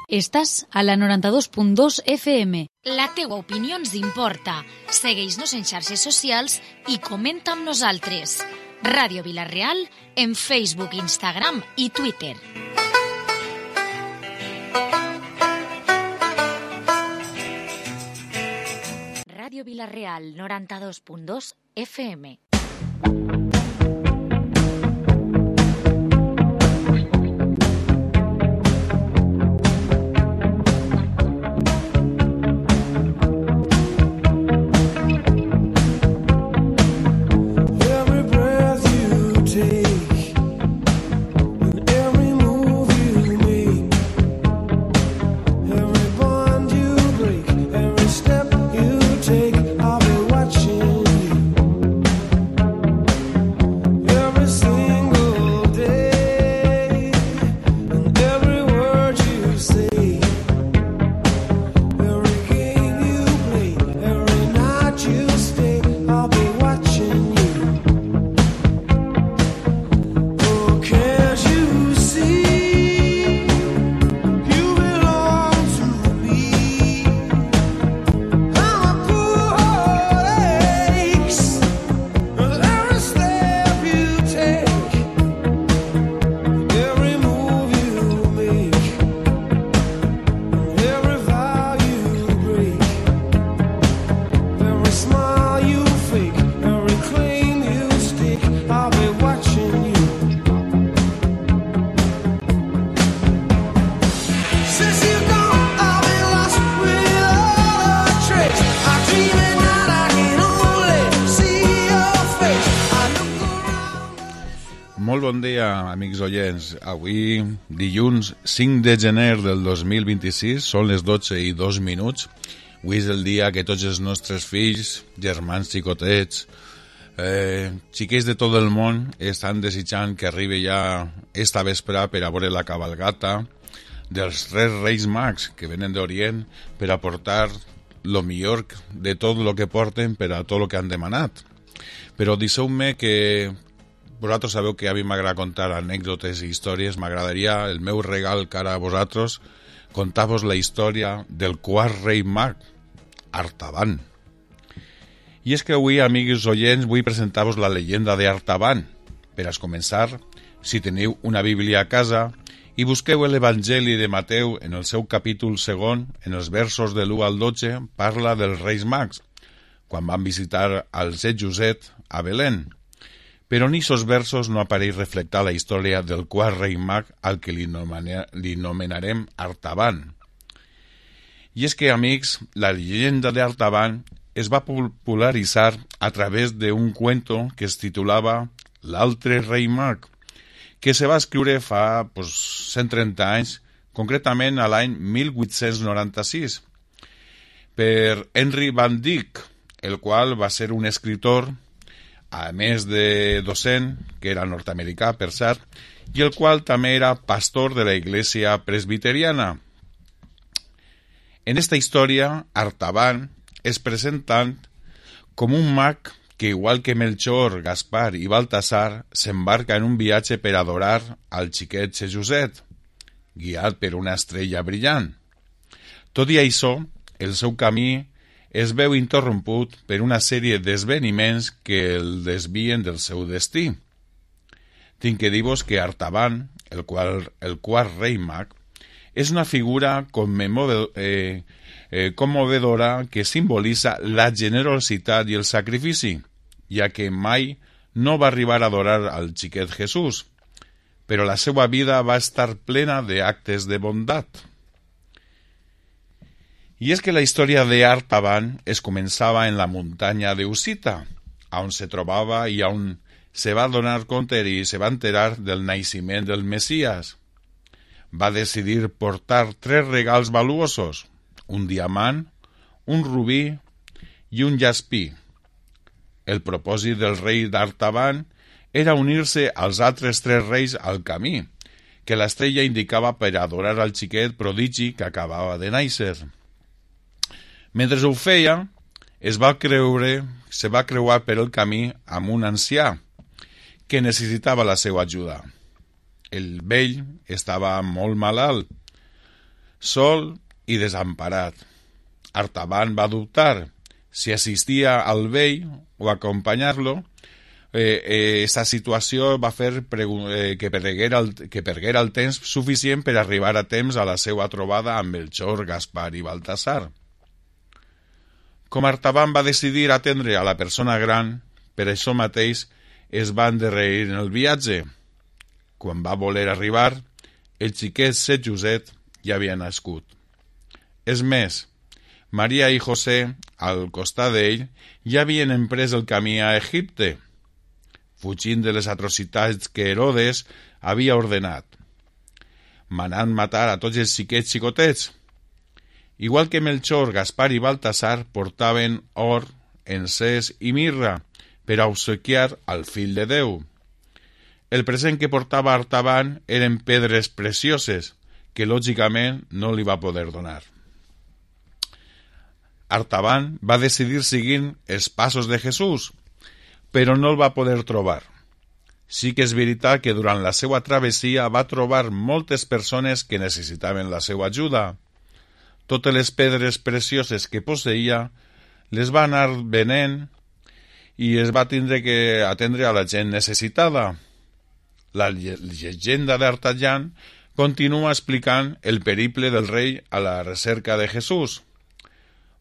Estàs a la 92.2 FM. La teua opinió ens importa. Segueix-nos en xarxes socials i comenta amb nosaltres. Ràdio Vila-real en Facebook, Instagram i Twitter. Ràdio Vila-real 92.2 FM. Bon dia, amics oients. Avui, dilluns 5 de gener del 2026, són les 12:02. Avui és el dia que tots els nostres fills, germans xicotets, xiquets de tot el món estan desitjant que arribi ja esta vespre per a veure la cabalgata dels tres Reis Mags que venen d'Orient per a portar lo millor de tot el que porten per a tot el que han demanat. Però deixeu-me que vosaltres sabeu que a mi m'agrada contar anècdotes i històries. M'agradaria, el meu regal cara a vosaltres, contar-vos la història del quart rei mag, Artaban. I és que avui, amics oients, vull presentar-vos la llegenda d'Artaban. Per a començar, si teniu una Bíblia a casa i busqueu l'Evangeli de Mateu en el seu capítol segon, en els versos de l'1 al 12, parla dels Reis Mags, quan van visitar al Set Josep a Belén. Però en aquests versos no apareix reflectar la història del quart rei mag al que li nomenarem Artaban. I és que, amics, la llegenda d'Artaban es va popularitzar a través d'un cuento que es titulava L'altre rei mag, que se va escriure fa 130 anys, concretament a l'any 1896, per Henry Van Dyck, el qual va ser un escritor, a més de docent, que era nord-americà, per cert, i el qual també era pastor de la Iglesia presbiteriana. En esta història, Artaban es presenta com un mag que, igual que Melchor, Gaspar i Baltasar, s'embarca en un viatge per adorar al xiquet Josep, guiat per una estrella brillant. Tot i això, el seu camí es veu interromput per una sèrie d'esdeveniments que el desvien del seu destí. Tinc que dir-vos que Artaban, el quart rei mag, és una figura commovedora que simbolitza la generositat i el sacrifici, ja que mai no va arribar a adorar al xiquet Jesús, però la seva vida va estar plena d'actes de bondat. I és que la història d'Artaban es començava en la muntanya d'Usita, on se trobava i on se va donar compte i se va enterar del naixement del Messies. Va decidir portar 3 regals valuosos, un diamant, un rubí i un jaspí. El propòsit del rei d'Artaban era unir-se als altres 3 reis al camí, que l'estrella indicava per adorar al xiquet prodigi que acabava de néixer. Mentre ho feia, se va creuar per el camí amb un ancià que necessitava la seva ajuda. El vell estava molt malalt. sol i desemparat. Artaban va dubtar si assistia al vell o acompanyar-lo. Aquesta situació va fer que perguera el temps suficient per arribar a temps a la seva trobada amb Melchor, Gaspar i Baltasar. Com Artaban va decidir atendre a la persona gran, per això mateix es va endarrerir en el viatge. Quan va voler arribar, el xiquet Set Joset ja havia nascut. És més, Maria i José, al costat d'ell, ja havien emprès el camí a Egipte, fugint de les atrocitats que Herodes havia ordenat, manant matar a tots els xiquets xicotets. Igual que Melchor, Gaspar i Baltasar portaven or, encès i mirra per a obsequiar al fill de Déu. El present que portava Artaban eren pedres precioses que lògicament no li va poder donar. Artaban va decidir seguir els passos de Jesús, però no el va poder trobar. Sí que és veritat que durant la seva travessia va trobar moltes persones que necessitaven la seva ajuda. Totes les pedres precioses que posseïa les va anar venent i es va tindre que atendre a la gent necessitada. La llegenda d'Artaban continua explicant el periple del rei a la recerca de Jesús,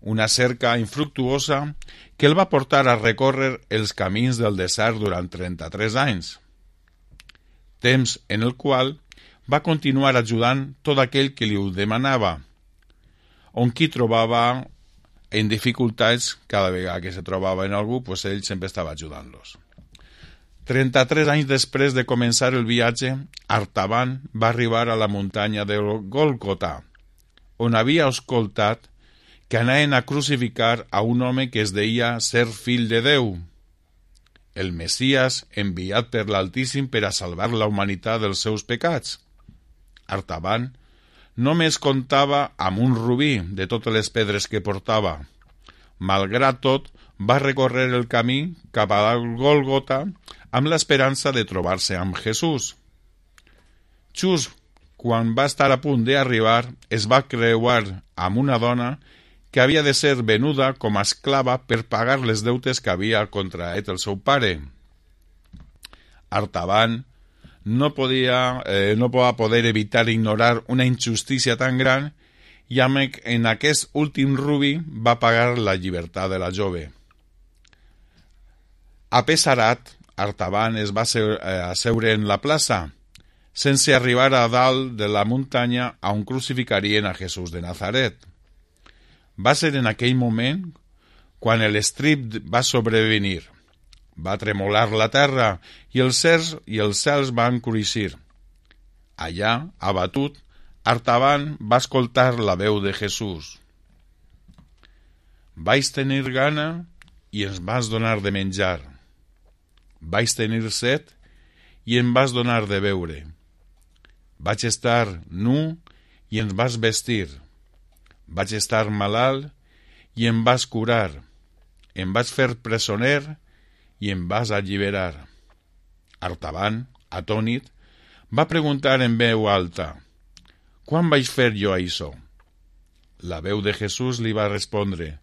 una cerca infructuosa que el va portar a recórrer els camins del desert durant 33 anys, temps en el qual va continuar ajudant tot aquell que li ho demanava, on qui trobava en dificultats, cada vegada que se trobava en algú, pues ell sempre estava ajudant-los. 33 anys després de començar el viatge, Artaban va arribar a la muntanya de Gòlgota, on havia escoltat que anaven a crucificar a un home que es deia ser fill de Déu, el Messias enviat per l'Altíssim per a salvar la humanitat dels seus pecats. Artaban només comptava amb un rubí de totes les pedres que portava. Malgrat tot, va recórrer el camí cap a Gòlgota amb l'esperança de trobar-se amb Jesús. Just quan va estar a punt d'arribar, es va creuar amb una dona que havia de ser venuda com a esclava per pagar les deutes que havia contraet el seu pare. Artaban no va poder evitar ignorar una injustícia tan gran i en aquest últim rubí va pagar la llibertat de la jove. Apesarat, Artaban es va asseure en la plaça, sense arribar a dalt de la muntanya on crucificarien a Jesús de Nazaret. Va ser en aquell moment quan l'estrip va sobrevenir. Va tremolar la terra i els cels van cruixir. Allà, abatut, Artaban va escoltar la veu de Jesús. Vaig tenir gana i ens vas donar de menjar. Vaig tenir set i em vas donar de beure. Vaig estar nu i ens vas vestir. Vaig estar malalt i em vas curar. Em vas fer presoner i em vas alliberar. Artaban, atònit, va preguntar en veu alta: «Quan vaig fer jo això?» La veu de Jesús li va respondre: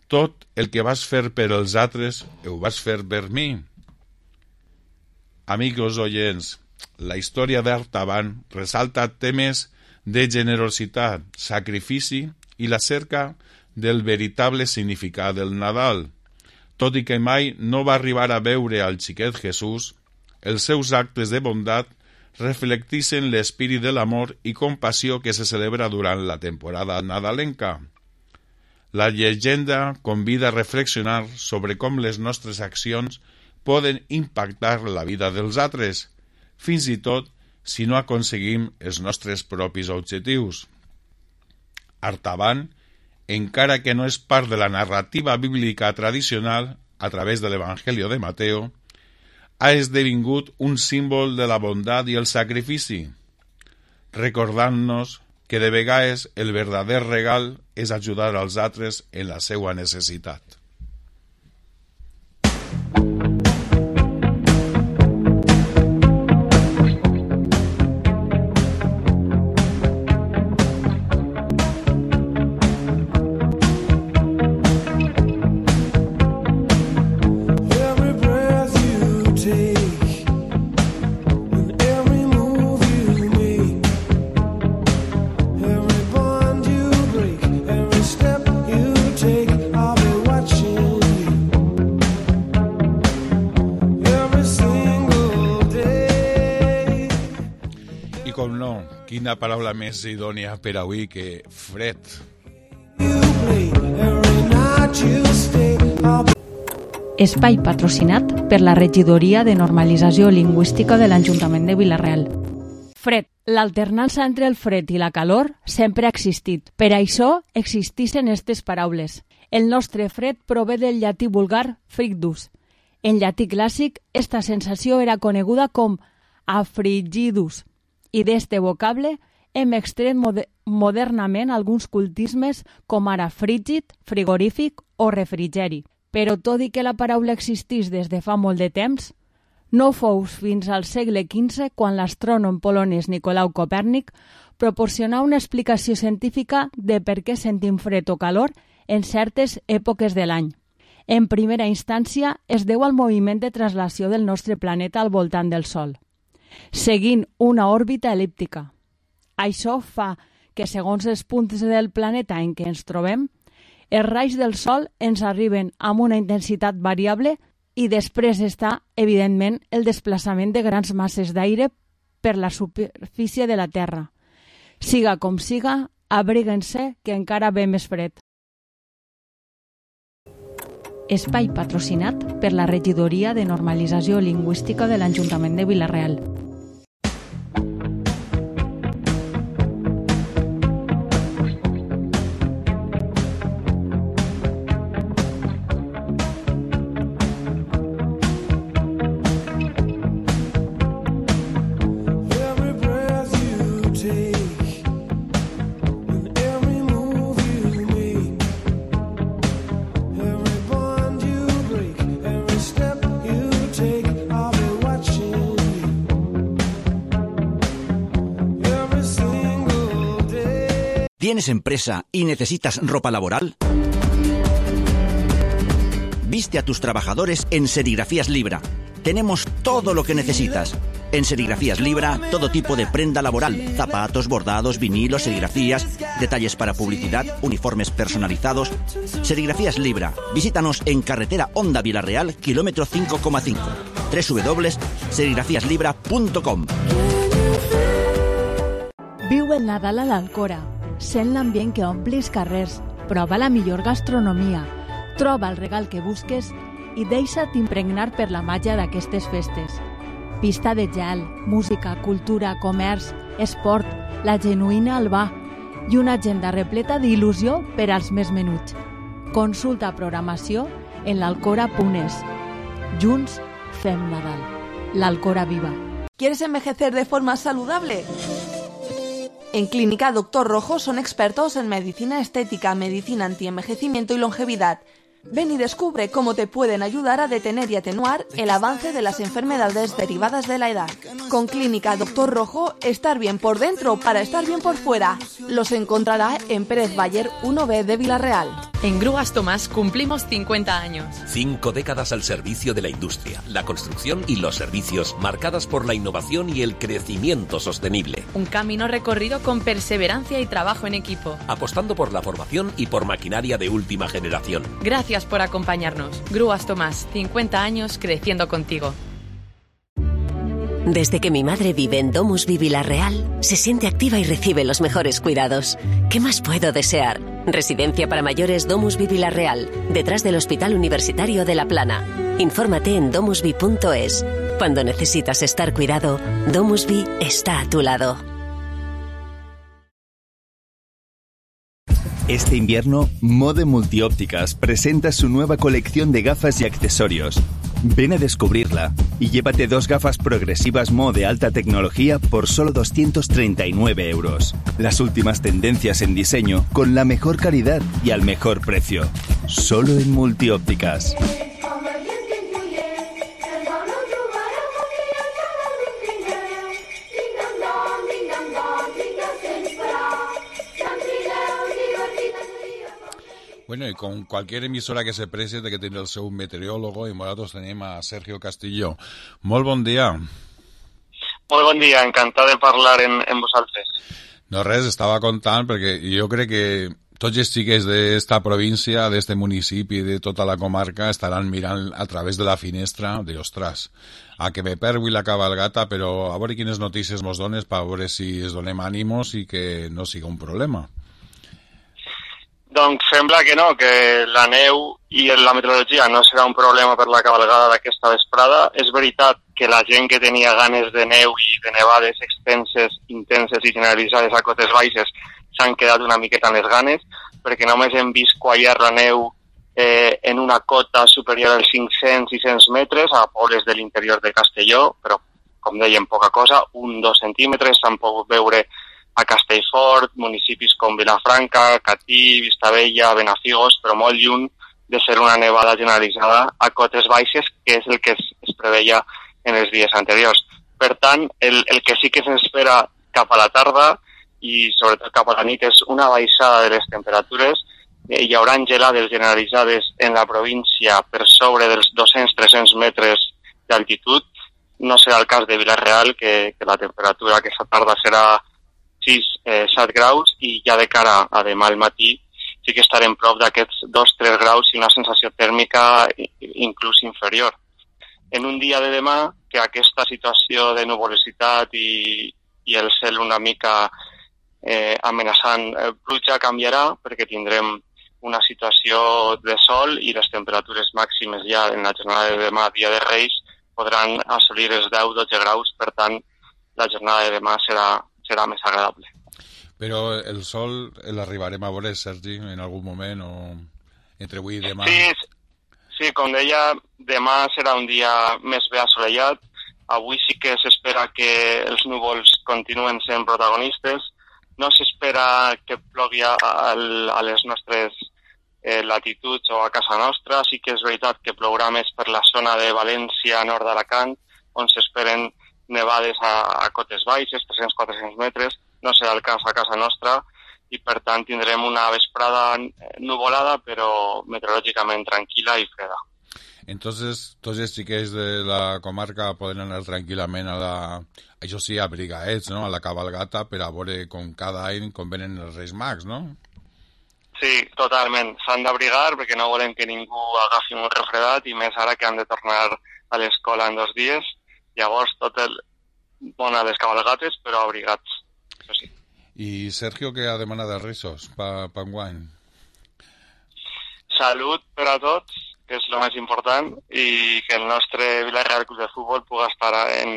«Tot el que vas fer per els altres, ho vas fer per mi». Amigos oyents, la història d'Artaban ressalta temes de generositat, sacrifici i la cerca del veritable significat del Nadal. Tot i que mai no va arribar a veure al xiquet Jesús, els seus actes de bondat reflecteixen l'espírit de l'amor i compassió que se celebra durant la temporada nadalenca. La llegenda convida a reflexionar sobre com les nostres accions poden impactar la vida dels altres, fins i tot si no aconseguim els nostres propis objectius. Artaban, encara que no és part de la narrativa bíblica tradicional a través de l'Evangeli de Mateo, ha esdevingut un símbol de la bondat i el sacrifici, recordant-nos que de vegades el verdader regal és ajudar als altres en la seva necessitat. quina paraula més idònia per avui que fred. Espai patrocinat per la Regidoria de Normalització Lingüística de l'Ajuntament de Vila-real. Fred. L'alternança entre el fred i la calor sempre ha existit. Per això existeixen aquestes paraules. El nostre fred prové del llatí vulgar frigdus. En llatí clàssic, esta sensació era coneguda com afrigidus, i d'este vocable hem extret modernament alguns cultismes com ara frígid, frigorífic o refrigeri. Però tot i que la paraula existís des de fa molt de temps, no fou fins al segle XV quan l'astrònom polonès Nicolau Copèrnic proporcionà una explicació científica de per què sentim fred o calor en certes èpoques de l'any. En primera instància, es deu al moviment de traslació del nostre planeta al voltant del Sol, seguint una òrbita el·líptica. Això fa que, segons els punts del planeta en què ens trobem, els raigs del Sol ens arriben amb una intensitat variable i després està, evidentment, el desplaçament de grans masses d'aire per la superfície de la Terra. Siga com siga, abriguen-se que encara ve més fred. Espai patrocinat per la Regidoria de Normalització Lingüística de l'Ajuntament de Vila-real. ¿Tienes empresa y necesitas ropa laboral? Viste a tus trabajadores en Serigrafías Libra. Tenemos todo lo que necesitas. En Serigrafías Libra, todo tipo de prenda laboral, zapatos, bordados, vinilos, serigrafías, detalles para publicidad, uniformes personalizados. Serigrafías Libra. Visítanos en carretera Honda Vila-real, kilómetro 5,5. www.serigrafiaslibra.com. Viu el Nadal a l'Alcora. Sent l'ambient que omple els carrers, prova la millor gastronomia, troba el regal que busques i deixa't impregnar per la màgia d'aquestes festes. Pista de gel, música, cultura, comerç, esport, la genuïna albà i una agenda repleta d'il·lusió per als més menuts. Consulta programació en l'alcora.es. Junts fem Nadal. L'Alcora viva. ¿Quieres envejecer de forma saludable? En Clínica Dr. Rojo son expertos en medicina estética, medicina antienvejecimiento y longevidad. Ven y descubre cómo te pueden ayudar a detener y atenuar el avance de las enfermedades derivadas de la edad. Con Clínica Dr. Rojo, estar bien por dentro para estar bien por fuera. Los encontrará en Pérez Bayer 1B de Vila-real. En Grúas Tomás cumplimos 50 años. 5 décadas al servicio de la industria, la construcción y los servicios, marcadas por la innovación y el crecimiento sostenible. Un camino recorrido con perseverancia y trabajo en equipo. Apostando por la formación y por maquinaria de última generación. Gracias por acompañarnos. Grúas Tomás, 50 años creciendo contigo. Desde que mi madre vive en Domusvi Vila-real, se siente activa y recibe los mejores cuidados. ¿Qué más puedo desear? Residencia para mayores Domusvi Vila-real, detrás del Hospital Universitario de La Plana. Infórmate en domusvi.es. Cuando necesitas estar cuidado, Domusvi está a tu lado. Este invierno, Mode Multiópticas presenta su nueva colección de gafas y accesorios. Ven a descubrirla y llévate 2 gafas progresivas Mo de alta tecnología por solo 239 €. Las últimas tendencias en diseño con la mejor calidad y al mejor precio. Solo en Multiópticas. Bueno, y con cualquier emisora que se precie de que tiene el seu meteorólogo, y nosotros tenemos a Sergio Castillo. Molt bon dia. Molt bon dia, encantat de parlar en vosaltres. No res, estava contant perquè jo crec que tots els xiquets d'esta província, d'este municipi, de tota la comarca, estaran mirant a través de la finestra de, ostres, a que me pergui la cabalgata, però a veure quines notícies mos dones per veure si es donem ànimos i que no siga un problema. Doncs sembla que no, que la neu i la meteorologia no serà un problema per la cabalgada d'aquesta vesprada. És veritat que la gent que tenia ganes de neu i de nevades extenses, intenses i generalitzades a cotes baixes s'han quedat una miqueta amb les ganes, perquè només hem vist quallar la neu en una cota superior als 500-600 metres a pobles de l'interior de Castelló, però, com dèiem, poca cosa, 1-2 centímetres, s'han pogut veure a Castellfort, municipis com Vilafranca, Catí, Vistabella, Benafigos, però molt lluny de ser una nevada generalitzada a cotes baixes, que és el que es preveia en els dies anteriors. Per tant, el que sí que s'espera cap a la tarda i sobretot cap a la nit és una baixada de les temperatures. Hi haurà gelades generalitzades en la província per sobre dels 200-300 metres d'altitud. No serà el cas de Vila-real, que la temperatura aquesta tarda serà 6-7 graus i ja de cara a demà al matí sí que estarem prop d'aquests 2-3 graus i una sensació tèrmica inclús inferior. En un dia de demà, que aquesta situació de nuvolositat i el cel una mica amenaçant pluja canviarà, perquè tindrem una situació de sol i les temperatures màximes ja en la jornada de demà, dia de Reis, podran assolir els 10-12 graus, per tant la jornada de demà serà més agradable. Però el sol l'arribarem a veure, Sergi, en algun moment o entre avui i demà? Sí, com deia, demà serà un dia més bé assolellat. Avui sí que s'espera que els núvols continuen sent protagonistes. No s'espera que plogui a les nostres latituds o a casa nostra. Sí que és veritat que plourà més per la zona de València, nord d'Alacant, on s'esperen nevades a cotes baixes, 300-400 metres. No serà el cas a casa nostra i, per tant, tindrem una vesprada nuvolada, però meteorològicament tranquil·la i freda. Entonces, tots els xiquets de la comarca poden anar tranquil·lament això sí, abrigaets, no?, a la cabalgata per a veure com cada any com venen els Reis Mags, no? Sí, totalment. S'han d'abrigar perquè no volem que ningú agafi un refredat i més ara que han de tornar a l'escola en 2 dies. Llavors, bon a les cabalgates, però abrigats. Sí. I Sergio, què ha demanat dels Reis per enguany? Salut per a tots, que és el més important, i que el nostre Vila-real Club de Futbol pugui estar en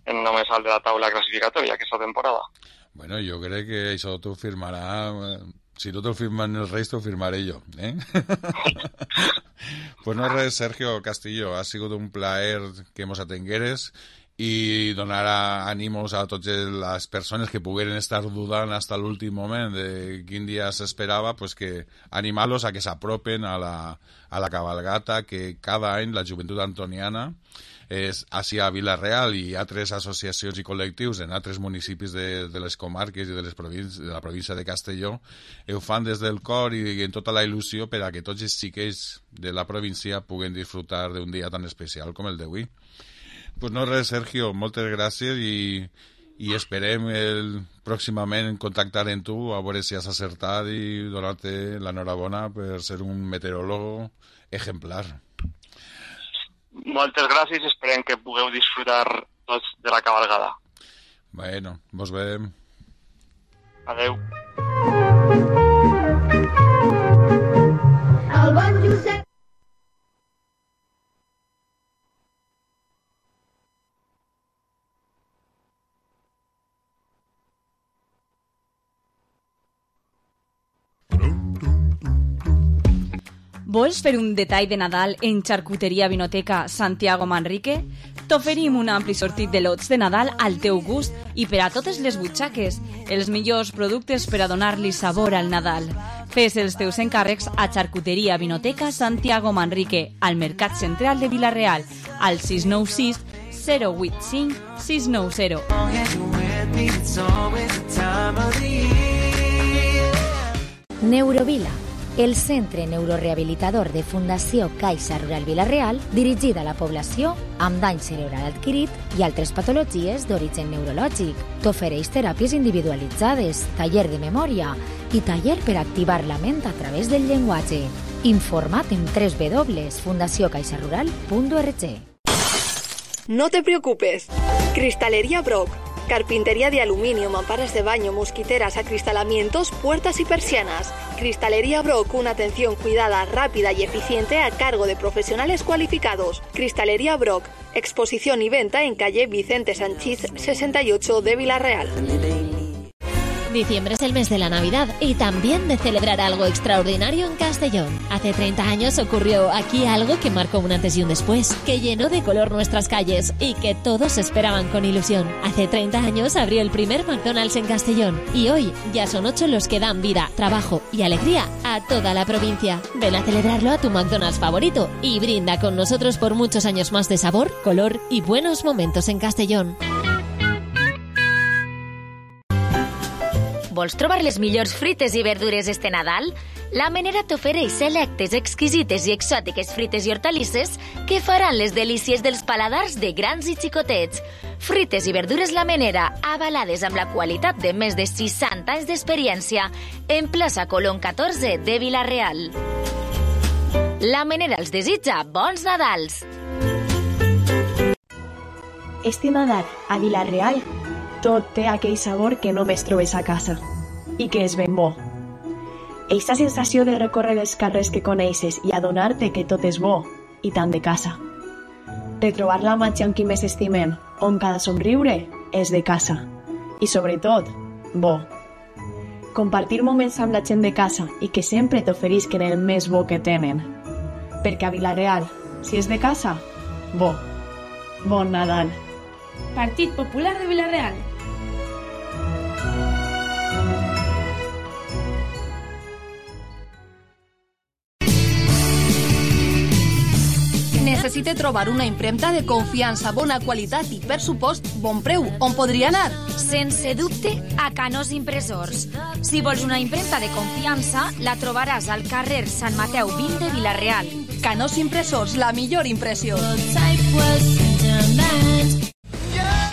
el més alt de la taula classificatòria aquesta temporada. Bueno, jo crec que això t'ho firmarà... Si no te'l firmen els Reis, t'ho firmaré jo, eh? Pues no res, Sergio Castillo, ha sigut un plaer que mos atengueres i donar ànimos a totes les persones que pogueren estar dudant fins a l'últim moment de quin dia s'esperava, pues que animar-los a que s'apropen a la cabalgata que cada any la Joventut Antoniana és així a Vila-real i altres associacions i col·lectius en altres municipis de les comarques i de la província de Castelló ho fan des del cor i en tota la il·lusió per a que tots els xiquets de la província puguen disfrutar d'un dia tan especial com el d'avui. Pues no res, Sergio, moltes gràcies i esperem pròximament contactar amb tu a veure si has acertat i donar-te l'enhorabona per ser un meteoròleg exemplar. Moltes gràcies i esperem que pugueu disfrutar tots de la cabalgada. Bueno, mos veiem. Adeu. El bon Josep. Vols fer un detall de Nadal en Xarcuteria Vinoteca Santiago Manrique? T'oferim un ampli sortit de lots de Nadal al teu gust i per a totes les butxaques, els millors productes per a donar-li sabor al Nadal. Fes els teus encàrrecs a Xarcuteria Vinoteca Santiago Manrique, al Mercat Central de Vila-real, al 696 085 690. Neurovila, el Centre Neurorehabilitador de Fundació Caixa Rural Vila-real, dirigida a la població amb dany cerebral adquirit i altres patologies d'origen neurològic. T'ofereix teràpies individualitzades, taller de memòria i taller per activar la ment a través del llenguatge. Informa't en www.fundaciocaixarural.org. No te preocupes. Cristalería Brock. Carpintería de aluminio, mamparas de baño, mosquiteras, acristalamientos, puertas y persianas. Cristalería Brock, una atención cuidada, rápida y eficiente a cargo de profesionales cualificados. Cristalería Brock, exposición y venta en calle Vicente Sanchís 68 de Vila-real. Diciembre es el mes de la Navidad y también de celebrar algo extraordinario en Castellón. Hace 30 años ocurrió aquí algo que marcó un antes y un después, que llenó de color nuestras calles y que todos esperaban con ilusión. Hace 30 años abrió el primer McDonald's en Castellón y hoy ya son 8 los que dan vida, trabajo y alegría a toda la provincia. Ven a celebrarlo a tu McDonald's favorito y brinda con nosotros por muchos años más de sabor, color y buenos momentos en Castellón. Vols trobar les millors frites i verdures este Nadal? La Menera t'ofereix selectes, exquisites i exòtiques frites i hortalisses que faran les delícies dels paladars de grans i xicotets. Frites i verdures La Menera, avalades amb la qualitat de més de 60 anys d'experiència, en plaça Colón 14 de Vila-real. La Menera els desitja bons Nadals! Este Nadal, a Vila-real, tot té aquell sabor que només trobes a casa i que és ben bo. Eixa sensació de recórrer els carrers que coneixes i adonar-te que tot és bo i tant de casa. Retrobar la màgia amb qui més estimem, on cada somriure és de casa. I sobretot, bo. Compartir moments amb la gent de casa i que sempre t'oferisquen el més bo que tenen. Perquè a Vila-real, si és de casa, bo. Bon Nadal. Partit Popular de Vila-real. Necessite trobar una impremta de confiança, bona qualitat i, per supost, bon preu. On podria anar? Sense dubte, a Canós Impressors. Si vols una impremta de confiança, la trobaràs al carrer Sant Mateu 20 de Vila-real. Canós Impressors, la millor impressió.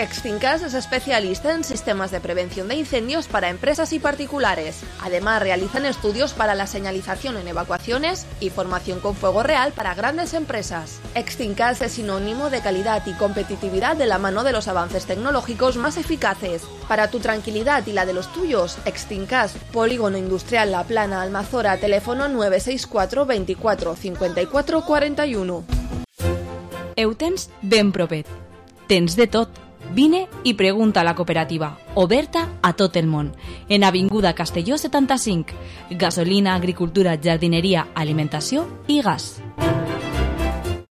Extinkas es especialista en sistemas de prevención de incendios para empresas y particulares. Además, realizan estudios para la señalización en evacuaciones y formación con fuego real para grandes empresas. Extinkas es sinónimo de calidad y competitividad de la mano de los avances tecnológicos más eficaces. Para tu tranquilidad y la de los tuyos, Extinkas, Polígono Industrial La Plana, Almazora, teléfono 964 24 54 41. Ho tens ben propet. Tens de tot. Vine i pregunta a la cooperativa, oberta a tot el món, en Avinguda Castelló 75. Gasolina, agricultura, jardinería, alimentació i gas.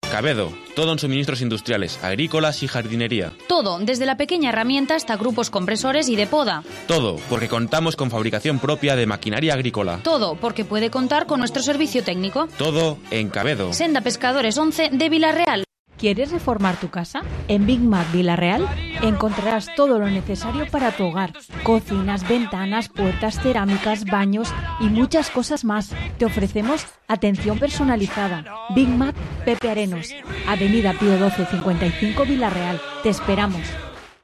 Cabedo, todo en suministros industriales, agrícolas y jardinería. Todo, desde la pequeña herramienta hasta grupos compresores y de poda. Todo, porque contamos con fabricación propia de maquinaria agrícola. Todo, porque puede contar con nuestro servicio técnico. Todo en Cabedo. Senda Pescadores 11 de Vila-real. ¿Quieres reformar tu casa? En Big Mac Vila-real encontrarás todo lo necesario para tu hogar. Cocinas, ventanas, puertas, cerámicas, baños y muchas cosas más. Te ofrecemos atención personalizada. Big Mac Pepe Arenos, Avenida Pío 12 55 Vila-real. Te esperamos.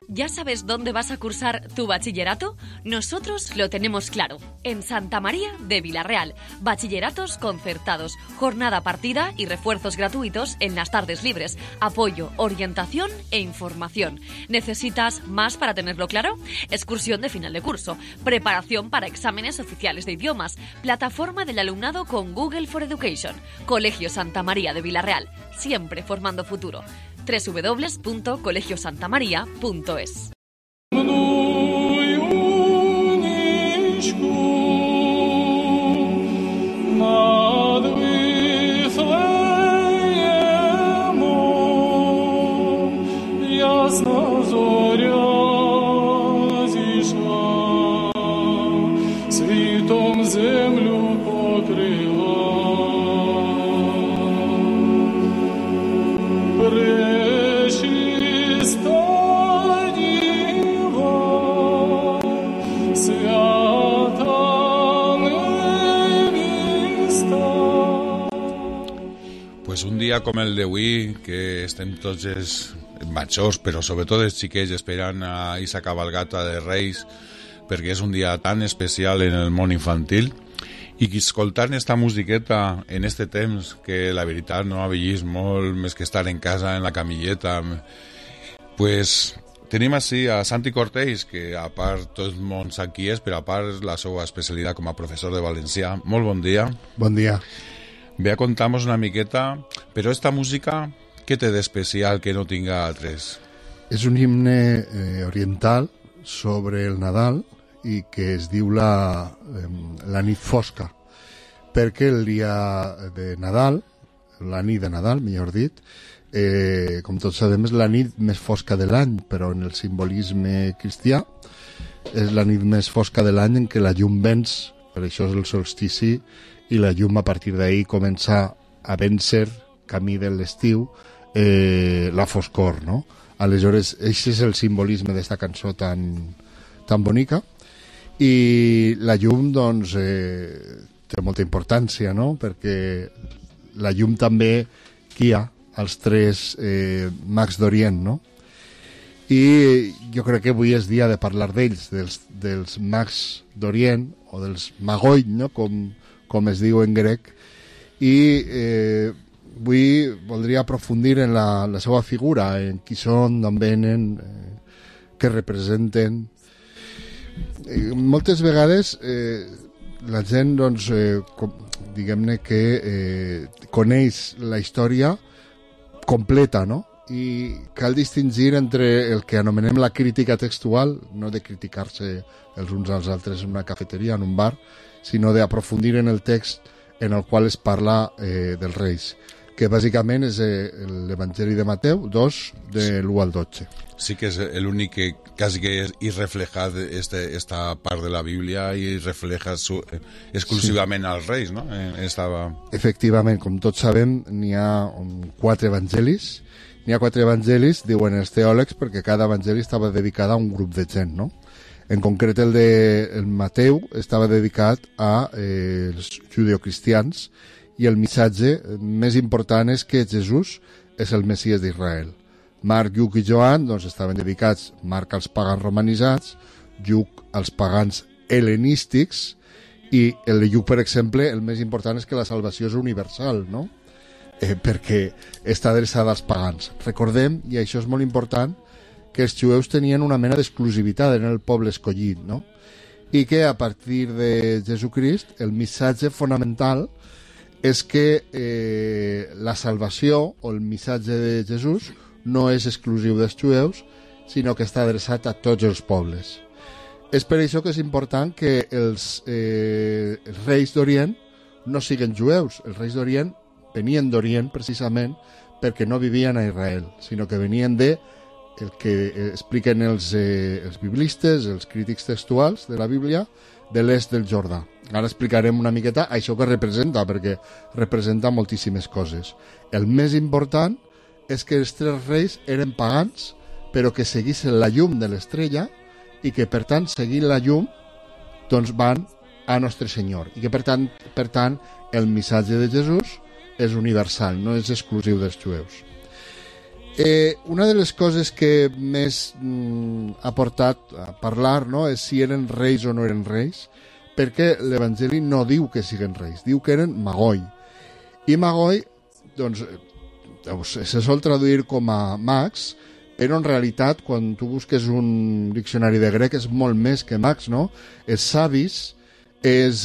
¿Ya sabes dónde vas a cursar tu bachillerato? Nosotros lo tenemos claro. En Santa María de Vila-real. Bachilleratos concertados, jornada partida y refuerzos gratuitos en las tardes libres. Apoyo, orientación e información. ¿Necesitas más para tenerlo claro? Excursión de final de curso, preparación para exámenes oficiales de idiomas, plataforma del alumnado con Google for Education. Colegio Santa María de Vila-real, siempre formando futuro. www.colegiosantamaria.es. dia com el d'avui, que estem tots els majors, però sobretot els xiquets esperant a aquesta cabalgata de Reis, perquè és un dia tan especial en el món infantil, i que escoltant esta musiqueta en este temps, que la veritat no ha vist molt més que estar en casa, en la camilleta, pues tenim així a Santi Cortells, que a part tot el món sap qui és, però a part la seva especialitat com a professor de valencià. Molt bon dia. Bon dia. Ve a contar-nos una miqueta, però esta música, què té d'especial que no tinga altres? És un himne oriental sobre el Nadal i que es diu la nit fosca, perquè el dia de Nadal, la nit de Nadal, millor dit, com tots sabem, és la nit més fosca de l'any, però en el simbolisme cristià és la nit més fosca de l'any en què la llum venç, per això és el solstici, i la llum a partir d'ahir comença a vèncer, camí de l'estiu, la foscor, no? Aleshores, aquest és el simbolisme d'esta cançó tan bonica, i la llum, doncs, té molta importància, no? Perquè la llum també guia els tres mags d'Orient, no? I jo crec que avui és dia de parlar d'ells, dels mags d'Orient, o dels magoi, no? Com es diu en grec, i avui voldria aprofundir en la seva figura, en qui són, d'on venen, què representen. Moltes vegades la gent, doncs, diguem-ne que coneix la història completa, no? I cal distingir entre el que anomenem la crítica textual, no de criticar-se els uns als altres en una cafeteria, en un bar, sinó d'aprofundir en el text en el qual es parla dels Reis, que bàsicament és l'Evangeli de Mateu 2, de l'1 al 12. Sí que és l'únic que quasi que és reflejat esta part de la Bíblia i refleja exclusivament als Reis, no? Efectivament, com tots sabem, n'hi ha 4 evangelis. N'hi ha 4 evangelis, diuen els teòlegs, perquè cada evangeli estava dedicat a un grup de gent, no? En concret, el de Mateu estava dedicat als judeocristians i el missatge més important és que Jesús és el Messies d'Israel. Marc, Lluc i Joan doncs, estaven dedicats, Marc als pagans romanitzats, Lluc als pagans hel·lenístics, i el de Lluc, per exemple, el més important és que la salvació és universal, no? Perquè està adreçada als pagans. Recordem, i això és molt important, que els jueus tenien una mena d'exclusivitat en el poble escollit, no? I que a partir de Jesucrist el missatge fonamental és que la salvació o el missatge de Jesús no és exclusiu dels jueus, sinó que està adreçat a tots els pobles. És per això que és important que els reis d'Orient no siguen jueus. Els reis d'Orient venien d'Orient precisament perquè no vivien a Israel, sinó que venien de el que expliquen els biblistes, els crítics textuals de la Bíblia, de l'est del Jordà. Ara explicarem una miqueta això que representa, perquè representa moltíssimes coses. El més important és que els 3 reis eren pagans, però que seguissin la llum de l'estrella i que, per tant, seguint la llum, doncs van a Nostre Senyor. I que, per tant, el missatge de Jesús és universal, no és exclusiu dels jueus. Una de les coses que més ha portat a parlar, no, és si eren reis o no eren reis, perquè l'Evangeli no diu que siguen reis, diu que eren magoi. I magoi, doncs, se sol traduir com a mags, però en realitat, quan tu busques un diccionari de grec, és molt més que mags, no? És savis, és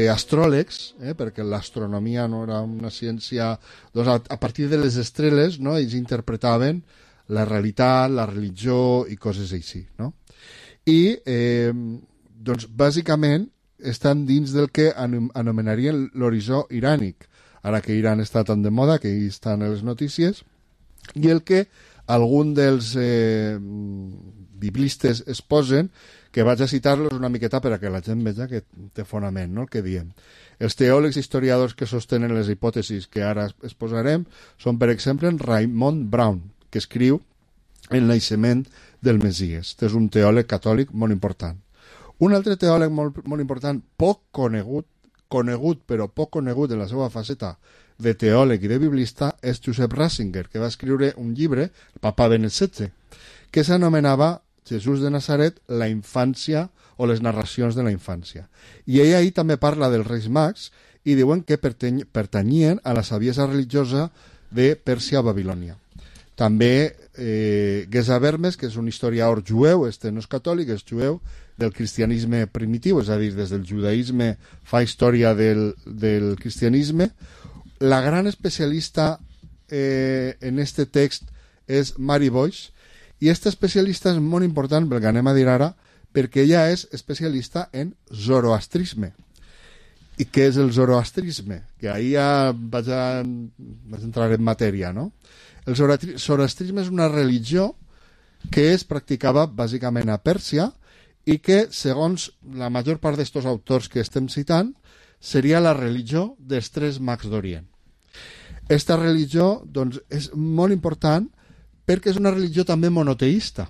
astròlegs, perquè l'astronomia no era una ciència, doncs a partir de les estrelles, no, ells interpretaven la realitat, la religió i coses així, no? I doncs bàsicament estan dins del que anomenarien l'horitzó irànic, ara que Iran està tan de moda, que hi estan a les notícies, i el que algun dels biblistes es posen, que vaig a citar-los una miqueta per a que la gent veja que té fonament, no?, el que diem. Els teòlegs historiadors que sostenen les hipòtesis que ara exposarem són, per exemple, Raymond Brown, que escriu El naixement del Messies. Este és un teòleg catòlic molt important. Un altre teòleg molt important, poc conegut però poc conegut en la seva faceta de teòleg i de biblista és Josep Ratzinger, que va escriure un llibre, el papa Benet XVI, que s'anomenava Jesús de Nazaret, la infància o les narracions de la infància. I ell ahí també parla dels Reis Mags i diuen que pertanyien a la saviesa religiosa de Pèrsia o Babilònia. També Gesa Vermes, que és un historiador jueu, no és catòlic, és jueu, del cristianisme primitiu, és a dir, des del judaïsme fa història del cristianisme. La gran especialista en este text és Mary Boyce, i aquesta especialista és molt important, pel que anem a dir ara, perquè ella és especialista en zoroastrisme. I què és el zoroastrisme? Que ahir ja vaig entrar en matèria, no? El zoroastrisme és una religió que es practicava bàsicament a Pèrsia i que, segons la major part d'estos autors que estem citant, seria la religió dels 3 mags d'Orient. Esta religió, doncs, és molt important perquè és una religió també monoteista.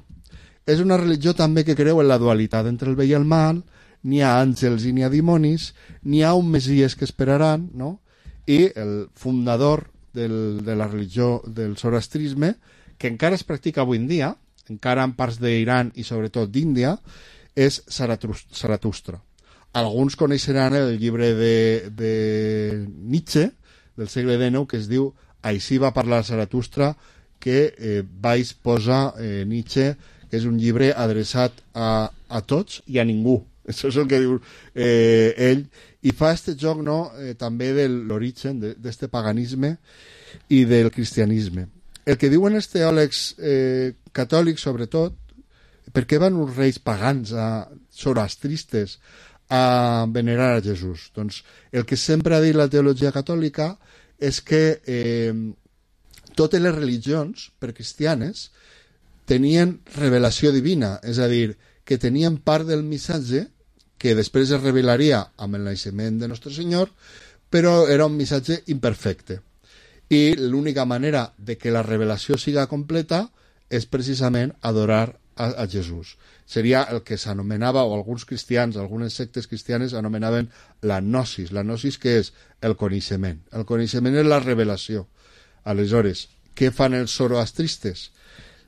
És una religió també que creu en la dualitat entre el bé i el mal, n'hi ha àngels i n'hi ha dimonis, n'hi ha un messies que esperaran, no? I el fundador de la religió del zoroastrisme, que encara es practica avui en dia, encara en parts d'Iran i sobretot d'Índia, és Zaratustra. Alguns coneixeran el llibre de Nietzsche, del segle XIX, que es diu Així va parlar Zaratustra, que vaig posar Nietzsche, que és un llibre adreçat a tots i a ningú. Això és el que diu ell. I fa este joc, no, també de l'origen d'este paganisme i del cristianisme. El que diuen els teòlegs catòlics, sobretot, per què van uns reis pagans, zoroastristes, a venerar a Jesús? Doncs el que sempre ha dit la teologia catòlica és que totes les religions precristianes tenien revelació divina, és a dir, que tenien part del missatge que després es revelaria amb el naixement de Nostre Senyor, però era un missatge imperfecte. I l'única manera de que la revelació siga completa és precisament adorar a Jesús. Seria el que s'anomenava, o alguns cristians, algunes sectes cristianes anomenaven la gnosis. La gnosis, què és? El coneixement. El coneixement és la revelació. Aleshores, què fan els zoroastristes?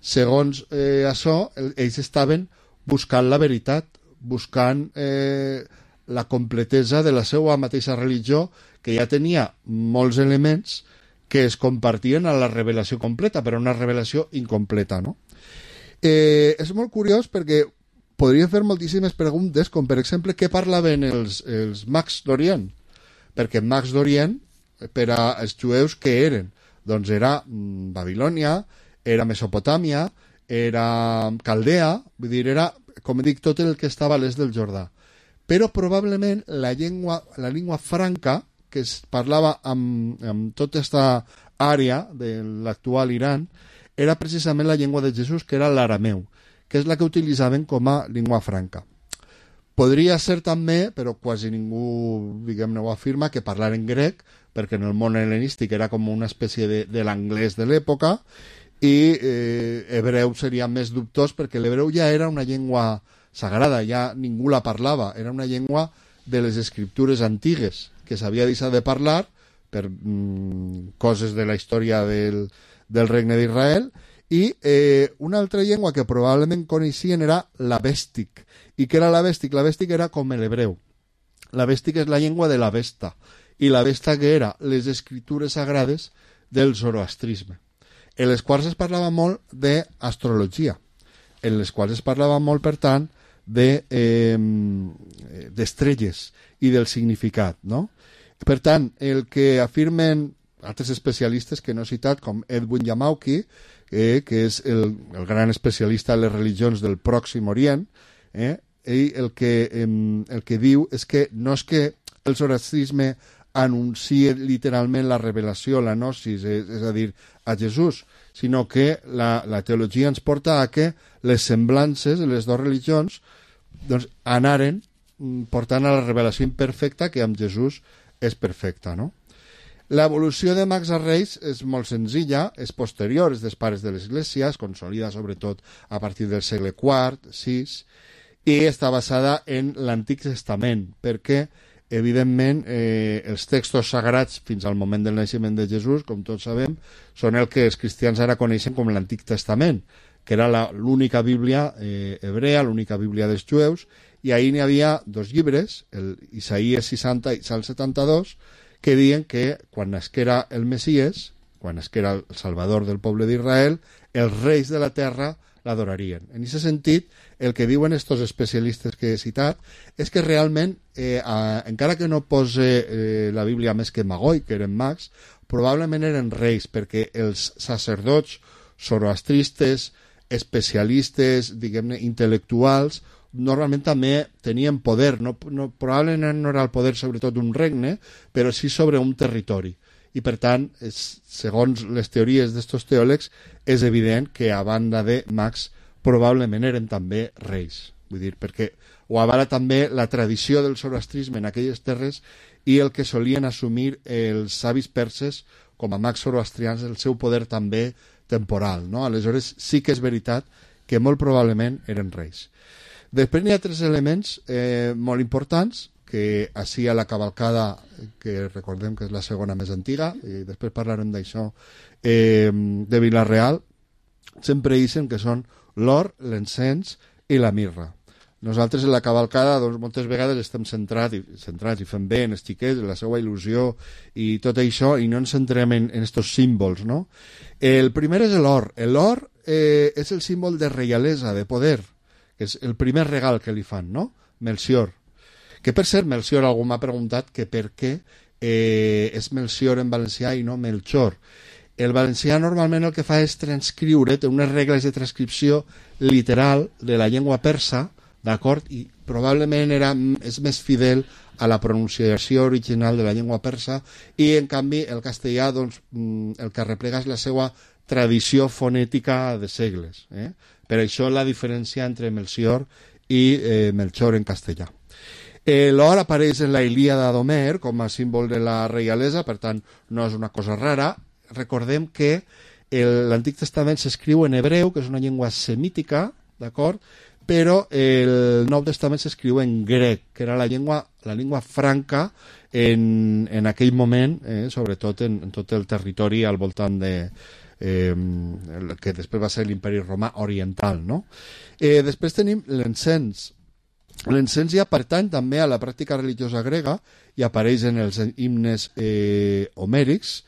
Segons això, ells estaven buscant la veritat, buscant la completesa de la seva mateixa religió, que ja tenia molts elements que es compartien a la revelació completa, però una revelació incompleta, no? És molt curiós perquè podria fer moltíssimes preguntes, com per exemple, què parlaven els mags d'Orient? Perquè mags d'Orient, per als jueus, què eren? Doncs era Babilònia, era Mesopotàmia, era Caldea, vull dir, era, com dic, tot el que estava a l'est del Jordà. Però probablement la llengua franca que es parlava amb tota aquesta àrea de l'actual Iran era precisament la llengua de Jesús, que era l'arameu, que és la que utilitzaven com a llengua franca. Podria ser també, però quasi ningú, diguem-ne, ho afirma, que parlaren grec, perquè en el món hel·lenístic era com una espècie de l'anglès de l'època, i hebreu seria més dubtós, perquè l'hebreu ja era una llengua sagrada, ja ningú la parlava, era una llengua de les escriptures antigues, que s'havia deixat de parlar per coses de la història del regne d'Israel, i una altra llengua que probablement coneixien era l'avèstic. I què era l'avèstic? L'avèstic era com l'hebreu. L'avèstic és la llengua de l'Avesta, i l'Avesta que era les escriptures sagrades del zoroastrisme, en les quals es parlava molt d'astrologia, en les quals es parlava molt, per tant, d'estrelles i del significat, no? Per tant, el que afirmen altres especialistes que no he citat, com Edwin Yamauchi, que és el gran especialista en les religions del Pròxim Orient, ell el que diu és que no és que el zoroastrisme anuncia literalment la revelació, la gnosis, és a dir, a Jesús, sinó que la teologia ens porta a que les semblances de les dues religions doncs, anaren portant a la revelació imperfecta, que amb Jesús és perfecta, no? L'evolució de mags a reis és molt senzilla, és posterior, és dels pares de l'Església, es consolida sobretot a partir del segle IV, VI, i està basada en l'Antic Testament, perquè evidentment, els textos sagrats fins al moment del naixement de Jesús, com tots sabem, són el que els cristians ara coneixen com l'Antic Testament, que era l'única Bíblia hebrea, l'única Bíblia dels jueus, i ahir n'hi havia 2 llibres, el Isaías 60 i Salm 72, que diuen que quan nasquera el Messies, quan nasquera el Salvador del poble d'Israel, els reis de la terra l'adorarien. En aquest sentit, el que diuen estos especialistes que he citat és que realment, encara que no posa la Bíblia més que Magoi, que eren mags, probablement eren reis, perquè els sacerdots zoroastristes, especialistes, diguem-ne, intel·lectuals, normalment també tenien poder, probablement no era el poder sobretot d'un regne, però sí sobre un territori. I per tant, segons les teories d'estos teòlegs, és evident que a banda de mags probablement eren també reis. Vull dir, perquè ho avala també la tradició del zoroastrisme en aquelles terres i el que solien assumir els savis perses com a mags zoroastrians, el seu poder també temporal, no? Aleshores sí que és veritat que molt probablement eren reis. Després n'hi ha 3 elements molt importants que així a la cavalcada, que recordem que és la segona més antiga, i després parlarem d'això, de Vila-real, sempre dicen que són l'or, l'encens i la mirra. Nosaltres en la cavalcada doncs, moltes vegades estem centrats i fem bé en els xiquets, en la seva il·lusió i tot això, i no ens centrem en estos símbols, no? El primer és l'or. L'or és el símbol de reialesa, de poder, que és el primer regal que li fan, no? Melcior. Que per cert, Melcior, algú m'ha preguntat que per què és Melcior en valencià i no Melchor. El valencià normalment el que fa és transcriure, té unes regles de transcripció literal de la llengua persa, d'acord? I probablement és més fidel a la pronunciació original de la llengua persa, i en canvi el castellà doncs, el que replega és la seva tradició fonètica de segles. Per això la diferència entre Melcior i Melchor en castellà. L'or apareix en la Ilíada d'Homer com a símbol de la reialesa, per tant no és una cosa rara. Recordem que l'Antic Testament s'escriu en hebreu, que és una llengua semítica, d'acord? Però el Nou Testament s'escriu en grec, que era la llengua franca en aquell moment, sobretot en tot el territori al voltant de que després va ser l'Imperi Romà Oriental, no? Després tenim l'encens. L'encens ja pertany també a la pràctica religiosa grega i apareix en els himnes homèrics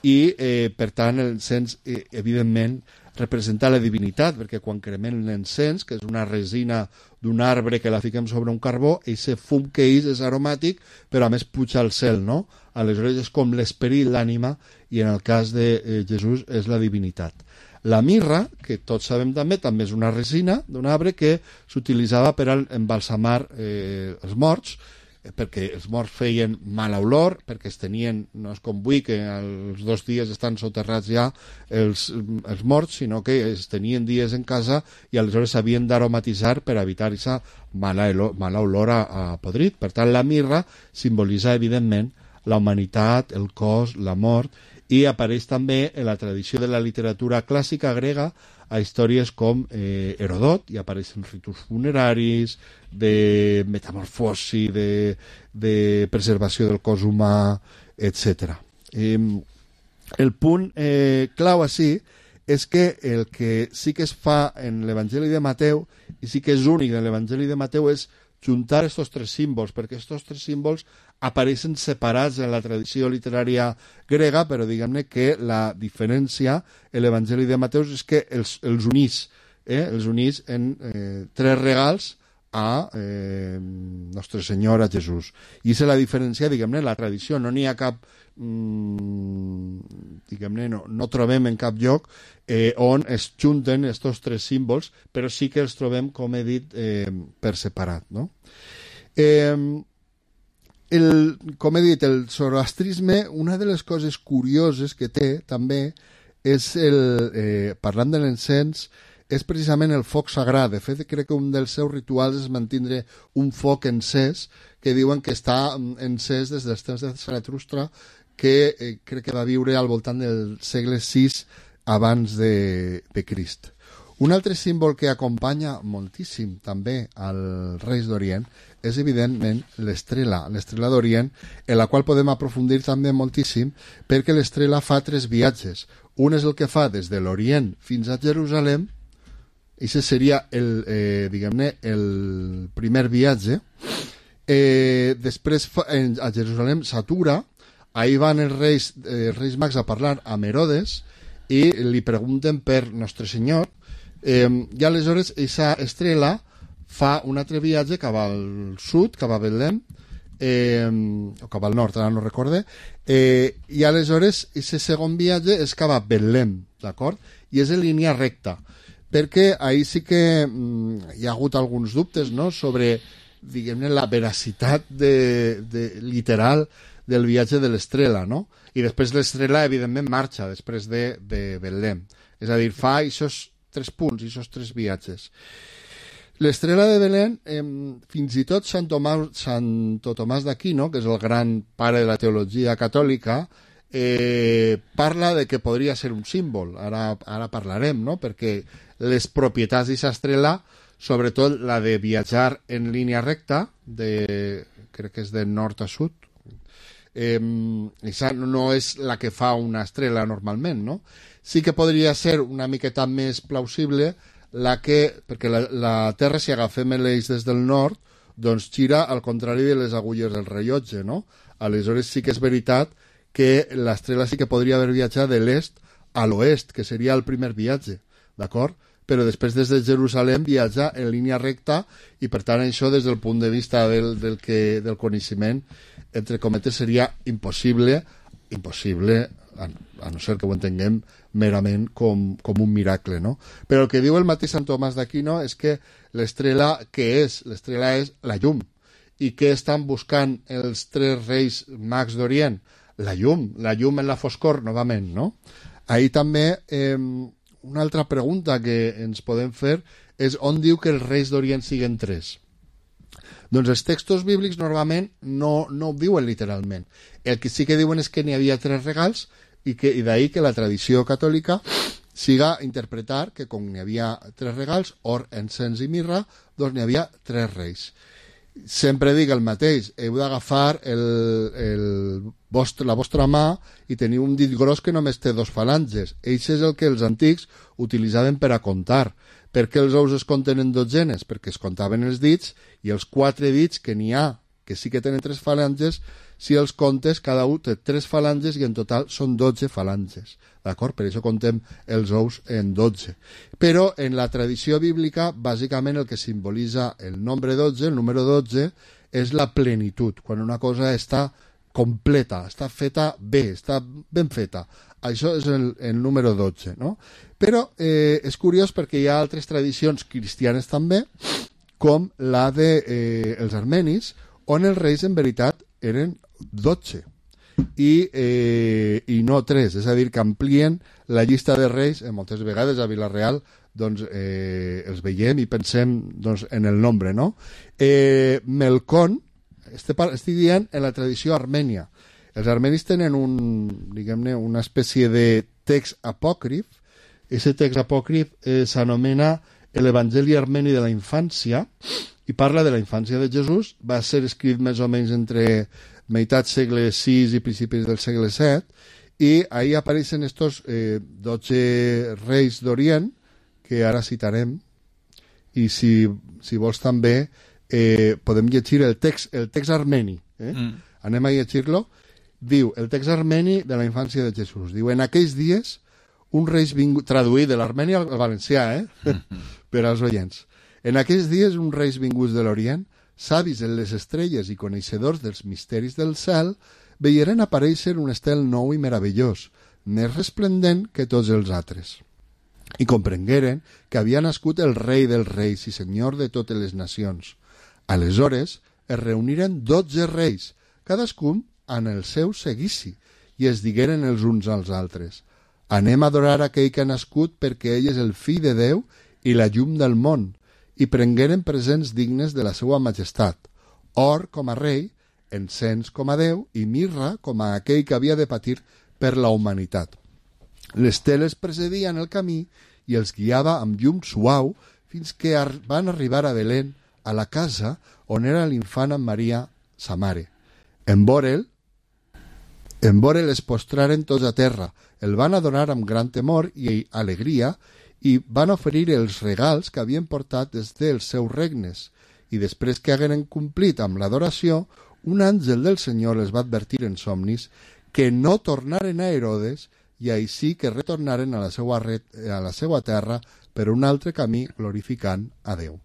i, per tant, l'encens, evidentment, representa la divinitat, perquè quan cremem l'encens, que és una resina d'un arbre que la fiquem sobre un carbó, aquest fum que és aromàtic, però a més puja al cel, no? Aleshores és com l'esperit, l'ànima, i en el cas de Jesús és la divinitat. La mirra, que tots sabem també és una resina d'un arbre que s'utilitzava per embalsamar els morts, perquè els morts feien mala olor, perquè es tenien, no és com avui que els 2 dies estan soterrats ja els morts, sinó que es tenien dies en casa i aleshores s'havien d'aromatitzar per evitar aquesta mala olor a podrit. Per tant, la mirra simbolitza evidentment la humanitat, el cos, la mort, i apareix també en la tradició de la literatura clàssica grega a històries com Herodot, i apareixen ritus funeraris, de metamorfosi, de preservació del cos humà, etc. El punt clau així és que el que sí que es fa en l'Evangeli de Mateu, i sí que és únic en l'Evangeli de Mateu, és juntar estos 3 símbols, perquè estos 3 símbols apareixen separats en la tradició literària grega, però diguem-ne que la diferència en l'Evangeli de Mateu és que els unís en 3 regals a Nostre Senyor, a Jesús. I és la diferència, diguem-ne, la tradició. No n'hi ha cap, diguem-ne, no trobem en cap lloc on es junten estos 3 símbols, però sí que els trobem, com he dit, per separat, no? Com he dit, el zoroastrisme, una de les coses curioses que té també és, parlant de l'encens, és precisament el foc sagrat. De fet, crec que un dels seus rituals és mantindre un foc encès, que diuen que està encès des dels temps de Zaratustra, que crec que va viure al voltant del segle VI abans de Crist. Un altre símbol que acompanya moltíssim també als Reis d'Orient és evidentment l'estrela d'Orient, en la qual podem aprofundir també moltíssim, perquè l'estrela fa 3 viatges. Un és el que fa des de l'Orient fins a Jerusalem, i aquest seria el primer viatge. Després a Jerusalem s'atura, ahí van els reis mags a parlar amb Herodes i li pregunten per Nostre Senyor, i aleshores aquesta estrela fa un altre viatge cap al sud, cap a Betlem, o cap al nord, ara no recorde, i aleshores aquest segon viatge és cap a Betlem, d'acord? I és en línia recta, perquè ahí sí que hi ha hagut alguns dubtes, no?, sobre, diguem-ne, la veracitat literal del viatge de l'estrela, no? I després l'estrela, evidentment, marxa després de Betlem. És a dir, fa aquests 3 punts, aquests 3 viatges. L'estrela de Belén, fins i tot Santo Tomàs d'Aquino, que és el gran pare de la teologia catòlica, parla de que podria ser un símbol. Ara parlarem, no?, perquè les propietats d'aquesta estrela, sobretot la de viatjar en línia recta, crec que és de nord a sud, no és la que fa una estrela normalment, no? Sí que podria ser una miqueta més plausible perquè la Terra, si agafem l'eix des del nord, doncs gira al contrari de les agulles del rellotge, no? Aleshores sí que és veritat que l'estrela sí que podria haver viatjat de l'est a l'oest, que seria el primer viatge, d'acord? Però després des de Jerusalem viatja en línia recta i per tant això des del punt de vista del coneixement, entre cometes, seria impossible, a no ser que ho entenguem merament com un miracle, no? Però el que diu el mateix Sant Tomàs d'Aquino és que l'estrela, què és? L'estrela és la llum. I què estan buscant els 3 reis mags d'Orient? La llum en la foscor, novament, no? Ahir també una altra pregunta que ens podem fer és on diu que els reis d'Orient siguen 3. Doncs els textos bíblics normalment no ho diuen literalment. El que sí que diuen és que n'hi havia 3 regals i d'ahir que la tradició catòlica siga interpretar que com n'hi havia 3 regals, or, encens i mirra, doncs n'hi havia 3 reis. Sempre dic el mateix, heu d'agafar la vostra mà i teniu un dit gros que només té 2 falanges. Eix és el que els antics utilitzaven per a comptar. Per què els ous es compten en dotzenes? Perquè es comptaven els dits i els 4 dits que n'hi ha, que sí que tenen 3 falanges, si els comptes, cada un té 3 falanges i en total són 12 falanges. D'acord? Per això comptem els ous en 12. Però en la tradició bíblica, bàsicament el que simbolitza el nombre 12, el número 12, és la plenitud, quan una cosa està completa, està feta bé, està ben feta. Això és el número 12, no? Però és curiós perquè hi ha altres tradicions cristianes també, com la dels armenis, on els reis en veritat eren 12 i no 3, és a dir, que amplien la llista de reis. Moltes vegades a Vila-real doncs, els veiem i pensem doncs, en el nombre, no? Melcón, estic dient en la tradició armènia. Els armenis tenen una espècie de text apòcrif. Aquest text apòcrif s'anomena l'Evangeli armeni de la infància i parla de la infància de Jesús. Va ser escrit més o menys entre meitat segle VI i principis del segle VII, i ahí apareixen estos 12 reis d'Orient, que ara citarem, i si vols també podem llegir el text armeni. Anem a llegir-lo. Diu, el text armeni de la infància de Jesús. Diu, en aquells dies, un reis vingut... Traduït de l'armeni al valencià, per als oients. En aquells dies, uns reis vinguts de l'Orient, savis en les estrelles i coneixedors dels misteris del cel, veieren aparèixer un estel nou i meravellós, més resplendent que tots els altres. I comprengueren que havia nascut el rei dels reis i senyor de totes les nacions. Aleshores, es reuniren 12 reis, cadascun en el seu seguici, i es digueren els uns als altres: anem a adorar aquell que ha nascut perquè ell és el fill de Déu i la llum del món, i prengueren presents dignes de la seva majestat, or com a rei, encens com a Déu i mirra com a aquell que havia de patir per la humanitat. L'estel els precedia en el camí i els guiava amb llum suau fins que van arribar a Belén, a la casa on era l'infant amb Maria, sa mare. En veure'l es postraren tots a terra, el van adorar amb gran temor i alegria i van oferir els regals que havien portat des dels seus regnes. I després que hagueren complit amb l'adoració, un àngel del Senyor les va advertir en somnis que no tornaren a Herodes i així que retornaren a la seva terra per un altre camí glorificant a Déu.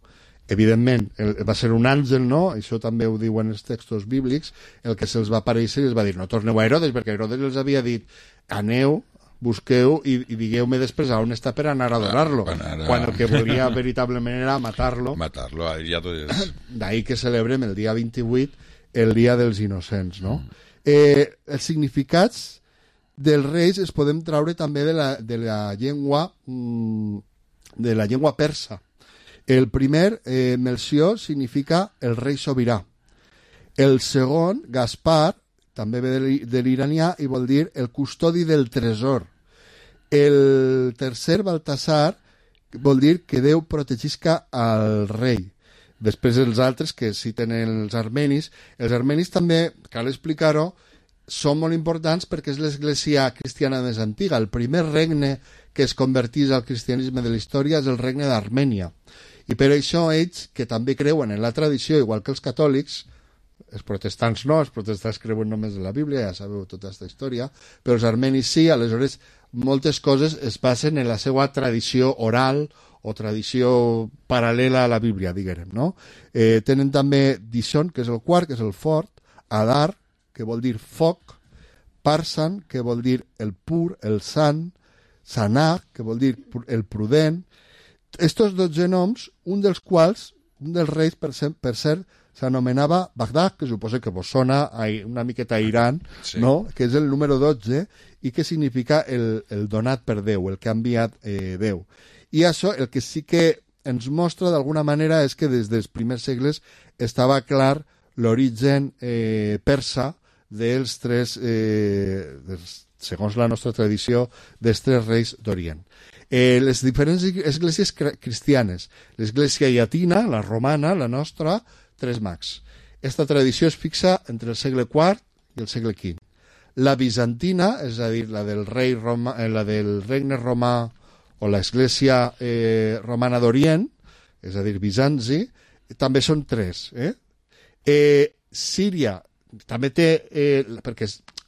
Evidentment, va ser un àngel, no? Això també ho diuen els textos bíblics, el que se'ls va aparèixer i els va dir no torneu a Herodes, perquè Herodes els havia dit aneu, busqueu i digueu-me després on està per anar a adorar-lo, quan el que volia veritablement era matar-lo. Matar-lo, ja tot és... D'ahir que celebrem el dia 28, el dia dels innocents, no? Els significats dels reis es podem traure també de la llengua persa. El primer, Melcior, significa el rei sobirà. El segon, Gaspar, també ve de l'iranià i vol dir el custodi del tresor. El tercer, Baltasar, vol dir que Déu protegisca al rei. Després els altres que citen els armenis també, cal explicar-ho, són molt importants perquè és l'església cristiana més antiga. El primer regne que es convertís al cristianisme de la història és el regne d'Armènia. I per això ells, que també creuen en la tradició, igual que els catòlics, els protestants no, els protestants creuen només en la Bíblia, ja sabeu tota aquesta història, però els armenis sí, aleshores moltes coses es basen en la seva tradició oral o tradició paral·lela a la Bíblia, diguem, no? Tenen també Dishon, que és el quart, que és el fort, Adar, que vol dir foc, Parsan, que vol dir el pur, el sant, Sanah, que vol dir el prudent. Estos 12 noms, un dels quals, un dels reis, per cert, s'anomenava Bagdad, que suposa que vos sona una miqueta a Iran, sí, no? Que és el número 12 i que significa el donat per Déu, el que ha enviat Déu. I això el que sí que ens mostra d'alguna manera és que des dels primers segles estava clar l'origen persa dels tres, segons la nostra tradició, dels tres reis d'Orient. Les diferents esglésies cristianes, l'església llatina, la romana, la nostra, tres mags. Esta tradició es fixa entre el segle IV i el segle V. La bizantina, és a dir, la del regne romà o l'església romana d'Orient, és a dir, Bizanci, també són tres. Síria també té, perquè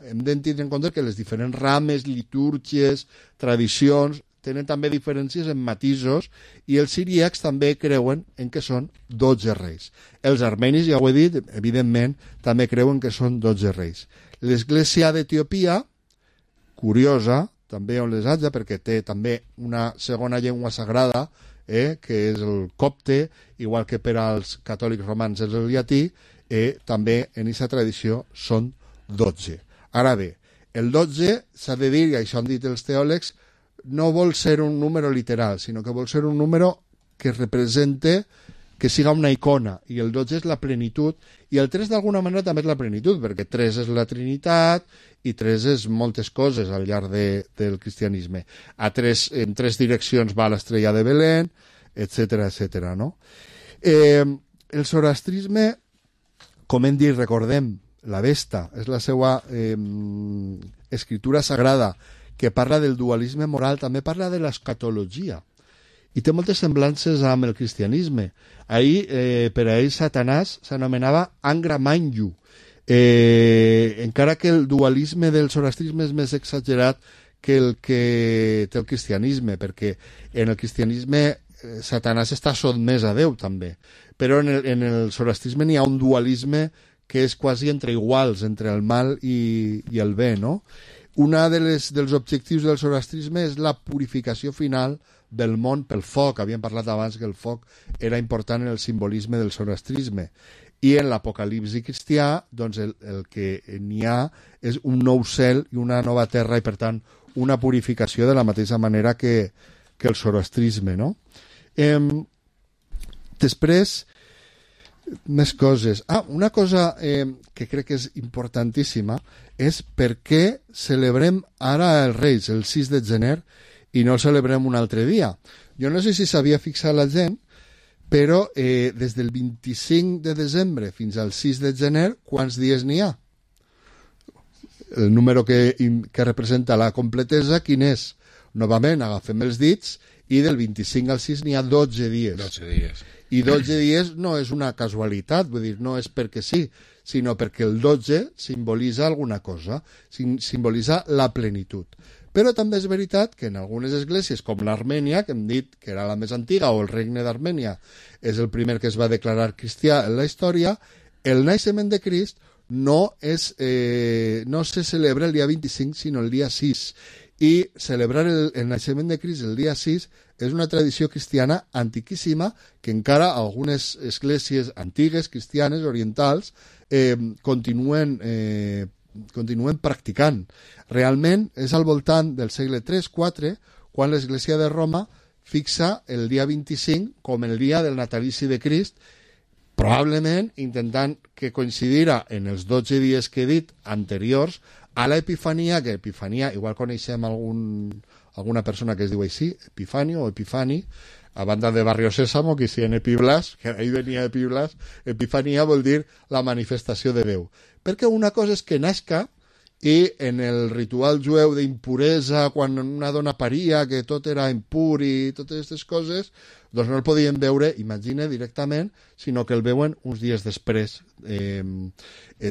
hem de tenir en compte que les diferents rames, litúrgies, tradicions, tenen també diferències en matisos i els siríacs també creuen en que són 12 reis. Els armenis, ja ho he dit, evidentment, també creuen que són 12 reis. L'església d'Etiòpia, curiosa, també on les haja, perquè té també una segona llengua sagrada, que és el copte, igual que per als catòlics romans és el llatí, també en aquesta tradició són 12. Ara bé, el 12 s'ha de dir, i això han dit els teòlegs, no vol ser un número literal, sinó que vol ser un número que represente, que siga una icona, i el 12 és la plenitud, i el 3 d'alguna manera també és la plenitud, perquè 3 és la Trinitat, i 3 és moltes coses al llarg del cristianisme. En 3 direccions va l'estrella de Belén, etc. no? El zoroastrisme, com hem dit, recordem, la Vesta, és la seva escritura sagrada, que parla del dualisme moral, també parla de l'escatologia, i té moltes semblances amb el cristianisme. Ahir, per a ell, Satanàs s'anomenava Angra Mainyu, encara que el dualisme del zoroastrisme és més exagerat que el que té el cristianisme, perquè en el cristianisme Satanàs està sotmès a Déu també, però en el zoroastrisme n'hi ha un dualisme que és quasi entre iguals, entre el mal i el bé, no? Un dels objectius del zoroastrisme és la purificació final del món pel foc. Havíem parlat abans que el foc era important en el simbolisme del zoroastrisme. I en l'apocalipsi cristià, doncs el que n'hi ha és un nou cel i una nova terra i, per tant, una purificació de la mateixa manera que el zoroastrisme, no? Després, més coses. Una cosa que crec que és importantíssima és per què celebrem ara els Reis el 6 de gener i no el celebrem un altre dia. Jo no sé si s'havia fixat la gent, Però des del 25 de desembre fins al 6 de gener, quants dies n'hi ha? El número que representa la completesa, quin és? Novament, agafem els dits i del 25 al 6 n'hi ha 12 dies. 12 dies. I 12 dies no és una casualitat, vull dir, no és perquè sí, sinó perquè el 12 simbolitza alguna cosa, simbolitza la plenitud. Però també és veritat que en algunes esglésies, com l'Armènia, que hem dit que era la més antiga, o el regne d'Armènia és el primer que es va declarar cristià en la història, el naixement de Crist no se celebra el dia 25, sinó el dia 6. I celebrar el naixement de Crist el dia 6 és una tradició cristiana antiquíssima que encara algunes esglésies antigues, cristianes, orientals, continuen practicant. Realment és al voltant del segle III-IV quan l'Església de Roma fixa el dia 25 com el dia del natalici de Crist, probablement intentant que coincidira en els 12 dies que he dit anteriors a l'Epifania, que Epifania, igual coneixem alguna persona que es diu així, Epifanio o Epifani, a banda de Barrio Sésamo, que si en Epiblas, que ahí venia Epiblas, Epifania vol dir la manifestació de Déu. Perquè una cosa és que nasca i en el ritual jueu d'impuresa, quan una dona paria, que tot era impur i totes aquestes coses, doncs no el podien veure, imagina, directament, sinó que el veuen uns dies després.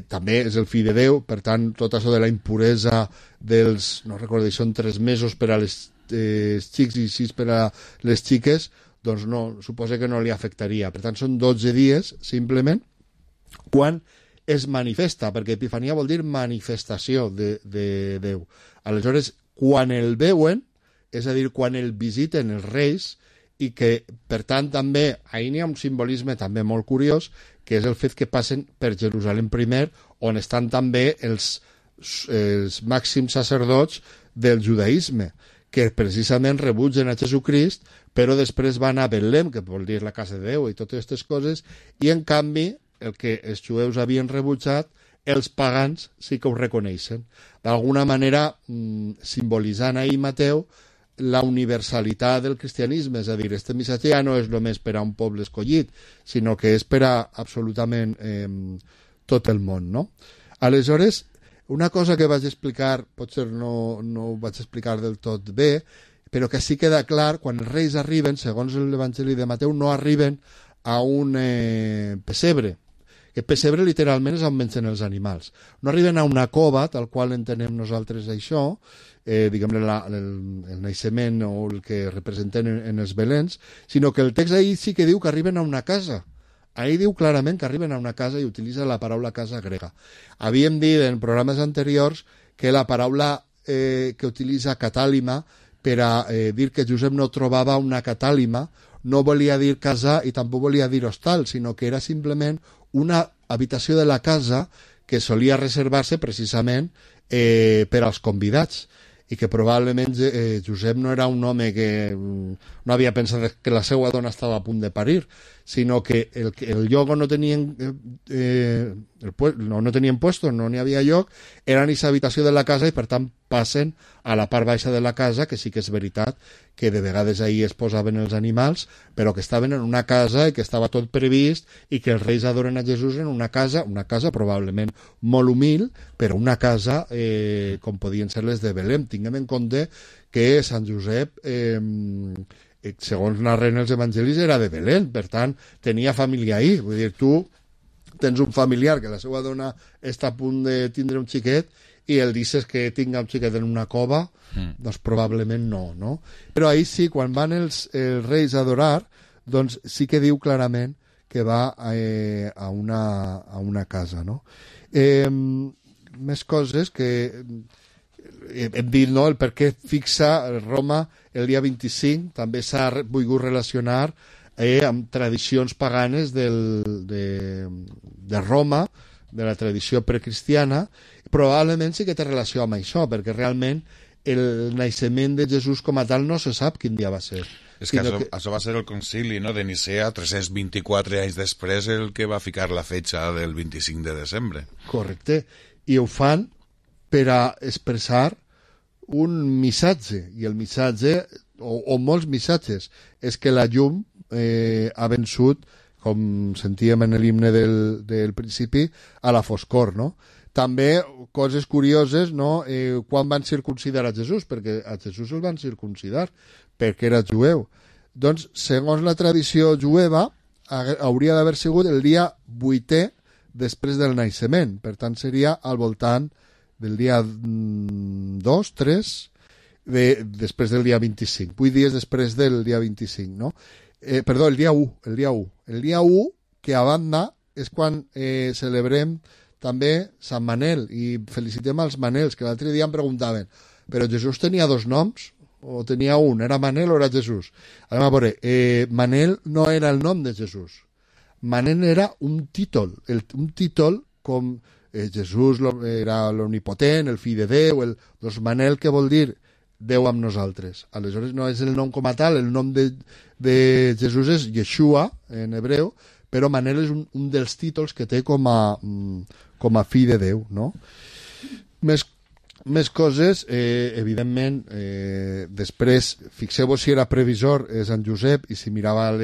També és el fill de Déu, per tant, tot això de la impuresa dels, no recordo, són 3 mesos per a les xics i 6 per a les xiques, doncs no, suposa que no li afectaria. Per tant, són 12 dies, simplement, quan es manifesta, perquè Epifania vol dir manifestació de Déu. Aleshores, quan el veuen, és a dir, quan el visiten els reis, i que, per tant, també, ahir n'hi ha un simbolisme també molt curiós, que és el fet que passen per Jerusalem primer, on estan també els màxims sacerdots del judaïsme, que precisament rebutgen a Jesucrist, però després van a Betlem, que vol dir la casa de Déu i totes aquestes coses, i en canvi, el que els jueus havien rebutjat, els pagans sí que ho reconeixen. D'alguna manera, simbolitzant ahir Mateu la universalitat del cristianisme, és a dir, este missatge ja no és només per a un poble escollit, sinó que és per a absolutament tot el món, no? Aleshores, una cosa que vaig explicar, potser no ho vaig explicar del tot bé, però que sí queda clar, quan els reis arriben, segons l'Evangeli de Mateu, no arriben a un pessebre, que pessebre literalment és on mengen els animals. No arriben a una cova, tal qual entenem nosaltres això, diguem-ne el naixement o el que representen en els belens, sinó que el text ahir sí que diu que arriben a una casa. Ahir diu clarament que arriben a una casa i utilitza la paraula casa grega. Havíem dit en programes anteriors que la paraula que utilitza catàlima per a dir que Josep no trobava una catàlima no volia dir casa i tampoc volia dir hostal, sinó que era simplement una habitació de la casa que solia reservar-se precisament per als convidats i que probablement Josep no era un home que no havia pensat que la seva dona estava a punt de parir, sinó que el lloc on no tenien puesto, no n'hi havia lloc, era en aquesta habitació de la casa i per tant passen a la part baixa de la casa, que sí que és veritat que de vegades ahir es posaven els animals, però que estaven en una casa i que estava tot previst i que els reis adoren a Jesús en una casa probablement molt humil, però una casa com podien ser les de Belém. Tinguem en compte que Sant Josep, segons narren els evangelis, era de Belén, per tant, tenia família ahir. Vull dir, tu tens un familiar que la seva dona està a punt de tindre un xiquet i el dices que tinga un xiquet en una cova, doncs probablement no? Però ahir sí, quan van els reis a adorar, doncs sí que diu clarament que va a una casa, no? Més coses que hem dit, no?, el per què fixa Roma el dia 25, també s'ha volgut relacionar amb tradicions paganes de Roma, de la tradició precristiana. Probablement sí que té relació amb això, perquè realment el naixement de Jesús com a tal no se sap quin dia va ser. És que això va ser el concili, no?, de Nicea, 324 anys després, el que va ficar la fetxa del 25 de desembre. Correcte. I ho fan per a expressar un missatge, i el missatge, o molts missatges, és que la llum ha vençut, com sentíem en l'himne del principi, a la foscor, no? També coses curioses, no? Quan van circuncidar a Jesús, perquè a Jesús el van circuncidar perquè era jueu. Doncs, segons la tradició jueva, hauria d'haver sigut el dia 8è després del naixement. Per tant, seria al voltant del dia 2, 3, després del dia 25. 8 dies després del dia 25, no? Perdó, el dia 1. El dia 1, que a banda, és quan celebrem també Sant Manel, i felicitem als Manels, que l'altre dia em preguntaven, però Jesús tenia 2 noms? O tenia un? Era Manel o era Jesús? Anem a veure, Manel no era el nom de Jesús. Manel era un títol, un títol com Jesús era l'omnipotent, el fill de Déu, doncs Manel, què vol dir? Déu amb nosaltres. Aleshores no és el nom com a tal, el nom de Jesús és Yeshua, en hebreu, però Manel és un dels títols que té com a fill de Déu, no? Més coses, evidentment, després, fixeu-vos si era previsor Sant Josep, i si mirava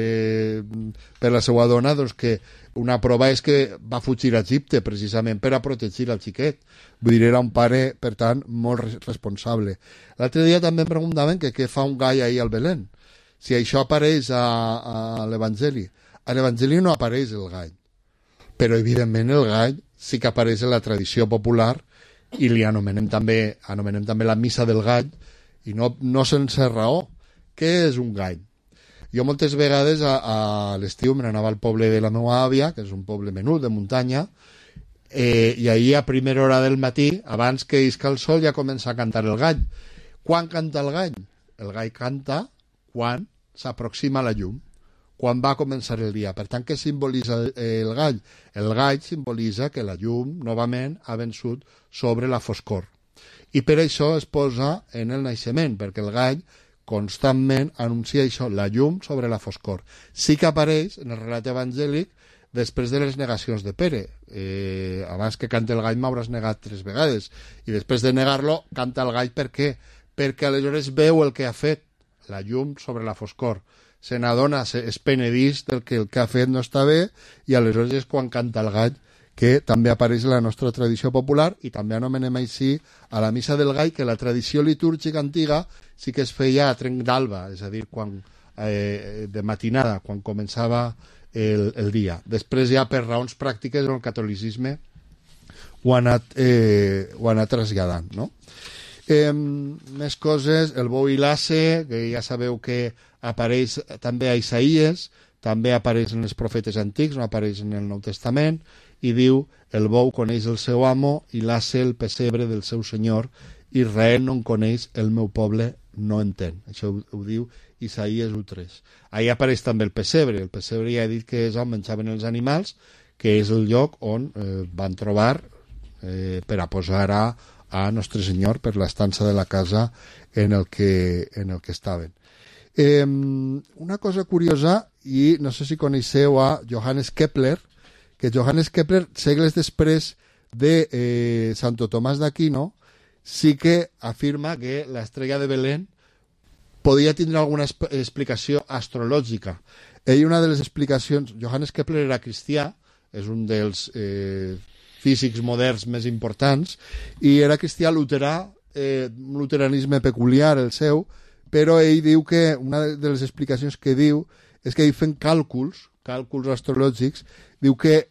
per la seva dona, doncs que una prova és que va fugir a Egipte precisament per a protegir el xiquet. Vull dir, era un pare, per tant, molt responsable. L'altre dia també em preguntaven que què fa un gall ahir al Belén, si això apareix a l'Evangeli. A l'Evangeli no apareix el gall, però evidentment el gall sí que apareix en la tradició popular, i li anomenem també la missa del gall, i no sense raó. Què és un gall? Jo moltes vegades a l'estiu me n'anava al poble de la meva àvia, que és un poble menut de muntanya, i ahir a primera hora del matí, abans que isca el sol, ja comença a cantar el gall. Quan canta el gall? El gall canta quan s'aproxima la llum, quan va començar el dia. Per tant, què simbolitza el gall? El gall simbolitza que la llum, novament, ha vençut sobre la foscor. I per això es posa en el naixement, perquè el gall constantment anuncia això, la llum sobre la foscor. Sí que apareix en el relat evangèlic després de les negacions de Pere. Abans que cante el gall m'hauràs negat 3 vegades, i després de negar-lo canta el gall. Per què? Perquè aleshores veu el que ha fet, la llum sobre la foscor. Se n'adona, es penedís del que el que ha fet no està bé, i aleshores és quan canta el gall, que també apareix en la nostra tradició popular, i també anomenem així a la missa del gall, que la tradició litúrgica antiga sí que es feia a trenc d'alba, és a dir, de matinada, quan començava el dia. Després ja per raons pràctiques el catolicisme ho ha anat traslladant, no? Més coses, el bou i l'asse, que ja sabeu que apareix també a Isaïes, també apareix en els profetes antics, no apareix en el Nou Testament, i diu, el bou coneix el seu amo i l'asse el pessebre del seu senyor, Israel no en coneix, el meu poble no entén. Això ho diu Isaïes 1:3. Ahí apareix també el pessebre ja he dit que és on menjaven els animals, que és el lloc on van trobar per a posar a Nostre Senyor per l'estança de la casa en el que estaven. Una cosa curiosa, i no sé si coneixeu a Johannes Kepler, que Johannes Kepler, segles després de Santo Tomàs d'Aquino, sí que afirma que l'estrella de Belén podia tindre alguna explicació astrològica. Ell, una de les explicacions... Johannes Kepler era cristià, és un dels físics moderns més importants, i era cristià luterà, un luteranisme peculiar el seu, però ell diu que una de les explicacions que diu és que ell fent càlculs astrològics, diu que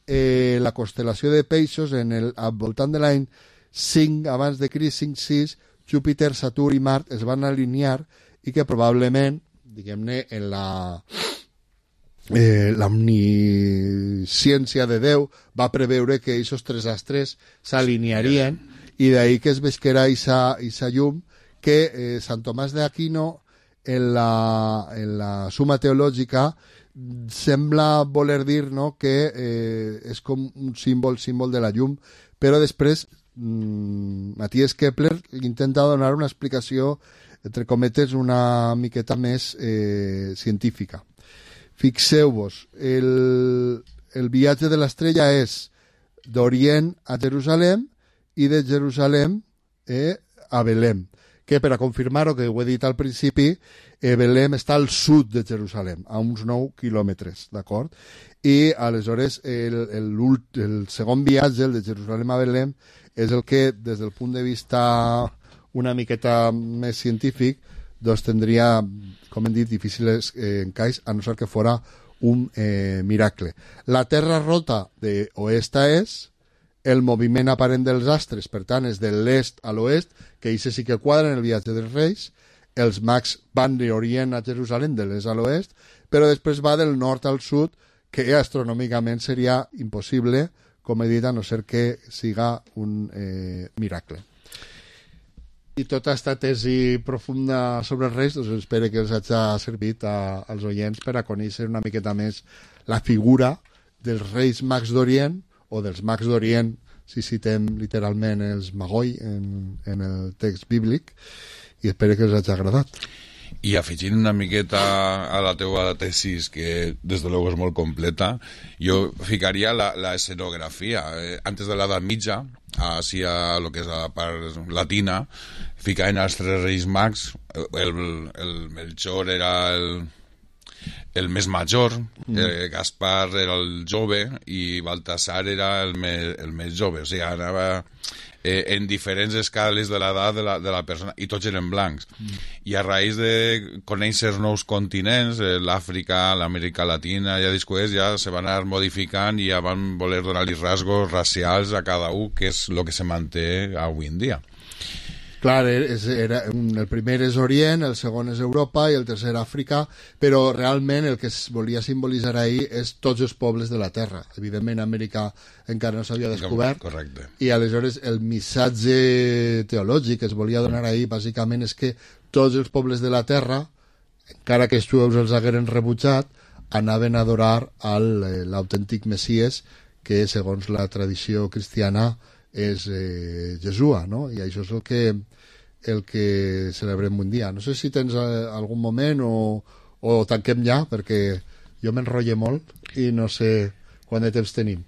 la constel·lació de Peixos al voltant de l'any 5 abans de Crist, 5-6, Júpiter, Saturn i Mart es van alinear, i que probablement, diguem-ne, en l'omnisciència de Déu va preveure que aquests 3 astres s'alinearien, i d'ahir que es vesquera aquesta llum que Sant Tomàs d'Aquino en la Suma Teològica sembla voler dir, no, que és com un símbol de la llum, però després Matthias Kepler intenta donar una explicació, entre cometes, una miqueta més científica. Fixeu-vos, el viatge de l'estrella és d'Orient a Jerusalem i de Jerusalem a Belém. que per a confirmar-ho, que ho he dit al principi, Belém està al sud de Jerusalem, a uns 9 quilòmetres, d'acord? I aleshores el segon viatge, el de Jerusalem a Belém, és el que, des del punt de vista una miqueta més científic, doncs tindria, com hem dit, difícils encaix, a no ser que fora un miracle. La terra rota d'oest a est, el moviment aparent dels astres, per tant, és de l'est a l'oest, que això sí que quadra en el viatge dels Reis, els mags van d'Orient a Jerusalem, de l'est a l'oest, però després va del nord al sud, que astronòmicament seria impossible, com he dit, a no ser que siga un miracle. I tota aquesta tesi profunda sobre els Reis, doncs espero que els hagi servit als oients per a conèixer una miqueta més la figura dels Reis Mags d'Orient, o dels Mags d'Orient, si citem literalment els Magoi en el text bíblic, i espero que us hagi agradat. I afegint una miqueta a la teva tesis, que des de luego és molt completa, jo ficaria la escenografia. Antes de l'edat mitja, hacia lo que és la part latina, ficaven els tres reis mags, el Melchor era el més major, Gaspar era el jove i Baltasar era el més jove, o sigui, anava en diferents escales de l'edat de la persona, i tots eren blancs. I a raïs de conèixer nous continents, l'Àfrica, l'Amèrica Latina, ja després ja se van anar modificant i ja van voler donar-li rasgos racials a cada un, que és el que se manté avui en dia. Clar, el primer és Orient, el segon és Europa i el tercer Àfrica, però realment el que es volia simbolitzar ahir és tots els pobles de la Terra. Evidentment, Amèrica encara no s'havia descobert. Correcte. I aleshores el missatge teològic que es volia donar ahir bàsicament és que tots els pobles de la Terra, encara que els jueus els hagueren rebutjat, anaven a adorar l'autèntic Messies, que segons la tradició cristiana és Jesua, no? I això és el que celebrem un dia. No sé si tens algun moment o tanquem ja, perquè jo m'enrotlle molt i no sé quant de temps tenim.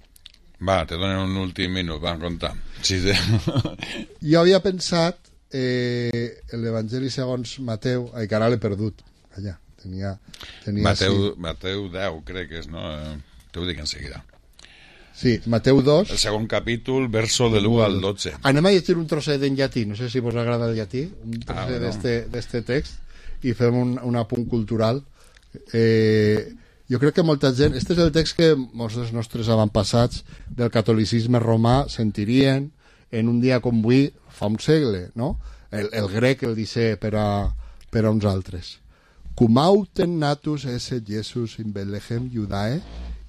Va, te donen un últim minut, van comptar. Sí. Jo havia pensat l'Evangeli segons Mateu, que ara l'he perdut. Allà, tenia Mateu 10, crec que és, no? Te ho dic en seguida. Sí, Mateu 2. El segon capítol, verso de l'1 al 12. Anem a llegir un trosset en llatí, no sé si vos agrada el llatí, un trosset d'este text, i fem un apunt cultural. Jo crec que molta gent... Este és el text que molts dels nostres avantpassats del catolicisme romà sentirien en un dia com avui, fa un segle, no? El grec el dice per a uns altres. Cum autem natus esse Jesus in Bethlehem Judae,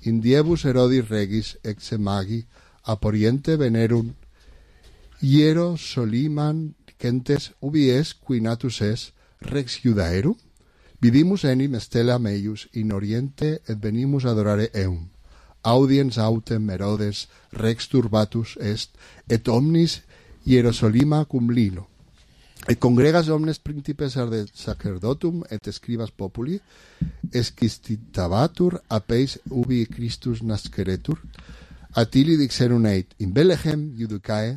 in diebus Herodis regis exe magi ap oriente venerum hiero soliman gentes ubi es qui natus es rex Judaerum vidimus enim stella meius in oriente et venimus adorare eum audiens autem Herodes rex turbatus est et omnis Hierosolima cum lino et congregas omnes principes ad sacerdotum et scribas populi esquistitabatur apeis ubi Christus nasceretur atili dixerum eit in Bethlehem Judicae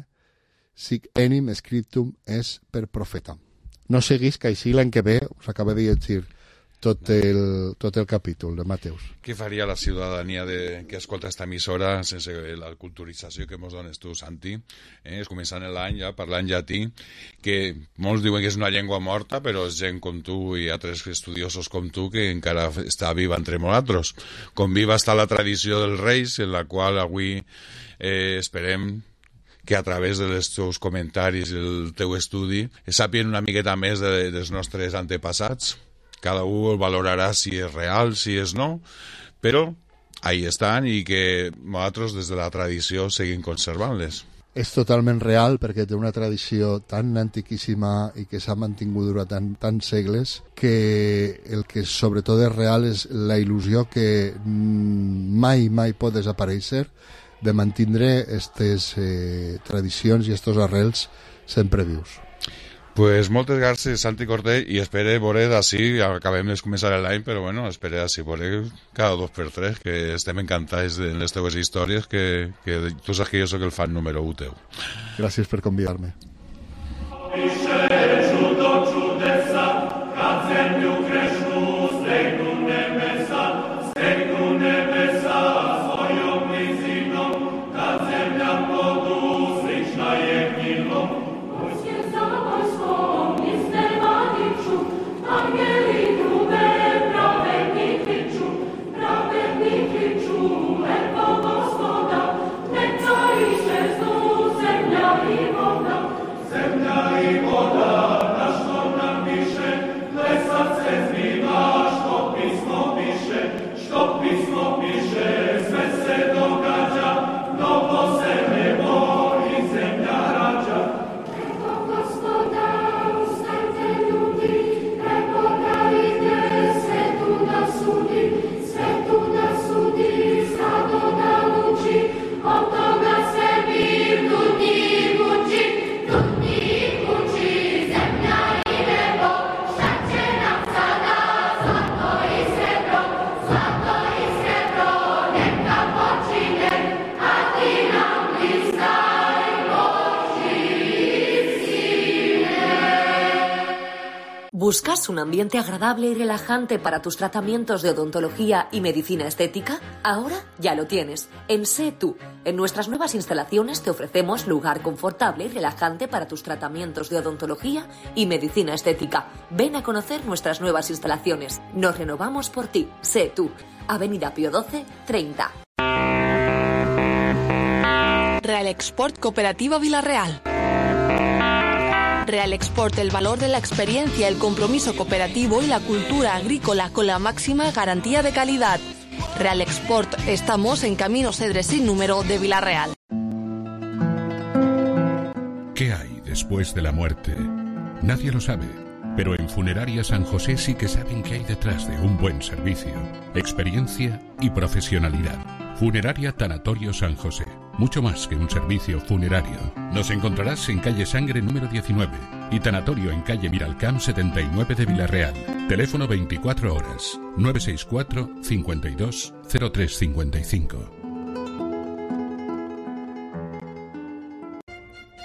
sic enim scriptum es per profeta. No seguís que així l'any que ve us acaba de llegir tot el capítol de Mateus. Què faria la ciutadania que escolta esta emissora sense la culturització que ens dones tu, Santi? És començant l'any ja parlant llatí, que molts diuen que és una llengua morta, però és gent com tu i altres estudiosos com tu que encara està viva entre nosaltres. Com viva està la tradició dels Reis, en la qual avui esperem que a través dels teus comentaris i el teu estudi sàpien una miqueta més dels nostres antepassats. Cada un valorarà si és real, si és no, però ahí estan i que nosaltres des de la tradició seguim conservant-les. És totalment real perquè té una tradició tan antiquíssima i que s'ha mantingut durant tants segles que el que sobretot és real és la il·lusió que mai pot desaparèixer de mantindre aquestes tradicions i aquests arrels sempre vius. Pues moltes gràcies, Santi Cortell, i espere veure d'ací, acabem de començar l'any, però bueno, espere d'ací veure cada 2 per 3, que estem encantats de les teves històries, que tu saps que jo soc el fan número 1 teu. Gràcies per convidar-me. ¿Buscas un ambiente agradable y relajante para tus tratamientos de odontología y medicina estética? Ahora ya lo tienes. En Sé Tú. En nuestras nuevas instalaciones te ofrecemos lugar confortable y relajante para tus tratamientos de odontología y medicina estética. Ven a conocer nuestras nuevas instalaciones. Nos renovamos por ti. Sé Tú. Avenida Pío XII, 30. Real Export Cooperativa Vila-real. Real Export, el valor de la experiencia, el compromiso cooperativo y la cultura agrícola con la máxima garantía de calidad. Real Export, estamos en Camino Cedres sin número de Vila-real. ¿Qué hay después de la muerte? Nadie lo sabe, pero en Funeraria San José sí que saben qué hay detrás de un buen servicio, experiencia y profesionalidad. Funeraria Tanatorio San José. Mucho más que un servicio funerario. Nos encontrarás en calle Sangre número 19 y Tanatorio en calle Miralcamp 79 de Vila-real. Teléfono 24 horas 964 52 0355.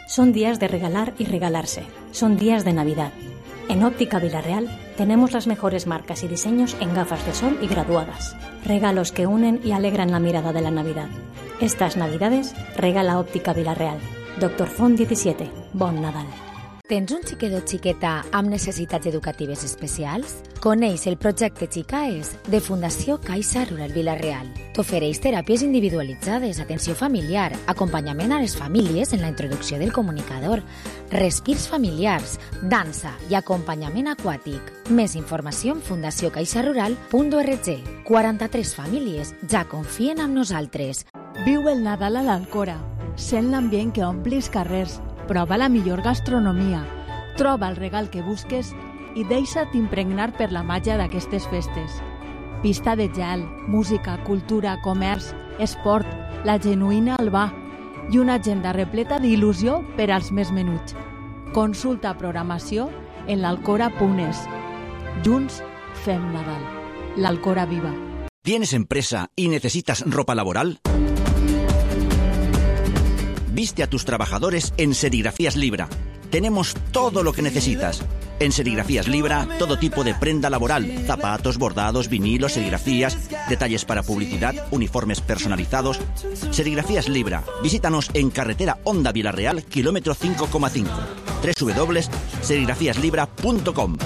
Son días de regalar y regalarse. Son días de Navidad. En Óptica Vila-real tenemos las mejores marcas y diseños en gafas de sol y graduadas. Regalos que unen y alegran la mirada de la Navidad. Estas Navidades regala Óptica Vila-real. Dr. Font 17. Bon Nadal. Tens un xiquet o xiqueta amb necessitats educatives especials? Coneix el projecte Xicaes de Fundació Caixa Rural Vila-real. T'ofereix teràpies individualitzades, atenció familiar, acompanyament a les famílies en la introducció del comunicador, respirs familiars, dansa i acompanyament aquàtic. Més informació en fundaciocaixarural.org. 43 famílies ja confien en nosaltres. Viu el Nadal a l'Alcora. Sent l'ambient que ompli els carrers. Prova la millor gastronomia, troba el regal que busques i deixa't impregnar per la màgia d'aquestes festes. Pista de gel, música, cultura, comerç, esport, la genuïna Albà i una agenda repleta d'il·lusió per als més menuts. Consulta programació en l'alcora.es. Junts fem Nadal. L'Alcora viva. ¿Tienes empresa y necesitas ropa laboral? Viste a tus trabajadores en Serigrafías Libra. Tenemos todo lo que necesitas. En Serigrafías Libra, todo tipo de prenda laboral, zapatos, bordados, vinilos, serigrafías, detalles para publicidad, uniformes personalizados. Serigrafías Libra. Visítanos en carretera Honda Vila-real, kilómetro 5,5. www.serigrafiaslibra.com.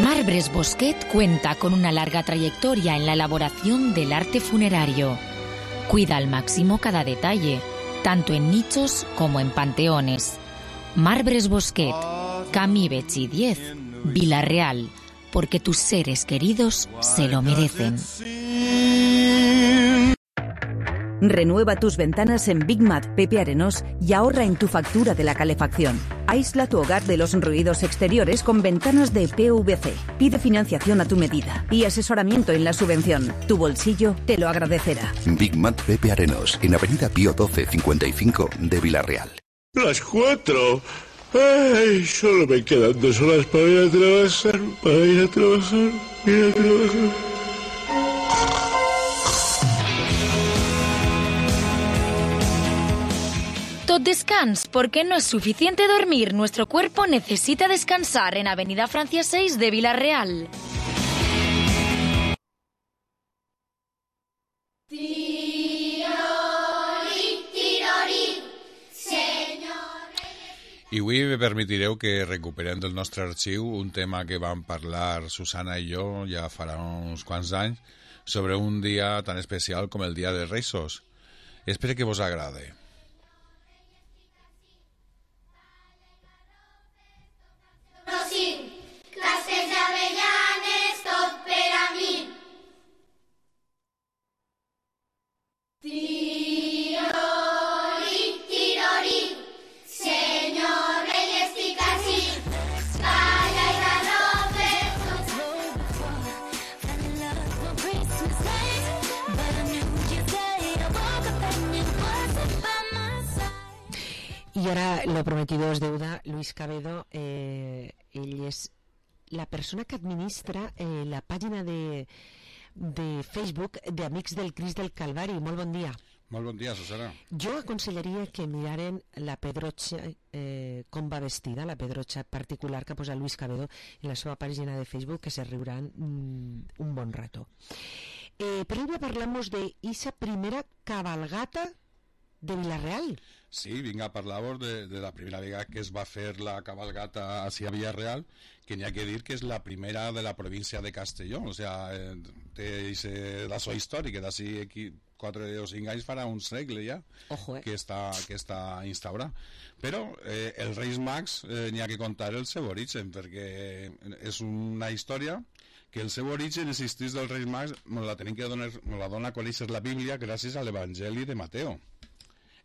Marbres Bosquet cuenta con una larga trayectoria en la elaboración del arte funerario. Cuida al máximo cada detalle, tanto en nichos como en panteones. Marbres Bosquet, Camí Betxí 10, Vila-real, porque tus seres queridos se lo merecen. Renueva tus ventanas en Big Mat Pepe Arenós y ahorra en tu factura de la calefacción. Aísla tu hogar de los ruidos exteriores con ventanas de PVC. Pide financiación a tu medida y asesoramiento en la subvención. Tu bolsillo te lo agradecerá. Big Mat Pepe Arenós, en Avenida Pío XII 55 de Vila-real. Las 4. Ay, solo me quedan 2 horas para ir a trabajar. Tot descans, porque no es suficiente dormir. Nuestro cuerpo necesita descansar en Avenida Francia 6 de Vila-real. I avui me permetireu que recuperem del nostre arxiu un tema que vam parlar Susana i jo ja farà uns quants anys sobre un dia tan especial com el Dia de Reis. Espero que vos agrade. Classes d'avellanes, tot per a mi. Tirori, tirori, senyor rei estic ací. Calla i garrofe. I ara, lo prometido es deuda. Luis Cabedo, ell és la persona que administra la pàgina de Facebook d'Amics del Crist del Calvari. Molt bon dia. Molt bon dia, Susana. Jo aconsellaria que miraren la pedrotxa, com va vestida, la pedrotxa particular que posa Luis Cabedo en la seva pàgina de Facebook, que se riuran un bon rato. Però avui parlamos de esa primera cabalgata de Vila-real. Sí, vinga a parlar-vos de la primera vegada que es va fer la cabalgata hacia Vila-real, que n'hi ha que dir que és la primera de la província de Castelló, o sea, té la so històrica, d'ací 4 o 5 anys farà un segle ja. Ojo, que està instaurada. Però els Reis Mags n'hi ha que contar el seu origen, perquè és una història que el seu origen existís dels Reis Mags, me la dona a conèixer la Bíblia gràcies a l'Evangeli de Mateo,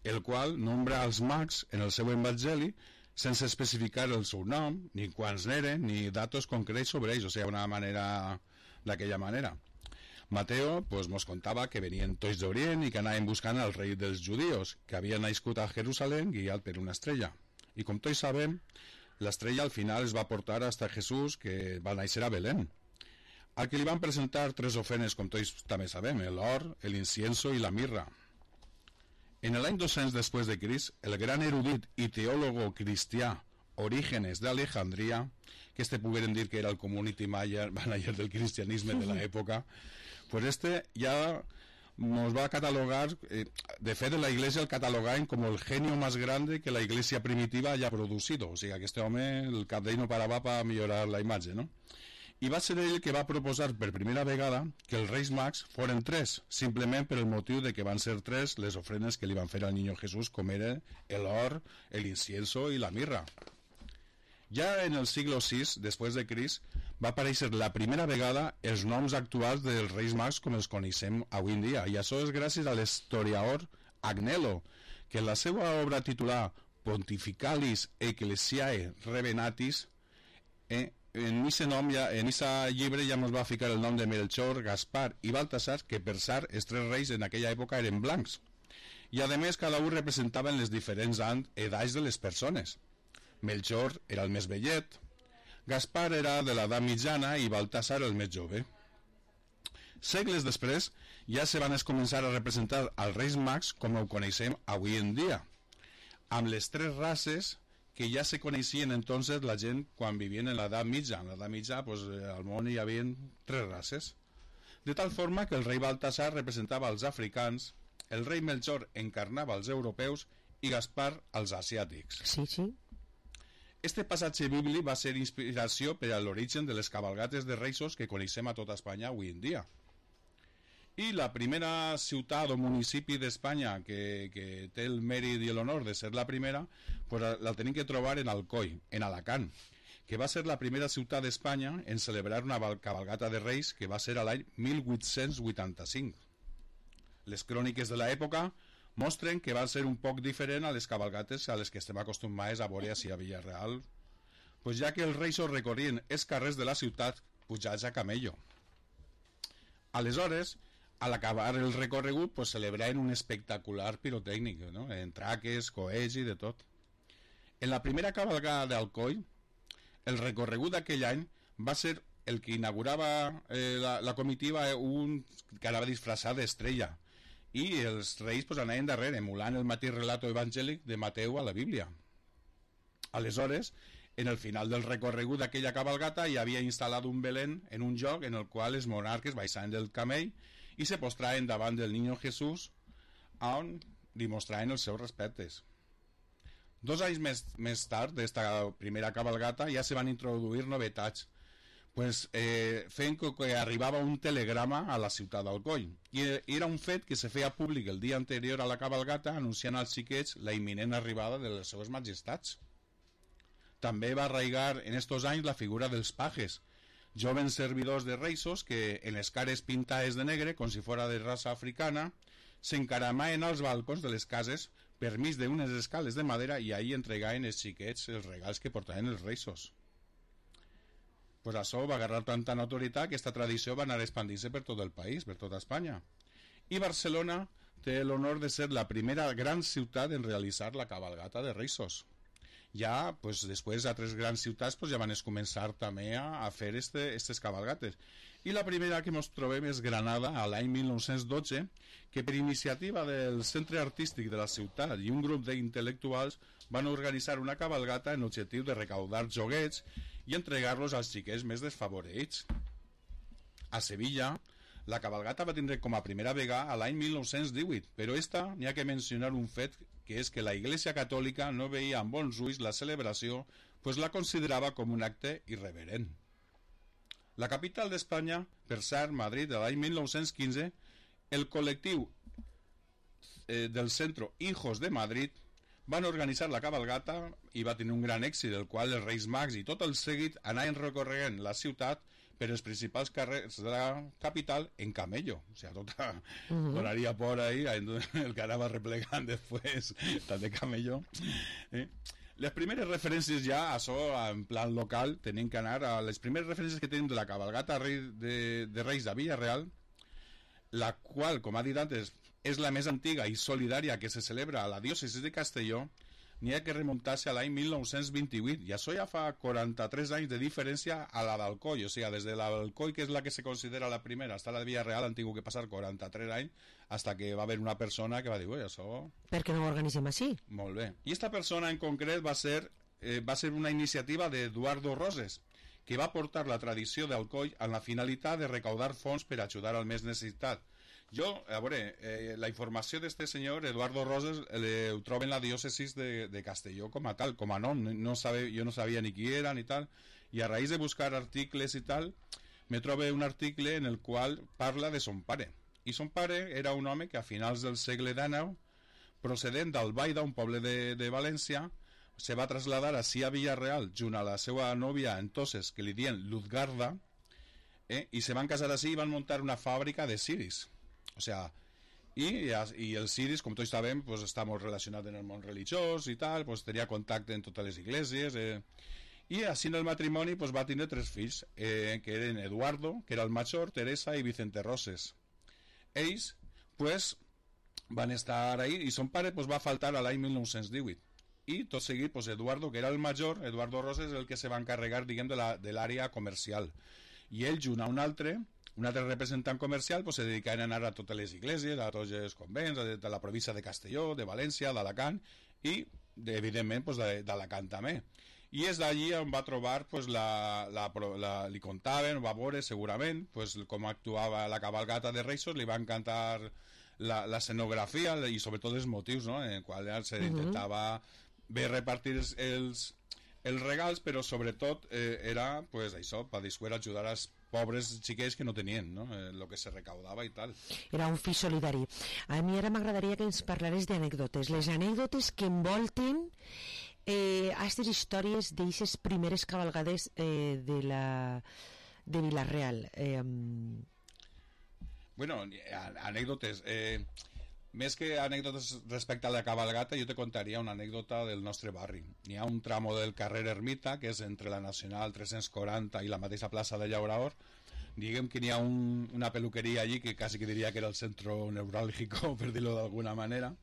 el qual nombra als mags en el seu evangeli sense especificar el seu nom, ni quants n'eren, ni datos concrets sobre ells, o sigui, una manera d'aquella manera. Mateo pues, mos contava que venien tots d'Orient i que anaven buscant al rei dels judíos, que havia nascut a Jerusalem guiat per una estrella. I com tots sabem, l'estrella al final es va portar hasta Jesús, que va néixer a Belén, al que li van presentar 3 ofrenes, com tots també sabem, l'or, l'incienso i la mirra. En l'any 200 després de Crist, el gran erudit i teòlogo cristià Orígenes d'Alejandria, que pogueren dir que era el community manager del cristianisme de l'època, pues ja nos va catalogar, de fet la Iglesia el catalogaven com el genio más grande que la Iglesia primitiva haya producido, o sigui, aquest home, el cap d'ell no parava per millorar la imatge, no? I va ser ell que va proposar per primera vegada que els Reis Mags foren 3, simplement per el motiu de que van ser 3 les ofrenes que li van fer al Niño Jesús, com era l'or, l'incienso i la mirra. Ja en el siglo VI, després de Crist, va aparèixer la primera vegada els noms actuals dels Reis Mags com els coneixem avui en dia, i això és gràcies a l'historiador Agnello, que en la seva obra titular Pontificalis Ecclesiae Revenatis, en aquest llibre ja ens va ficar el nom de Melchor, Gaspar i Baltasar, que per sar els 3 reis en aquella època eren blancs, i a més cada un representaven les diferents edats de les persones. Melchor era el més vellet, Gaspar era de l'edat mitjana i Baltasar el més jove. Segles després ja se van començar a representar als Reis Mags com ho coneixem avui en dia, amb les 3 races que ja se coneixien entonces la gent quan vivien en l'edat mitja. En l'edat mitja, pues, al món hi havia 3 races. De tal forma que el rei Baltasar representava els africans, el rei Melchor encarnava els europeus i Gaspar els asiàtics. Sí, sí. Este passatge bíblic va ser inspiració per a l'origen de les cabalgates de Reis que coneixem a tota Espanya avui en dia. I la primera ciutat o municipi d'Espanya que té el mèrit i l'honor de ser la primera, pues la tenim que trobar en Alcoi, en Alacant, que va ser la primera ciutat d'Espanya en celebrar una cabalgata de Reis que va ser a l'any 1885. Les cròniques de l'època mostren que van ser un poc diferent a les cabalgates a les que estem acostumats a veure a Vila-real, pues ja que els reis recorrien els carrers de la ciutat pujats a camello. Aleshores, al acabar el recorregut, pues celebraven un espectacular pirotècnic, no? En traques, coets i de tot. En la primera cabalgada d'Alcoi, el recorregut d'aquell any va ser el que inaugurava la comitiva, un que anava disfressat d'estrella, i els reis pues, anaven darrere, emulant el mateix relato evangèlic de Mateu a la Bíblia. Aleshores, en el final del recorregut d'aquella cabalgata hi havia instal·lat un Belén en un lloc en el qual els monarques baixaven del camell i se postraven davant del Niño Jesús, on li mostraven els seus respectes. 2 anys més tard d'esta primera cabalgata ja se van introduir novetats, pues, feien que arribava un telegrama a la ciutat d'Alcoi, i era un fet que se feia públic el dia anterior a la cabalgata, anunciant als xiquets la imminent arribada de les seves majestats. També va arraigar en estos anys la figura dels pajes, jóvenes servidors de reisos que en les cares pintades de negre, com si fora de raça africana, s'encaramaven als balcons de les cases per mig d'unes escales de madera i ahí entregaven els xiquets els regals que portaven els reisos. Pues això va agarrar tanta notorietat que esta tradició va anar expandint-se per tot el país, per tota Espanya. I Barcelona té l'honor de ser la primera gran ciutat en realitzar la cabalgata de reisos. Ja, pues, després altres grans ciutats pues, ja van començar també a fer aquestes cabalgates. I la primera que ens trobem és Granada, a l'any 1912, que per iniciativa del Centre Artístic de la ciutat i un grup d'intel·lectuals van organitzar una cabalgata en l'objectiu de recaudar joguets i entregar-los als xiquets més desfavorits. A Sevilla, la cabalgata va tindre com a primera vegada a l'any 1918, però esta n'hi ha que mencionar un fet, que és que la Iglesia Catòlica no veia amb bons ulls la celebració, pues la considerava com un acte irreverent. La capital d'Espanya, per cert, Madrid, a l'any 1915, el col·lectiu del Centro Hijos de Madrid van organitzar la cabalgata i va tenir un gran èxit, el qual els Reis Mags i tot el seguit anaven recorrent la ciutat per els principals carrers de la capital en camello, o sea, tota donaria por ahí, el que anava replegant després tant de camello. Les primeres referències ja, això en plan local, tenim que anar a les primeres referències que tenim de la cabalgata de Reis de Villarreal, la qual, com ha dit antes, és la més antiga i solidària que se celebra a la diòcesi de Castelló, n'hi ha que remuntar-se a l'any 1928, i això ja fa 43 anys de diferència a la d'Alcoi, o sigui, des de l'Alcoi, que és la que se considera la primera, hasta la de Villarreal han tingut que passar 43 anys, hasta que va haver una persona que va dir, ui, això... Per què no ho organitzem així? Molt bé. I esta persona en concret va ser una iniciativa d'Eduardo Roses, que va portar la tradició d'Alcoi amb la finalitat de recaudar fons per ajudar al més necessitat. Jo, a veure, la informació d'este senyor, Eduardo Roses, ho trobo en la diòcesis de Castelló com a tal, com a nom, jo no sabia ni qui era ni tal, i a raïs de buscar articles i tal, me trobo un article en el qual parla de son pare. I son pare era un home que a finals del segle XIX, procedent d'Albaida, un poble de València, se va trasladar així a Villarreal junt a la seva nòvia entonces, que li dien Luzgarda, i se van casar així i van muntar una fàbrica de ciris. O sea, i el ciris, com tots sabem, pues, està molt relacionat en el món religiós i tal, pues, tenia contacte en totes les iglesies, i així en el matrimoni pues, va tenir 3 fills, que eren Eduardo, que era el major, Teresa i Vicente Roses. Ells pues, van estar ahí i son pare pues, va faltar a l'any 1918. I tot seguit pues, Eduardo, que era el major, Eduardo Roses, és el que se va encarregar, diguem, de l'àrea comercial, i ell junt a un altre representant comercial pues, se dedicaven a anar a totes les iglesies, a tots els convents de la província de Castelló, de València, d'Alacant i evidentment pues, d'Alacant també, i és d'allí on va trobar pues, li contaven, va veure segurament pues, com actuava la cabalgata de Reisos, li va encantar l'escenografia i sobretot els motius, no? En el qual se intentava bé repartir els regals, però sobretot era pues, això, per després ajudar als pobres xiquets que no tenien, no? El que se recaudava i tal. Era un fi solidari. A mi ara m'agradaria que ens parlares d'anècdotes, les anècdotes que envolten aquestes històries d'aixes primeres cabalgades de Vila-real. Bueno, anècdotes... Més que anècdotes respecte a la cabalgata, jo te contaria una anècdota del nostre barri. N'hi ha un tramo del carrer Ermita, que és entre la Nacional 340 i la mateixa plaça de Llaurador. Diguem que n'hi ha una peluqueria allí que quasi que diria que era el centro neuràlgico, per dir-ho d'alguna manera.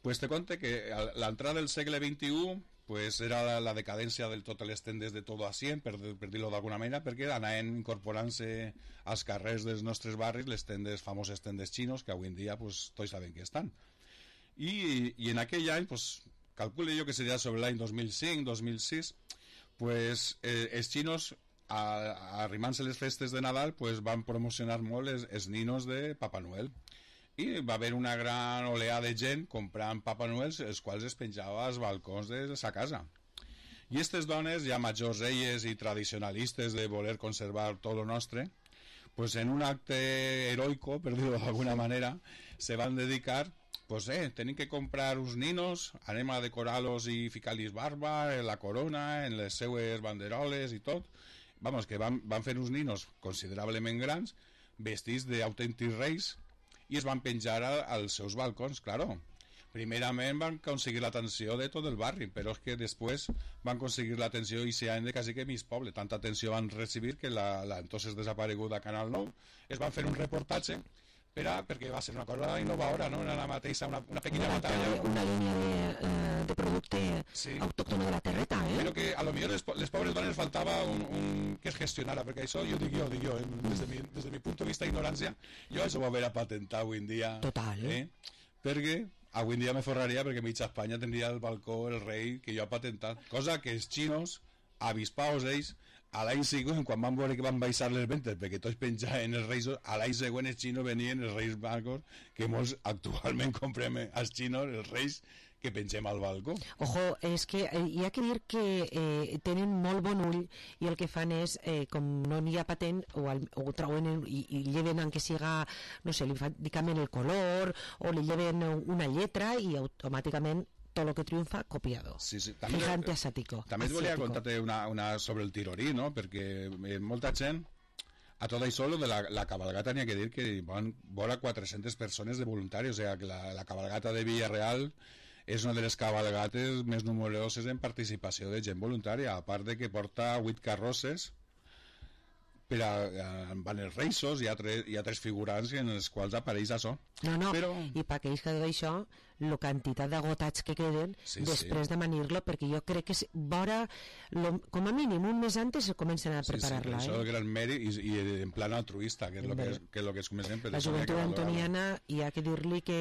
Pues te conte que a l'entrada del segle XXI pues era la decadència de totes les tendes de todo a 100, per dir-ho d'alguna manera, perquè anaven incorporant-se als carrers dels nostres barris les famoses tendes xinos, que avui en dia pues, tots saben que estan. I en aquell any, pues, calcule jo que seria sobre l'any 2005-2006, pues, els xinos, arrimant-se les festes de Nadal, pues, van promocionar molt els ninos de Papa Noel. I va haver una gran oleada de gent comprant Papa Noel, els quals es penjava als balcons de sa casa. I aquestes dones, ja majors elles i tradicionalistes de voler conservar tot lo nostre, pues en un acte heroico, per dir-ho d'alguna manera, se van dedicar, pues tenim que comprar uns ninos, anem a decorar-los i ficar-los barba, en la corona, en les seues banderoles i tot. Vamos, que van fer uns ninos considerablement grans, vestits d'autèntics reis, i es van penjar als seus balcons, claro. Primerament van aconseguir l'atenció de tot el barri, però és que després van aconseguir l'atenció i s'han de quasi que mig poble. Tanta atenció van recibir que la entonces desapareguda Canal 9 es van fer un reportatge perquè va ser una cosa innovadora, no? Era la mateixa, una pequeña batalla. Una línia de producte autòctone de la terreta, Però que a lo millor les pobres dones faltava un que es gestionara, perquè això jo dic jo, des de mi punt de vista d'ignorància, jo això ho haver a patentar avui en dia. Total, Perquè avui en dia me forraria perquè mitja Espanya tindria el balcó el rei que jo ha patentat, cosa que els xinos avispaos ells a l'any següent, quan van veure que van baixar les ventes perquè tots penjaven els reis, a l'any següent els xinos venien els reis blancos, que molts actualment comprem als xinos els reis que pengem al balcó. Ojo, és que hi ha que dir que tenen molt bon ull i el que fan és, com no n'hi ha patent, o trauen i lleven en que siga, no sé, li canvien el color o li lleven una lletra i automàticament tot el que triomfa, copiado. Sí. Gigante asàtico. També et volia contar-te una sobre el tirorí, no? Perquè molta gent, a tot això, de la cabalgata, n'hi ha que dir que van vora 400 persones de voluntaris, o sigui que la cabalgata de Villarreal és una de les cabalgates més numeroses en participació de gent voluntària, a part de que porta 8 carrosses, van els reixos, hi ha tres figurants en els quals apareix això. I per aquells que d'això, la quantitat d'agotats que queden després de manir-lo, perquè jo crec que vora, com a mínim un mes antes se comencen a preparar-la. Això és el gran mèrit i en plan altruista, que és el que es comencen. La joventut antoniana, hi ha que dir-li que,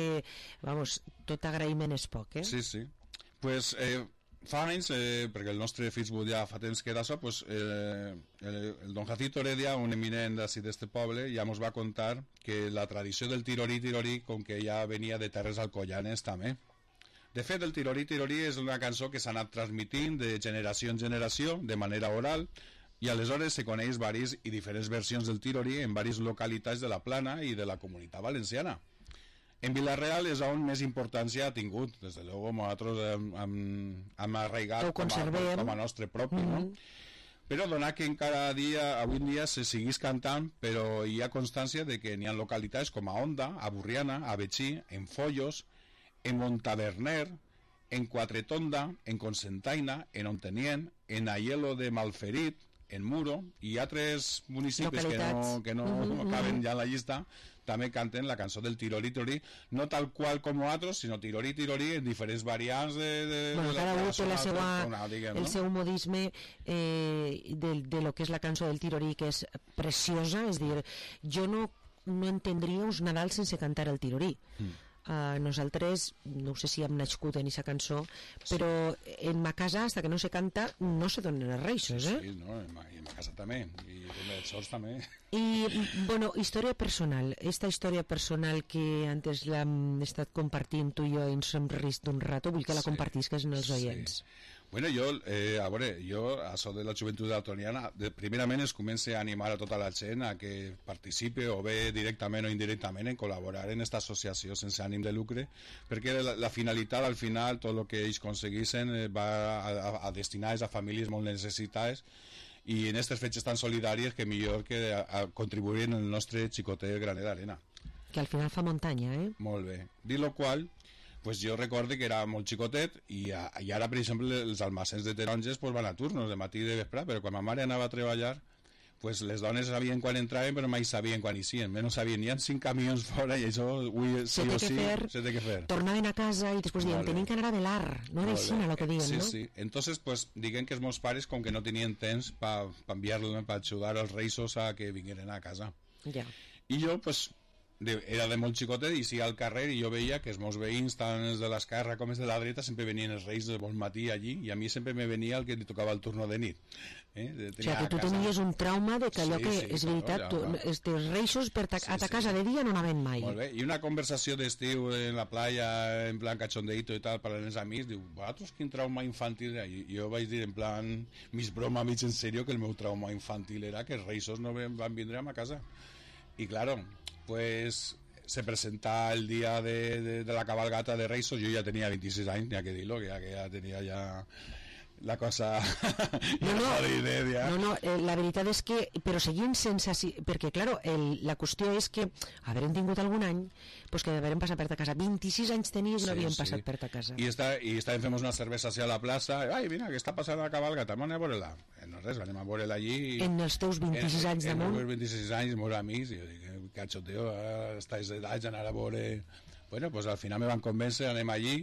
vamos, tot agraïment és poc, Sí. Pues fa anys, perquè el nostre Facebook ja fa temps que era això, pues, el don Jacinto Heredia, un eminent d'ací d'este poble, ja ens va contar que la tradició del tirorí, com que ja venia de terres alcoyanes també. De fet, el tirorí és una cançó que s'ha anat transmitint de generació en generació, de manera oral, i aleshores se coneix varis i diferents versions del tirorí en diverses localitats de la Plana i de la Comunitat Valenciana. En Vila-real és on més importància ha tingut, des de luego nosaltres hem arraigat com a nostre propi, no? Però donar que encara avui en dia se seguís cantant, però hi ha constància de que n'hi ha localitats com a Onda, a Burriana, a Betxí, en Follos, en Montaverner, en Quatretonda, en Cocentaina, en Ontenient, en Aielo de Malferit, en Muro, i altres municipis que no caben ja en la llista, també canten la cançó del tirorí, no tal qual com nosaltres, sinó tirorí en diferents variants cada un té el seu modisme de lo que és la cançó del tirorí, que és preciosa. És dir, jo no entendria uns Nadal sense cantar el tirorí. Nosaltres, no sé si hem nascut en aquesta cançó, però en ma casa, hasta que no se canta, no se donen els reixos, Sí, no, en ma casa també, i en els sols també. I, bueno, història personal. Esta història personal que antes l'hem estat compartint tu i jo i ens hem rist d'un rato, vull que la compartisques en els oients. Bueno, jo, això de la joventut antoniana, primerament es comença a animar a tota la gent a que participe, o bé directament o indirectament, en col·laborar en aquesta associació sense ànim de lucre, perquè la finalitat, al final, tot el que ells aconseguissin va a destinar a famílies molt necessitades, i en aquestes fetges tan solidàries que millor que contribuir en el nostre xicotet graner d'arena. Que al final fa muntanya, Molt bé. Dit lo qual, pues jo recordo que era molt xicotet i ara, per exemple, els almacens de taronges pues, van a turnos de matí i de vespre, però quan ma mare anava a treballar, pues les dones sabien quan entraven però mai sabien quan eixien, menys sabien, hi ha 5 camions fora i això sí o sí se té que fer. Tornaven a casa i després diuen, tenim que anar a velar, no era així el que diuen, no? Sí. Entonces, pues, diguem que els meus pares, com que no tenien temps per enviar-los, per ajudar els reixos a que vingueren a casa. Ja. I jo, pues, era de molt xicotet i sí al carrer, i jo veia que els meus veïns, tant els de l'esquerra com els de la dreta, sempre venien els reis de bon matí allí, i a mi sempre me venia el que li tocava el turno de nit. O sigui, que tu tenies un trauma de que allò que és veritat, els reixos a ta casa de dia no anaven mai. Molt bé, i una conversació d'estiu en la playa, en plan cachondeito i tal, parlant els amics, diu, vosaltres quin trauma infantil era? I jo vaig dir en plan, mig broma, mig en serio, que el meu trauma infantil era que els reixos no van vindre a ma casa. Y claro, pues se presenta el día de la cabalgata de Reis. Yo ya tenía 26 años, ni a que dirlo, que ya tenía ya la cosa la veritat és que però seguint sense perquè claro, la qüestió és que haverem tingut algun any pues que haverem passat per ta casa 26 anys tenies i no havíem passat per ta casa i estàvem fent una cervesa hacia la plaça ai mira que està passant la cabalgata anem a veure-la no res, anem a veure-la allí en els teus 26 anys damunt en els 26 anys, meus amics i jo dic, cachoteo, estáis d'edats anar a veure bueno, pues al final me van convèncer, anem allí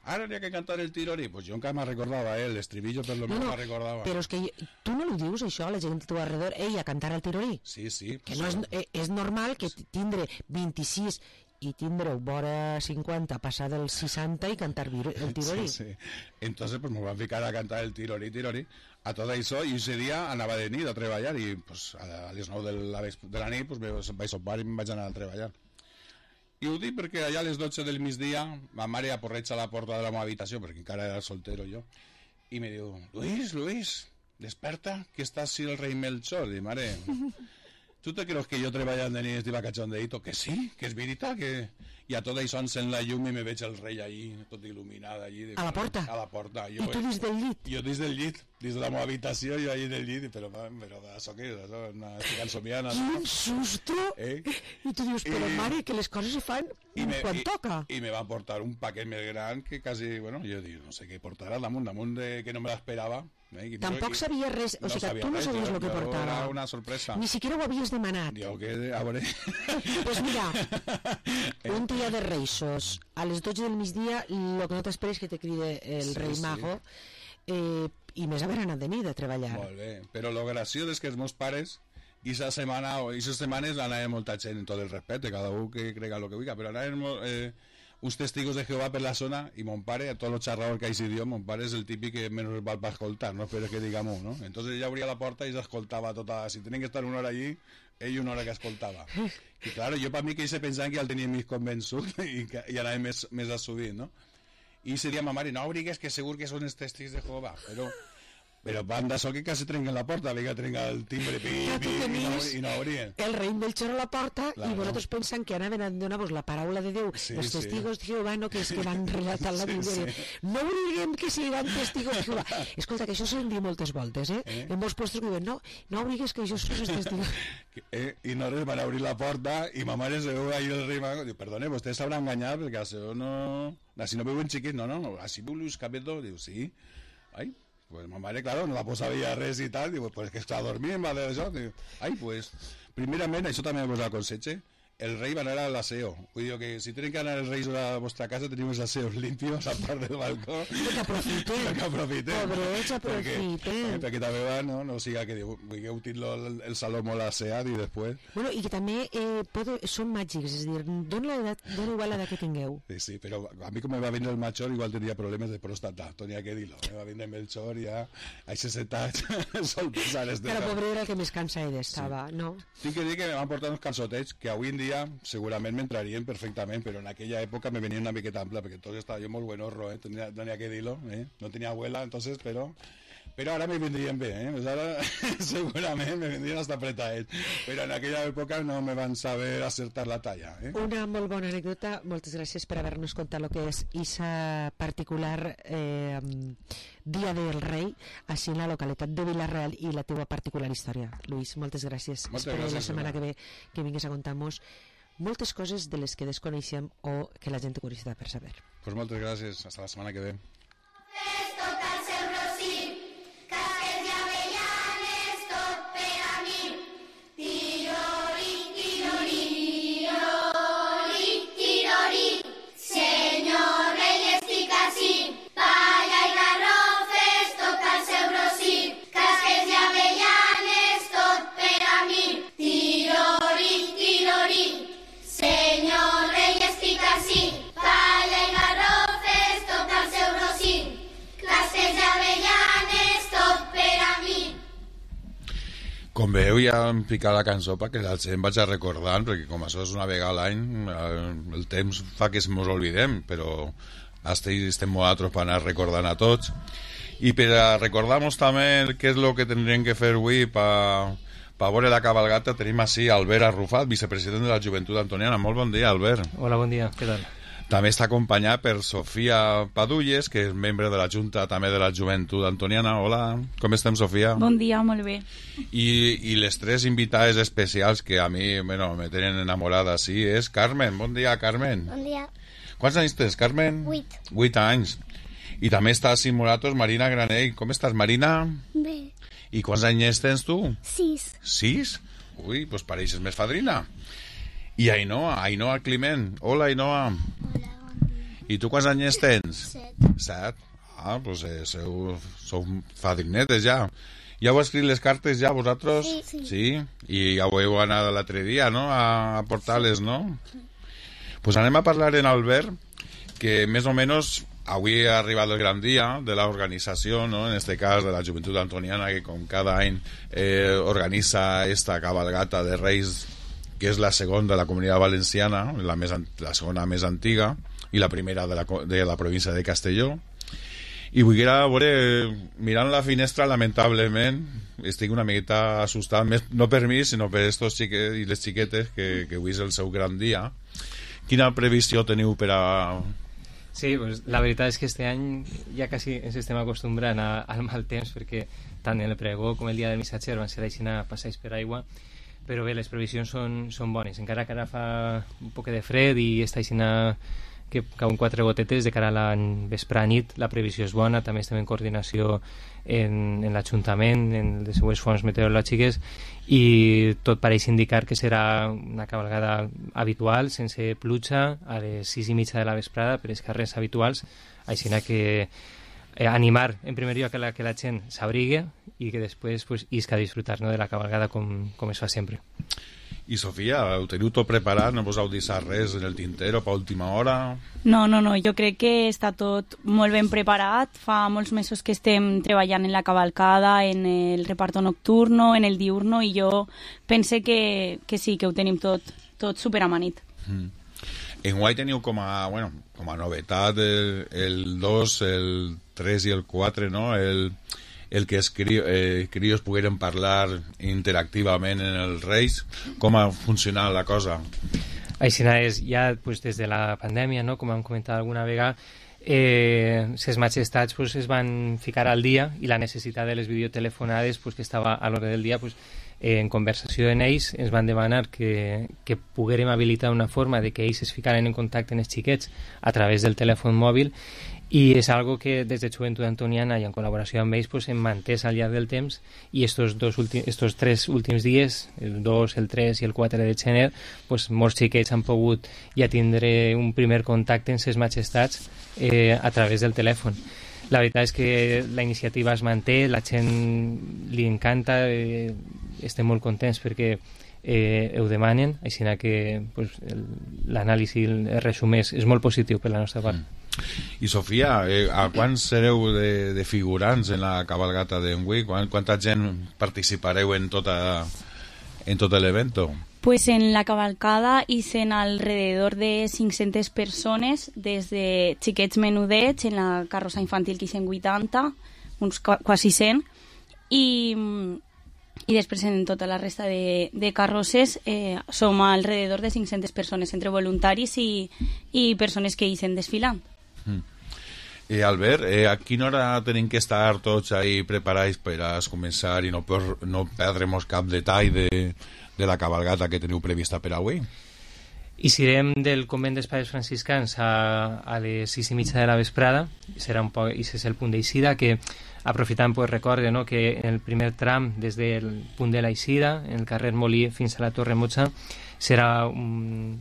ara n'hi ha que cantar el tirorí pues jo encara me recordava, l'estribillo per lo menos me recordava però és que tu no ho dius això a la gent a tu alrededor, a cantar el tirorí sí que no és normal que tindre 26 i tindreu vora 50 passar dels 60 i cantar el tirorí sí. Entonces pues me van ficar a cantar el tirorí a tot això i ese dia anava de nit a treballar i pues, a les 9 de la nit pues, vaig sopar i me'n vaig anar a treballar. I ho dic perquè allà a les 12 del migdia ma mare aporreja a la porta de la meva habitació perquè encara era soltero jo i me diu, Luis, desperta que està així el rei Melchor i mare, tu te creus que jo treballant de nit estiva cachondeito? Que sí, que és veritat que... i a tot això encén la llum i me veig el rei allí tot il·luminat allí a la porta? A la porta i tu dins del llit? Jo dins del llit, dins de la meva habitació jo allí del llit, però això què és? Estic ensomiant quin susto! I tu dius, però mare, que les coses se fan quan toca i me van portar un paquet més gran que quasi, bueno, jo dic, no sé què portarà damunt de que no me l'esperava tampoc sabia res, o sigui que tu no sabies el que portava era una sorpresa ni siquiera ho havies demanat a veure pues mira, un dia de Reixos a les 12 del migdia el que no t'esperes que te cride el rei Mago i més haver anat de nit a treballar molt bé, però lo graciós és que els meus pares i esa setmana o esas setmanes anava molta gent en tot el respecte, cada un que crega lo que vulgui, però anaven uns testigos de Jehová per la zona y mon pare, a todos los charradores que hay ese idioma, mon pare es el típico que menos va a escoltar, no espero que digamos, ¿no? Entonces ella abría la puerta y se escoltava tota, si tenían que estar una hora allí, ell una hora que escoltava. I claro, jo per mi que ells pensaven que ja el tenia més convençut i anava més assudint, no? I ese dia ma mare, no obrigues que segur que són els testigos de Jehová, però van d'això que quasi trenquen la porta, que trenca el timbre i no obrien. El rei Melchor a la porta i vosaltres pensen que anaven a donar-vos la paraula de Déu, els testigos de Jehovà, no que és que van relatar la Bíblia. No obliguem que siguin testigos de Jehovà. Escolta, que això s'han dit moltes voltes, en molts puestos que diuen, no obligues que això són els testigos. I no res, van obrir la porta i ma mare se veu ahí el rei Mago, diu, perdone, vostè s'haurà enganyat perquè això no... Així no veuen xiquit, no, així veu Luis Cabedo, diu, sí. Ai, pues ma mare, claro, no la posava res i tal, diu, pues que està dormint, va d'això, diu, ai, pues, primerament, això també vos aconsejo, el rei va anar a l'aseo. Vull dir que si tenen que anar els reis a la vostra casa, tenim els aseos limpios a part del balcó. Que aprofiten. Pobrets, aprofiten. Perquè també va, no siga que vulgueu tenir el saló molt asseat i després... Bueno, i que també són màgics, és a dir, dona igual l'edat que tingueu. Sí, però a mi com me va vindre el Melchor igual tindria problemes de pròstata, tenia que dir-lo. Me va vindre el Melchor i ja a 60 anys sol pesar Però pobre era el que més cansat estava, no? Tinc que dir que me van portar uns calçotets que avui en dia segurament m'entrarien perfectament, però en aquella època me venien una miqueta ampla, perquè entonces estaba yo muy buenorro, tenía que dir-lo, no tenía abuela, entonces, pero ara me vendrien bé, pues ara segurament me vendrien hasta apretades, però en aquella època no me van saber acertar la talla. Una molt bona anècdota, moltes gràcies per haver-nos contat el que és isa particular Dia del Rei, així en la localitat de Vila-real i la teua particular història. Luis, moltes gràcies. Espero la setmana que ve que vinguis a contar-nos moltes coses de les que desconeixem o que la gent té curiositat per saber. Pues moltes gràcies, hasta la setmana que ve. Senyor rei, estic ací, palla i garrofes, toca el seu rossí, casques i avellanes, tot per a mi. Tirori, tirori, Com veieu, ja em pica la cançó perquè la gent vaig a recordant, perquè com això és una vegada a l'any, el temps fa que mos oblidem, però estem nosaltres per anar recordant a tots. I per a recordar-nos també què és el que tindríem que fer avui per veure la cabalgata, tenim així Albert Arrufat, vicepresident de la Joventut Antoniana. Molt bon dia, Albert. Hola, bon dia, què tal? També està acompanyat per Sofia Padulles, que és membre de la Junta també de la Joventut Antoniana. Hola, com estem, Sofia? Bon dia, molt bé. I les tres invitades especials que a mi me tenen enamorada, sí, és Carmen. Bon dia, Carmen. Bon dia. Quants anys tens, Carmen? 8. 8 anys. I també està simulatos Marina Granell. Com estàs, Marina? Bé. I quants anys tens tu? 6. 6? Ui, doncs pareixes més fadrina. I Ainhoa Climent. Hola, Ainhoa. Hola, I tu quants anys tens? 7. 7? Ah, doncs sou fadrinetes ja. Ja heu escrit les cartes ja vosaltres? Sí. I ja ho heu anat l'altre dia, no?, a portar-les, no? Pues anem a parlar en Albert, que més o menys avui ha arribat el gran dia de l'organització, no?, en este cas de la Joventut Antoniana, que com cada any organitza esta cabalgata de Reis, que és la segona de la Comunitat Valenciana, la segona més antiga, i la primera de la província de Castelló. I vull veure, mirant la finestra, lamentablement, estic una miqueta assustat, no per mi, sinó per estos xiquets i les xiquetes, que avui és el seu gran dia. Quina previsió teniu per a... Sí, pues la veritat és que este any ja quasi ens estem acostumbrant al mal temps, perquè tant el pregó com el dia del missatger van ser així a passeig per aigua, però bé, les previsions són bones, encara que ara fa un poc de fred i està així que cauen 4 gotetes de cara a la vespre nit, la previsió és bona. També estem en coordinació en l'Ajuntament, en les seues fonts meteorològiques, i tot pareix indicar que serà una cabalgada habitual, sense pluja, a les 6:30 de la vesprada per les carrers habituals, així que animar en primer lloc que la gent s'abrigue i que després isca a disfrutar, no, de la cabalgada com es fa sempre. I Sofia, ho teniu tot preparat? No vos heu deixat res en el tintero per última hora? No, jo crec que està tot molt ben preparat. Fa molts mesos que estem treballant en la cavalcada, en el reparto nocturno, en el diurno, i jo pense que sí, que ho tenim tot superamanit. Enguany teniu com a novetat el 2, el 3 i el 4, no?, el que els crios pogueren parlar interactivament en els Reis. Com ha funcionat la cosa? Així és, ja des de la pandèmia, no?, com hem comentat alguna vegada, les majestats es van ficar al dia, i la necessitat de les videotelefonades que estava a l'hora del dia, en conversació en ells ens van demanar que poguérem habilitar una forma de que ells es ficaren en contacte amb els xiquets a través del telèfon mòbil, i és algo que des de Joventut Antoniana i en col·laboració amb ells hem mantès al llarg del temps, i estos 3 últims dies, el 2, el 3 i el 4 de gener, molts xiquets han pogut ja tindre un primer contacte amb les majestats a través del telèfon. La veritat és que la iniciativa es manté, la gent li encanta, estem molt contents perquè ho demanen, així que l'anàlisi, el resum és molt positiu per la nostra part. I Sofia, a quants sereu de figurants en la cabalgata d'enguí? Quanta gent participareu en tot l'evento? Pues en la cavalcada hice alrededor de 500 persones, desde xiquets menudets, en la carrossa infantil que hice 80, uns quasi 100, i després en tota la resta de carrosses som alrededor de 500 persones, entre voluntaris i persones que hice desfilant. Albert, a quina hora tenim que estar tots ahí preparats per a començar i no perdrem cap detall de la cabalgata que teniu prevista per avui? Eixirem del convent dels Pares Franciscans a les 6:30 de la vesprada, i ese és el punt d'eixida, que aprofitant recorde, no, que en el primer tram des del punt de l'eixida, en el carrer Molí fins a la Torre Motxa, serà un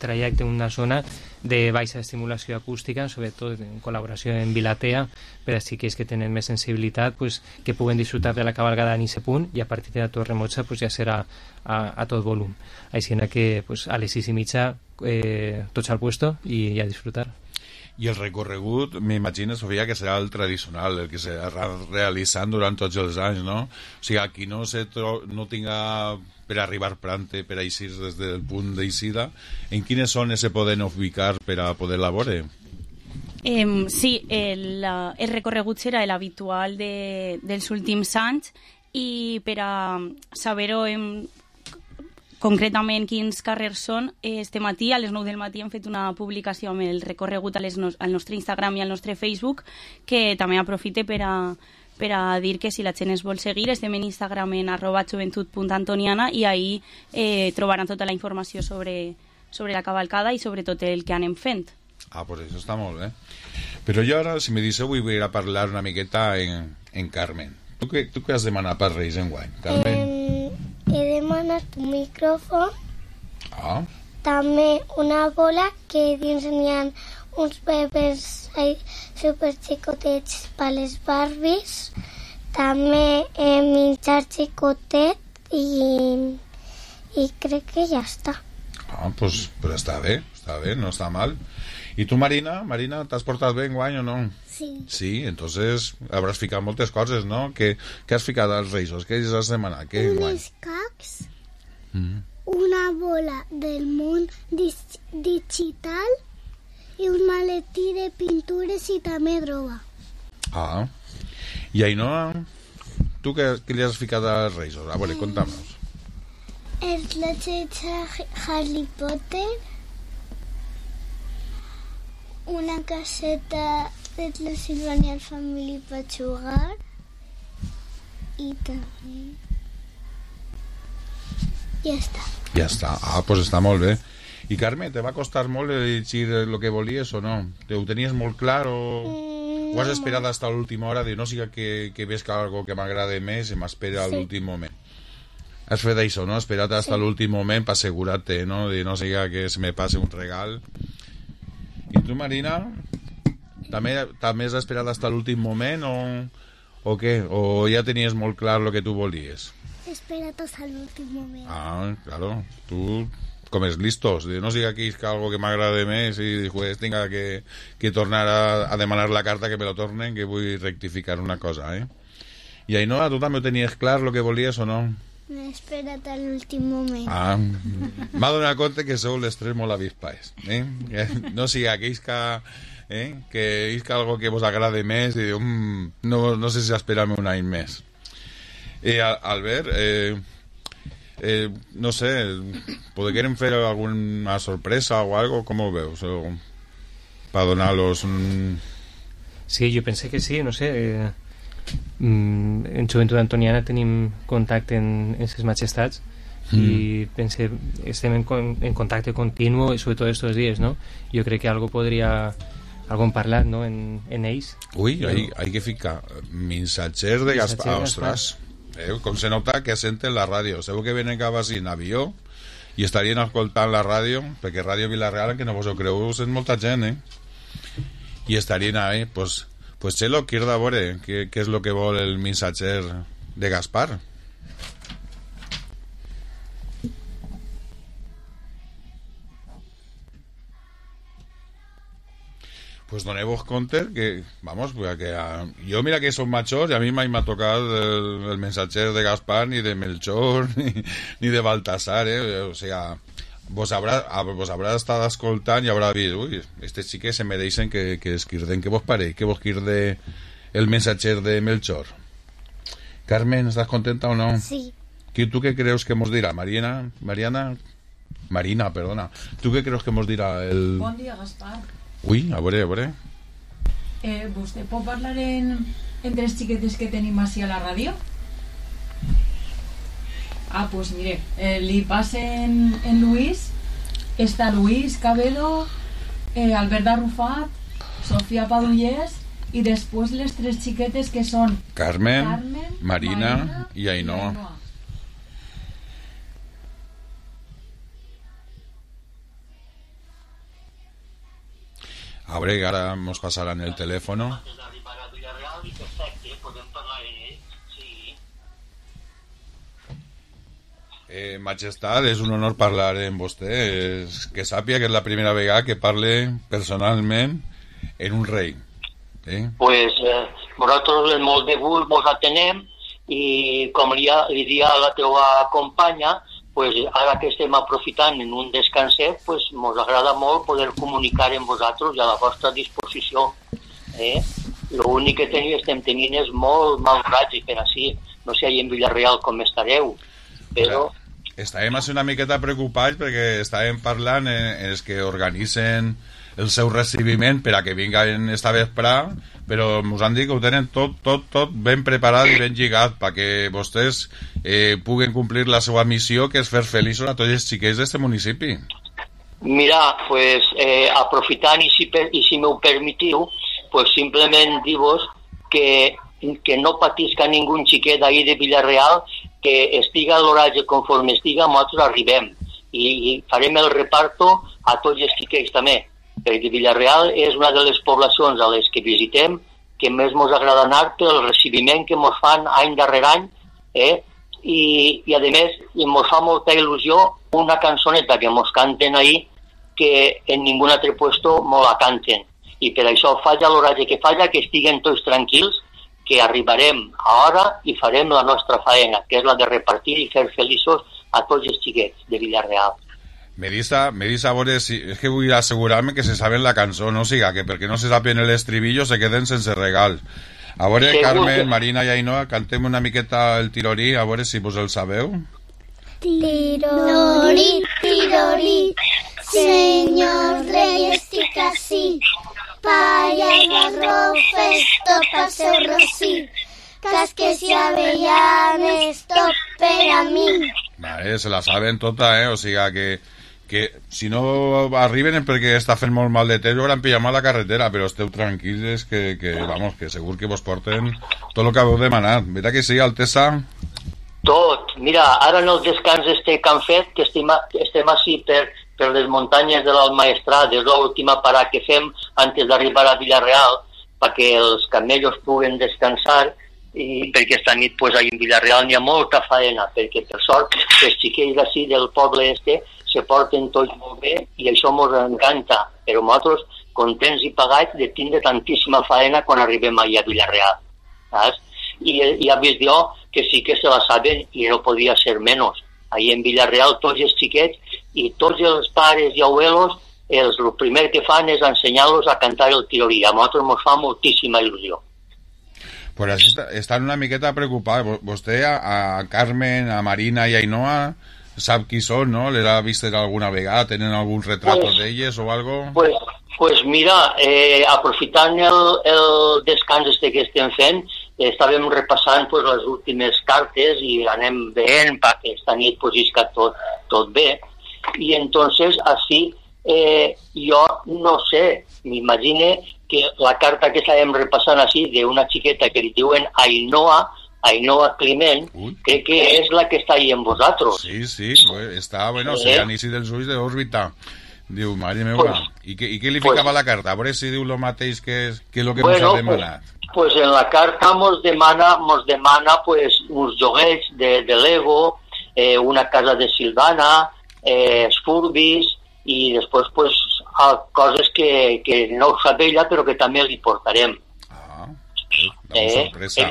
trajecte, una zona de baixa estimulació acústica, sobretot en col·laboració amb Vilatea, per als xiquets que tenen més sensibilitat, que puguen disfrutar de la cabalgada en aquest punt, i a partir de la Torre Motxa ja serà a tot volum. Així que a les 6:30 tots al puesto i a disfrutar. I el recorregut, m'imagino, Sofia, que serà el tradicional, el que s'ha realitzant durant tots els anys, no? O sigui, aquí no tinga per arribar prante, per eixir des del punt d'eixida, en quines zones se poden ubicar per a poder veure? Sí, el recorregut serà l'habitual dels últims anys i per a saber-ho concretament quins carrers són, este matí a les 9 del matí hem fet una publicació amb el recorregut al nostre Instagram i al nostre Facebook, que també aprofite per a dir que si la gent es vol seguir estem en Instagram en @joventut.antoniana i ahí trobaran tota la informació sobre la cavalcada i sobre tot el que anem fent. Pues això està molt bé. Però jo ara, si me deixeu, vull ir a parlar una miqueta en Carmen. Tu què has demanat per Reis enguany, Carmen? He demanat un micròfon, també una bola que dins n'hi ha uns bebès superxicotets per les Barbies, també menjar xicotet i crec que ja està. Pues, però està bé, no està mal. I tu, Marina, t'has portat bé enguany o no? Sí. Sí, entonces habràs ficat moltes coses, no? Què has ficat als Reis? Què has demanat? Unes cacs, una bola del món digital i un maletí de pintures i també droga. I Ainhoa, tu què li has ficat als Reis? A veure, conta'm-nos. Els lletets Harry Potter, una caseta de la Silvania Family per jugar i també ja està. Ja està, pues està molt bé. I Carme, te va costar molt elegir el que volies o no? Ho tenies molt clar o has esperat fins a l'última hora de no siga que ves algo que m'agrada més i m'espera a l'últim moment? Has fet això, no? Esperat fins a l'últim moment per assegurar-te, no? De no siga que se me passe un regal. I tu, Marina, també has esperat fins a l'últim moment o què? O ja tenies molt clar el que tu volies? He esperat fins a l'últim moment. Claro, tu com és listos, de no siga que és algo que m'agrada més i després tinga que tornar a demanar la carta que me lo tornen, que vull rectificar una cosa, I Ainhoa, tu també tenies clar el que volies o no? M'he esperat a l'últim moment. M'ha donat compte que sou les tres molt avispades, no siga que isca algo que vos agrade més i no sé si esperar-me un any més. Albert, no sé, podríem fer alguna sorpresa o algo, com ho veus? Per donar-los un... Sí, jo pensé que sí, no sé... en Joventut Antoniana tenim contacte en ses majestats i pensé, estem en contacte continu i sobretot estos dies, no? Jo crec que algo hem parlat, no? En ells. Hay que ficar missatgers de Gaspar. Ostres, com se nota que senten la ràdio. Segur que venen cap així en avió i estarien escoltant la ràdio, perquè Ràdio Vila-real, que no vos ho creu, és molta gent, i estarien ahí, pues Chelo, qui de veure què és el que vol el missatger de Gaspar? Pues doneu-vos compte que, jo mira que som majors i a mi mai m'ha tocat el missatger de Gaspar, ni de Melchor, ni de Baltasar, o sigui... Vos habrà estat escoltant i haurà vist, estes xiques se mereixen que esquirden. Què vos pareix? Que vos quirde el missatger de Melchor? Carmen, estàs contenta o no? Sí. Tu què creus que mos dirà? Marina, perdona. Tu què creus que mos dirà el... Bon dia, Gaspar. A veure. Vostè pot parlar entre les xiquetes que tenim així a la ràdio? Pues mire, li passen en Luis, està Luis Cabedo, Albert Arrufat, Sofia Padullés i després les tres xiquetes que són Carmen, Marina i Ainhoa. A veure, ara mos passaran el telèfon. Majestat, és un honor parlar amb vostè. Que sàpiga que és la primera vegada que parle personalment en un rei. Pues nosaltres molt de gust mos atenem i com li dia a la teva companya, pues ara que estem aprofitant en un descanset, pues mos agrada molt poder comunicar amb vosaltres i a la vostra disposició. L'únic que estem tenint és molt mal ratge per així. No sé en Villarreal com estareu, però... Estàvem una miqueta preocupats perquè estàvem parlant els que organitzen el seu recibiment per a que vinguen esta vesprà, però ens han dit que ho tenen tot ben preparat i ben lligat perquè vostès puguen complir la seva missió, que és fer feliços a tots els xiquets d'este municipi. Mira, pues aprofitant i si m'ho permetiu, pues simplement dir-vos que no patisca ningú xiquet d'ahir de Villarreal, que estiga l'horatge conforme estiga, nosaltres arribem i farem el reparto a tots els xiquets també, perquè Villarreal és una de les poblacions a les que visitem que més ens agrada anar pel recibiment que ens fan any darrere any, i a més ens fa molta il·lusió una cançoneta que ens canten ahir que en ningú altre puesto ens la canten, i per això falla l'horatge que falla, que estiguen tots tranquils, que arribarem a hora i farem la nostra faena, que és la de repartir i fer feliços a tots els xiquets de Villarreal. Me dius a veure, és que vull assegurar-me que se saben la cançó, no siga que perquè no se saben el estribillo se queden sense regal. A veure, Carmen, Marina i Ainhoa, cantem una miqueta el tirorí, a veure si vos el sabeu. Tirorí, tirorí, senyor rei, estic ací. Palla i garrofes, tot el seu rossí. Casques i avellanes, tot per a mi. Vale, se la saben tota, o sigui que si no arriben és perquè està fent molt mal de temps o hauran pillat a la carretera, però esteu tranquils que segur que vos porten tot el que heu demanat. Mira que sí, Altesa? Tot. Mira, ara en el descans que han fet, que estem així per les muntanyes de l'Almaestrat, és l'última parada que fem antes d'arribar a Villarreal, perquè els camellos puguen descansar, i perquè esta nit pues, en Villarreal n'hi ha molta faena, perquè per sort els xiquets d'ací del poble se porten tots molt bé i això ens encanta, però nosaltres contents i pagats de tindre tantíssima faena quan arribem allà a Villarreal, saps? I ja vist jo que sí que se la saben i no podia ser menys. Allà en Villarreal tots els xiquets i tots els pares i abuelos el primer que fan és ensenyar-los a cantar el tirorí. A nosaltres ens fa moltíssima il·lusió. Pues així estan una miqueta preocupats. Vostè, a Carmen, a Marina i a Ainhoa, sap qui són, no? Les ha vist alguna vegada? Tenen algun retrato d'elles o algo? Pues mira, aprofitant el descans que estem fent, estàvem repassant pues, les últimes cartes i anem veient perquè esta nit pues, isca tot bé. I entonces, així, jo no sé, m'imagine que la carta que estàvem repassant així d'una xiqueta que li diuen Ainhoa Climent, crec que és la que està ahí amb vosaltres. Sí, està, se l'anici dels ulls d'òrbita. Diu, mare meva, i què li ficava la carta? A veure si diu el mateix que és el que ens ha demanat. Pues en la carta mos demana pues, uns joguets de Lego, una casa de Silvana, esfurbis i després pues, coses que no ho sap ella però que també li portarem. Sorpresa.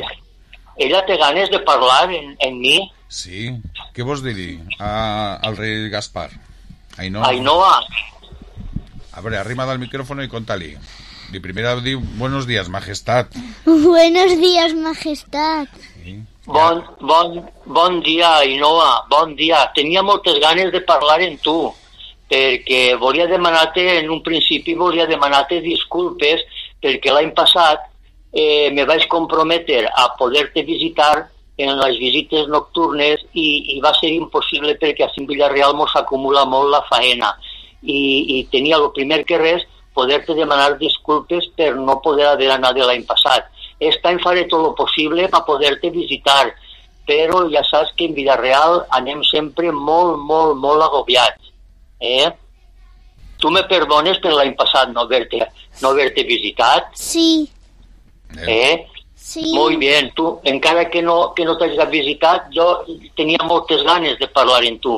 Ella té ganes de parlar en mi? Sí. Què vols dir al rei Gaspar? Ainhoa. A ver, arriba del micrófono y contale. Y primero diu, buenos días, majestad. Buenos días, majestad. Sí. Bon dia, Ainhoa, bon dia. Tenia moltes ganes de parlar amb tu, perquè volia demanar-te, en un principi volia demanar-te disculpes, perquè l'any passat me vaig comprometre a poder-te visitar en les visites nocturnes i va ser impossible perquè a Villarreal mos acumula molt la faena i tenia el primer que res poder-te demanar disculpes per no poder haver anat l'any passat. Aquest any faré tot el possible per poder-te visitar, però ja saps que en Villarreal anem sempre molt agobiats. Tu me perdones per l'any passat no haver-te visitat? Sí. Sí. Muy bien, tu, encara que no t'hagis visitat, jo tenia moltes ganes de parlar amb tu,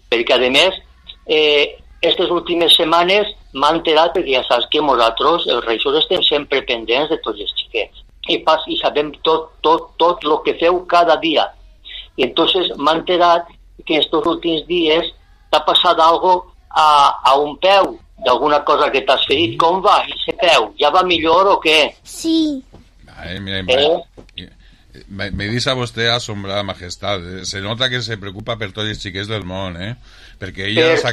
perquè a més, aquestes últimes setmanes m'ha enterat, perquè ja saps que nosaltres, els reixos, estem sempre pendents de tots els xiquets. I sabem tot el que feu cada dia. I entonces m'ha enterat que estos últims dies t'ha passat algo a un peu, d'alguna cosa que t'has ferit. Com va, ese peu? Ja va millor o què? Sí. Me dice a vostè asombrada majestat. Se nota que se preocupa per tots els xiquets del món, perquè ella s'ha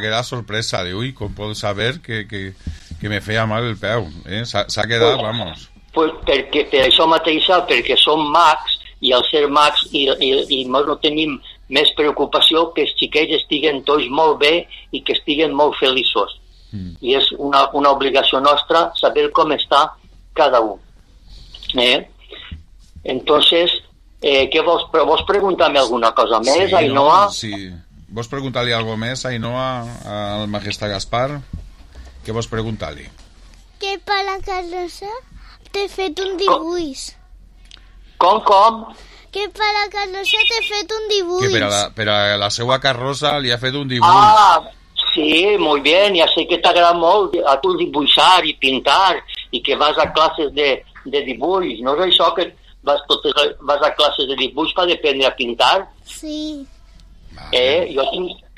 quedat sorpresa. Diu, ui, com pot saber que me feia mal el peu? S'ha quedat, vamos. Pues perquè, per això mateixa, perquè som mags, i al ser mags i no tenim més preocupació que els xiquets estiguen tots molt bé i que estiguen molt feliços. I és una obligació nostra saber com està cada un. Entonces, què vols preguntar-me alguna cosa més, sí, Ainhoa? No? Sí. Vols preguntar-li alguna cosa més, Ainhoa, al majestat Gaspar? Què vols preguntar-li? Que per la carrossa t'he fet un dibuix. Com? Que per la carrossa t'he fet un dibuix. Que per a la seva carrossa li ha fet un dibuix. Ah, sí, muy bien, ja sé que t'agrada molt a tu dibuixar i pintar i que vas a classes de dibuix. No és això que vas a classes de dibuix per aprendre a pintar? Sí. Jo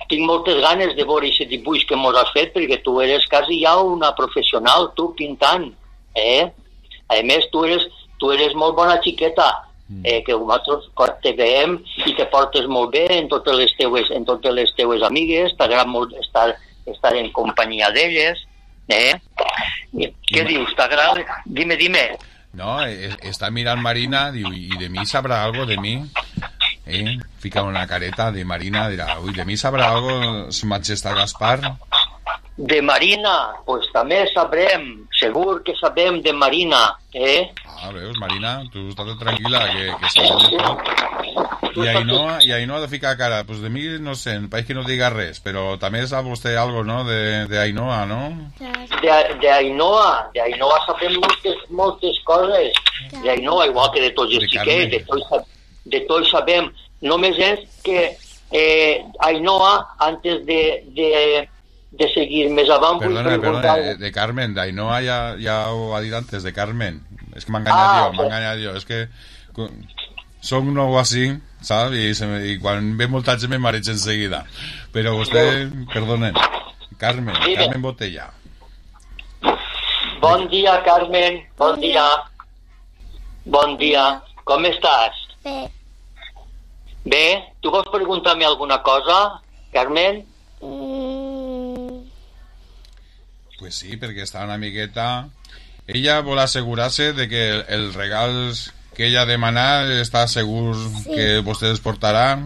tinc moltes ganes de veure aquest dibuix que mos has fet, perquè tu eres quasi ja una professional, tu, pintant. A més, tu eres molt bona xiqueta, que nosaltres te veiem i te portes molt bé en totes les teues amigues, t'agrada molt estar en companyia d'elles. Què dius, t'agrada? Dime. No, està mirant Marina, diu, i de mi sabrà algo de mi? Fica una careta de Marina, dirà, ui, de mi sabrà algo su majestat Gaspar? De Marina, pues també sabrem, segur que sabem de Marina, veus, Marina, tu estàs tranquil·la, que sabem de tot. I Ainhoa de ficar cara, pues de mi no sé, pareix que no diga res, però també sap vostè algo, no?, de Ainhoa, no? De Ainhoa sabem moltes coses, de Ainhoa, igual que de tots els xiquets, de tots sabem, només és que Ainhoa, antes de seguir més avant... Perdona, de Carmen, d'Ainhoa ja ho ha dit antes, de Carmen. És que m'ha enganyat jo, és que som nou així, saps? I quan ve molta gent me mareig enseguida. Però vostè, perdonen, Carmen Botella. Bon dia, Carmen, bon dia. Bon dia, com estàs? Bé, tu vols preguntar-me alguna cosa, Carmen? Pues sí, perquè està una miqueta... Ella vol assegurar-se de que els regals que ella ha demanat està segur que vostès portaran.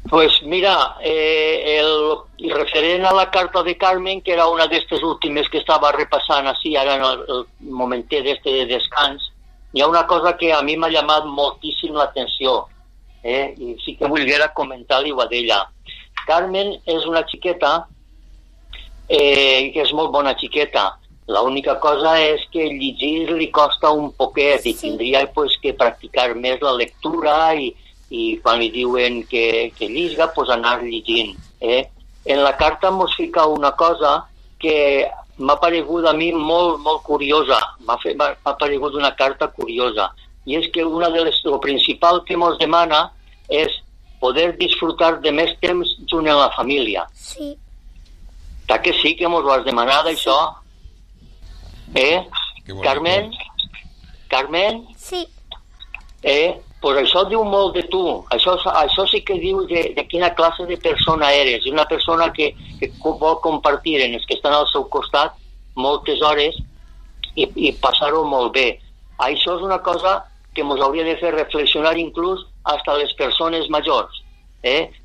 Pues mira, el referent a la carta de Carmen, que era una d'estes últimes que estava repassant així, ara en el momentet d'este de descans, hi ha una cosa que a mi m'ha llamat moltíssim l'atenció, i sí que volguera comentar-li a d'ella. Carmen és una xiqueta que és molt bona xiqueta. L'única cosa és que llegir li costa un poquet i tindria pues, que practicar més la lectura i quan li diuen que lliga, pues anar llegint. En la carta mos fica una cosa que m'ha paregut a mi molt, molt curiosa. M'ha paregut una carta curiosa. I és que lo principal que mos demana és poder disfrutar de més temps junt en la família. Sí. Ta que sí que mos ho has demanat, això? Carmen? Carmen? Sí. Pues això diu molt de tu. Això sí que diu de quina classe de persona eres. És una persona que vol compartir en els que estan al seu costat moltes hores i passar-ho molt bé. Això és una cosa que ens hauria de fer reflexionar inclús hasta les persones majors.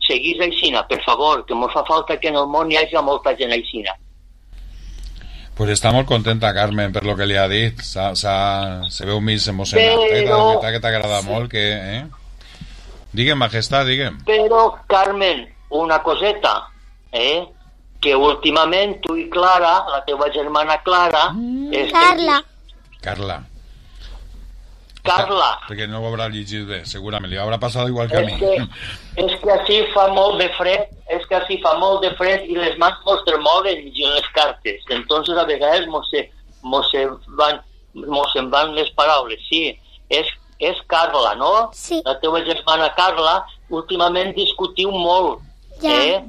Seguís aixina, per favor, que ens fa falta que en el món hi hagi molta gent aixina. Pues està molt contenta, Carmen, per lo que li ha dit. Se veu més emocionat. Que t'agrada molt. Digue'm, majestat, digue'm. Però, Carmen, una coseta, que últimament tu i Clara, la teva germana Clara... Carla. Carla. Carla. Perquè no ho haurà llegit bé, segurament. Li haurà passat igual que a mi. És que així fa molt de fred, i les mans mos tremolen les cartes. Entonces a vegades mos se'n van les paraules. Sí, és Carla, no? Sí. La teva germana Carla, últimament discutiu molt. Ja.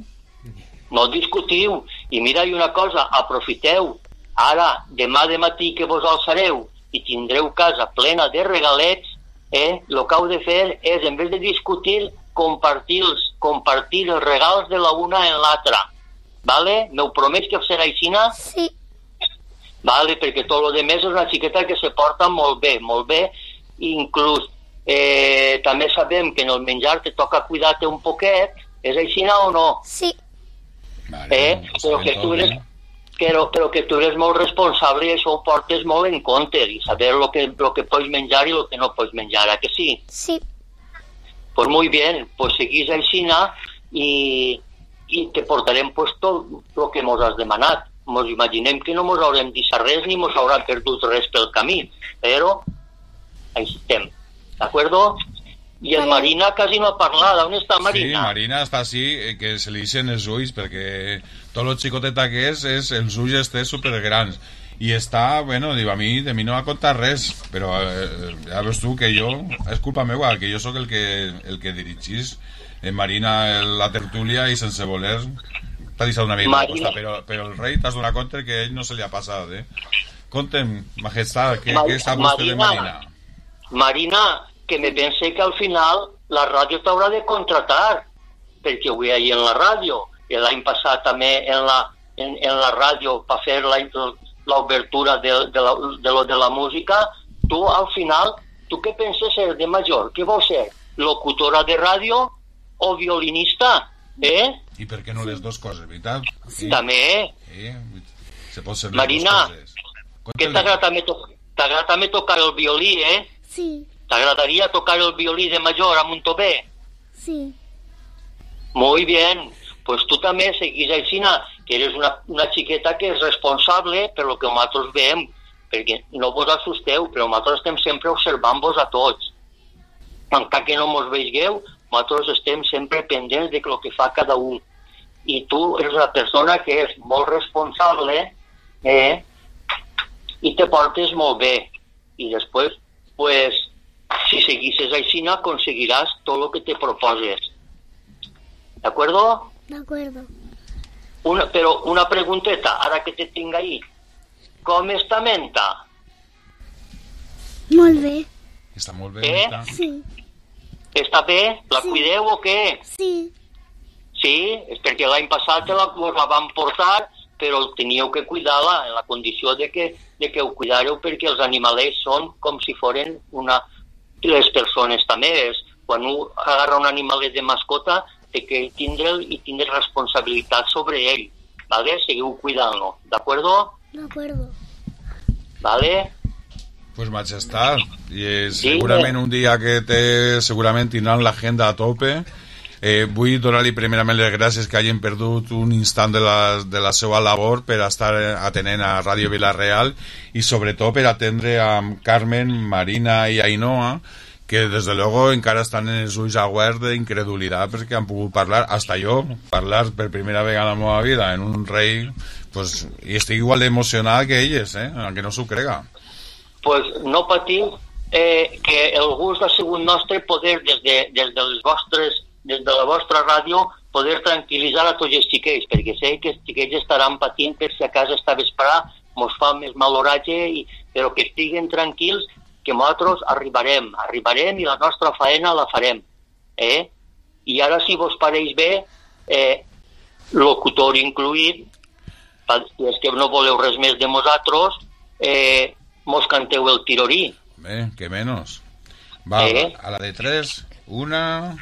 No discutiu. I mira, una cosa, aprofiteu. Ara, demà de matí que vos alçareu i tindreu casa plena de regalets, el que heu de fer és, en vez de discutir, compartir els regals de la una en l'altra. Vale? M'ho promets que serà així? Sí. Vale, perquè tot el demés és una xiqueta que se porta molt bé. Inclús també sabem que en el menjar te toca cuidar-te un poquet. És així o no? Sí. Però que tu eres molt responsable i això ho portes molt en compte, i saber lo que pots menjar i lo que no pots menjar, ¿a que sí? Sí. Pues muy bien, pues seguís així i te portarem pues tot lo que mos has demanat. Mos imaginem que no mos haurem deixat res ni mos haurà perdut res pel camí, però així estem, d'acord? I en Marina quasi no ha parlat. On està Marina? Sí, Marina està així, que se li eixen els ulls, perquè tot el xicoteta que és els ulls estan supergrans. I està, bueno, diu, a mi de mi no ha contat res, però ja veus tu que jo, és culpa meva, que jo sóc el que dirigís en Marina la tertúlia i sense voler t'ha deixat una mica de costa, però el rei t'has donat compte que ell no se li ha passat, Contem, majestat, què està vostè de Marina? Marina, que me pense que al final la ràdio t'haurà de contratar, perquè ho veia en la ràdio, i l'any passat també en la ràdio per fer l'obertura de la música. Tu al final, tu què penses ser de major? Què vols ser? Locutora de ràdio o violinista? I per què no les dues coses, veritat? Sí. També. Se pot ser les Marina, dues coses. què t'agrada també tocar el violí, Sí. ¿T'agradaría tocar el violí de mayor a Montové? Sí. Muy bien. Pues tú també seguís així, que eres una xiqueta que és responsable per lo que nosaltres veiem, perquè no vos assusteu, però nosaltres estem sempre observant-vos a tots. Encara que no mos veigueu, nosaltres estem sempre pendents de lo que fa cada un. I tu eres una persona que és molt responsable, i te portes molt bé. I després, pues, si seguisses així, aconseguiràs tot el que te proposes. ¿De acuerdo? De acuerdo. Però una pregunteta, ara que te tinc ahí. Com està Menta? Molt bé. Està molt bé, Menta? Sí. Està bé? La cuideu o què? Sí. Sí? És perquè l'any passat la van portar, però teníeu que cuidar-la en la condició de que ho cuidàreu, perquè els animalets són com si foren les persones també. Quan un agarra un animalet de mascota, té que tindre'l i tindre responsabilitat sobre ell. ¿Vale? Seguiu cuidant-lo. ¿D'acuerdo? D'acuerdo. ¿Vale? Pues majestat, i segurament un dia que segurament tindran l'agenda a tope. Vull donar-li primerament les gràcies que hagin perdut un instant de la seva labor per estar atenent a Ràdio Vila-real i sobretot per atendre a Carmen, Marina i Ainhoa, que des de luego encara estan en els ulls aguerts d'incredulitat perquè han pogut parlar, hasta jo, parlar per primera vegada en la meva vida en un rei, pues, i estic igual d'emocionada que elles, aunque no s'ho crega. Pues no patiu, que el gust ha sigut nostre poder des de la vostra ràdio poder tranquil·litzar a tots els xiquets, perquè sé que els xiquets estaran patint per si a casa esta vesprada mos fa més mal oratge, però que estiguen tranquils, que nosaltres arribarem i la nostra faena la farem. I ara, si vos pareix bé, locutor incluït, si és que no voleu res més de nosaltres, mos canteu el tirorí. Bé, que menos. Va, a la de 3, 1,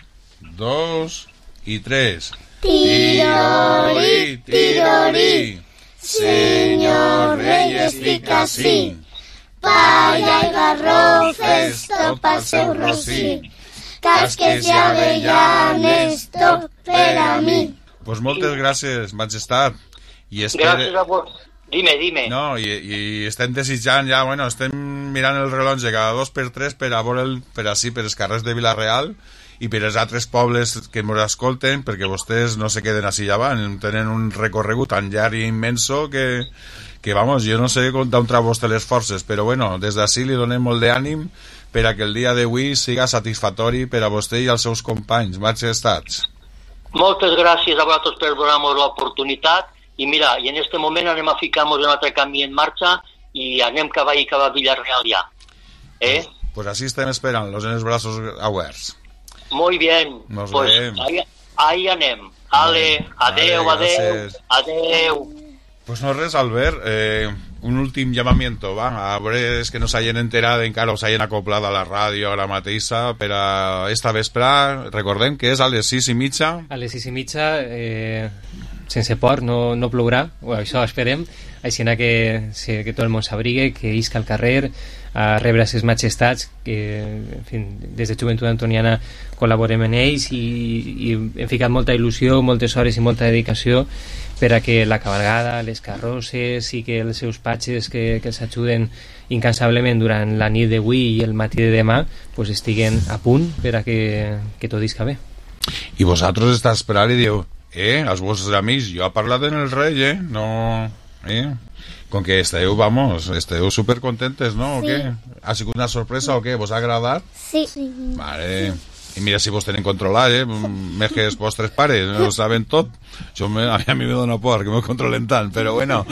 2 y 3. Tirorí, tirorí, señor rei estic ací. Palla i garrofes, tot pel seu rossí. Casques i avellanes, tot per a mi. Pues moltes gràcies, majestat. Gràcies a vos. Dime. No, i estem desitjant ja, bueno, estem mirant el rellotge cada 2 per 3 per a veure per els carrers de Vila-real i per als altres pobles que ens escolten, perquè vostès no se queden així davant, tenen un recorregut tan llarg i immenso que vamos, jo no sé d'on trau vostè les forces, però bueno, des d'ací li donem molt d'ànim per a que el dia d'avui siga satisfactori per a vostè i als seus companys. Majestats. Moltes gràcies a vosaltres per donar-nos l'oportunitat i mira, i en este moment anem a ficar-nos un altre camí en marxa i anem cap a Vila-real ja. Pues así estem esperant-los en els braços oberts. Muy bien, pues ahí anem. Ale, adeu. Pues no res, Albert, un últim llamamiento, va, a veure que no s'hagin enterat encara o s'hagin acoplat a la ràdio ara mateixa per a esta vesprà, recordem que és a les 6:30. A les 6:30, sense por, no plourà, això esperem, així que tot el món s'abrigue, que isca al carrer a rebre ses majestats, que en fi, des de Joventut Antoniana col·laborem en ells i hem ficat molta il·lusió, moltes hores i molta dedicació per a que la cabalgada, les carrosses i que els seus patges que els ajuden incansablement durant la nit d'avui i el matí de demà pues estiguen a punt per a que tot isca bé. I vosaltres estàs esperant i diu els vostres amics, jo he parlat en el rei, no... Com que esteu supercontentes, ¿no? Sí. ¿O qué? ¿Ha sido una sorpresa o qué? ¿Vos ha agradat? Sí. Vale. I mira si vos tenen controlat, més que els vostres pares, no ho saben tot. Això a mi me dona por, que me controlen tant, però bueno.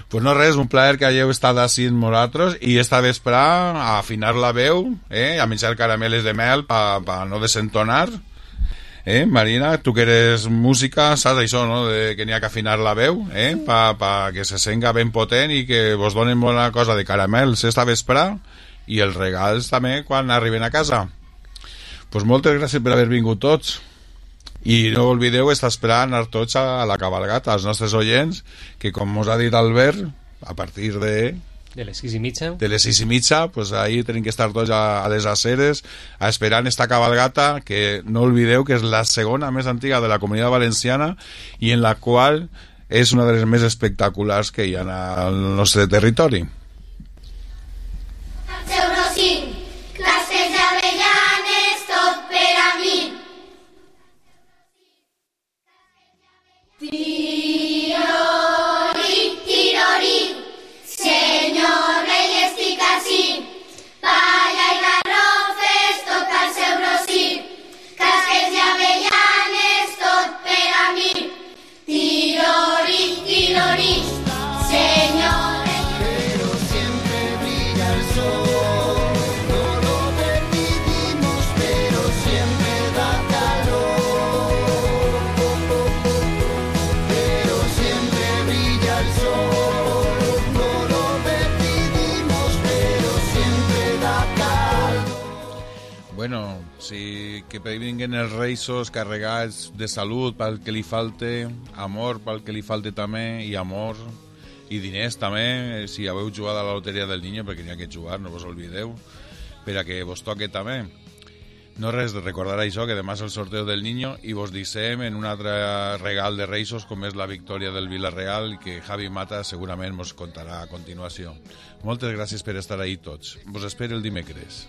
Pues no res, un plaer que hagueu estat així amb nosaltres i esta vesprà a afinar la veu, a menjar carameles de mel pa no desentonar. Marina, tu que eres música, saps això, no? Que n'hi ha que afinar la veu, pa que se senga ben potent i que vos donen bona cosa de caramels esta vesprà i els regals també quan arriben a casa. Pues moltes gràcies per haver vingut tots i no oblideu estar esperant anar tots a la cabalgata, als nostres oients, que com us ha dit Albert, a partir de les 6:30. De les 6:30, pues ahí tenim que estar tots a les aceres esperant esta cabalgata, que no olvideu que és la segona més antiga de la Comunitat Valenciana i en la qual és una de les més espectaculars que hi ha al nostre territori. Classes d'avellanes, tot per a mi. Tirori, tirori, senyor rei estic ací, palla i garrofes, tot al seu rossí, casques i avellanes, tot per a mi. Tirori, tirori, senyor rei. Pero siempre brilla el sol, no lo permitimos, pero siempre da calor. Pero siempre brilla el sol, no lo permitimos, pero siempre da calor. Bueno, si que vinguen els reisos carregats de salut pel que li falte, amor pel que li falte també, i amor i diners també, si haveu jugat a la loteria del niño, perquè n'hi ha que jugar, no vos oblideu, per a que vos toque també. No res, de recordar això, que demà és el sorteo del niño i vos deixem en un altre regal de reisos com és la victòria del Vila-real, que Javi Mata segurament mos contarà a continuació. Moltes gràcies per estar ahí tots. Vos espero el dimecres.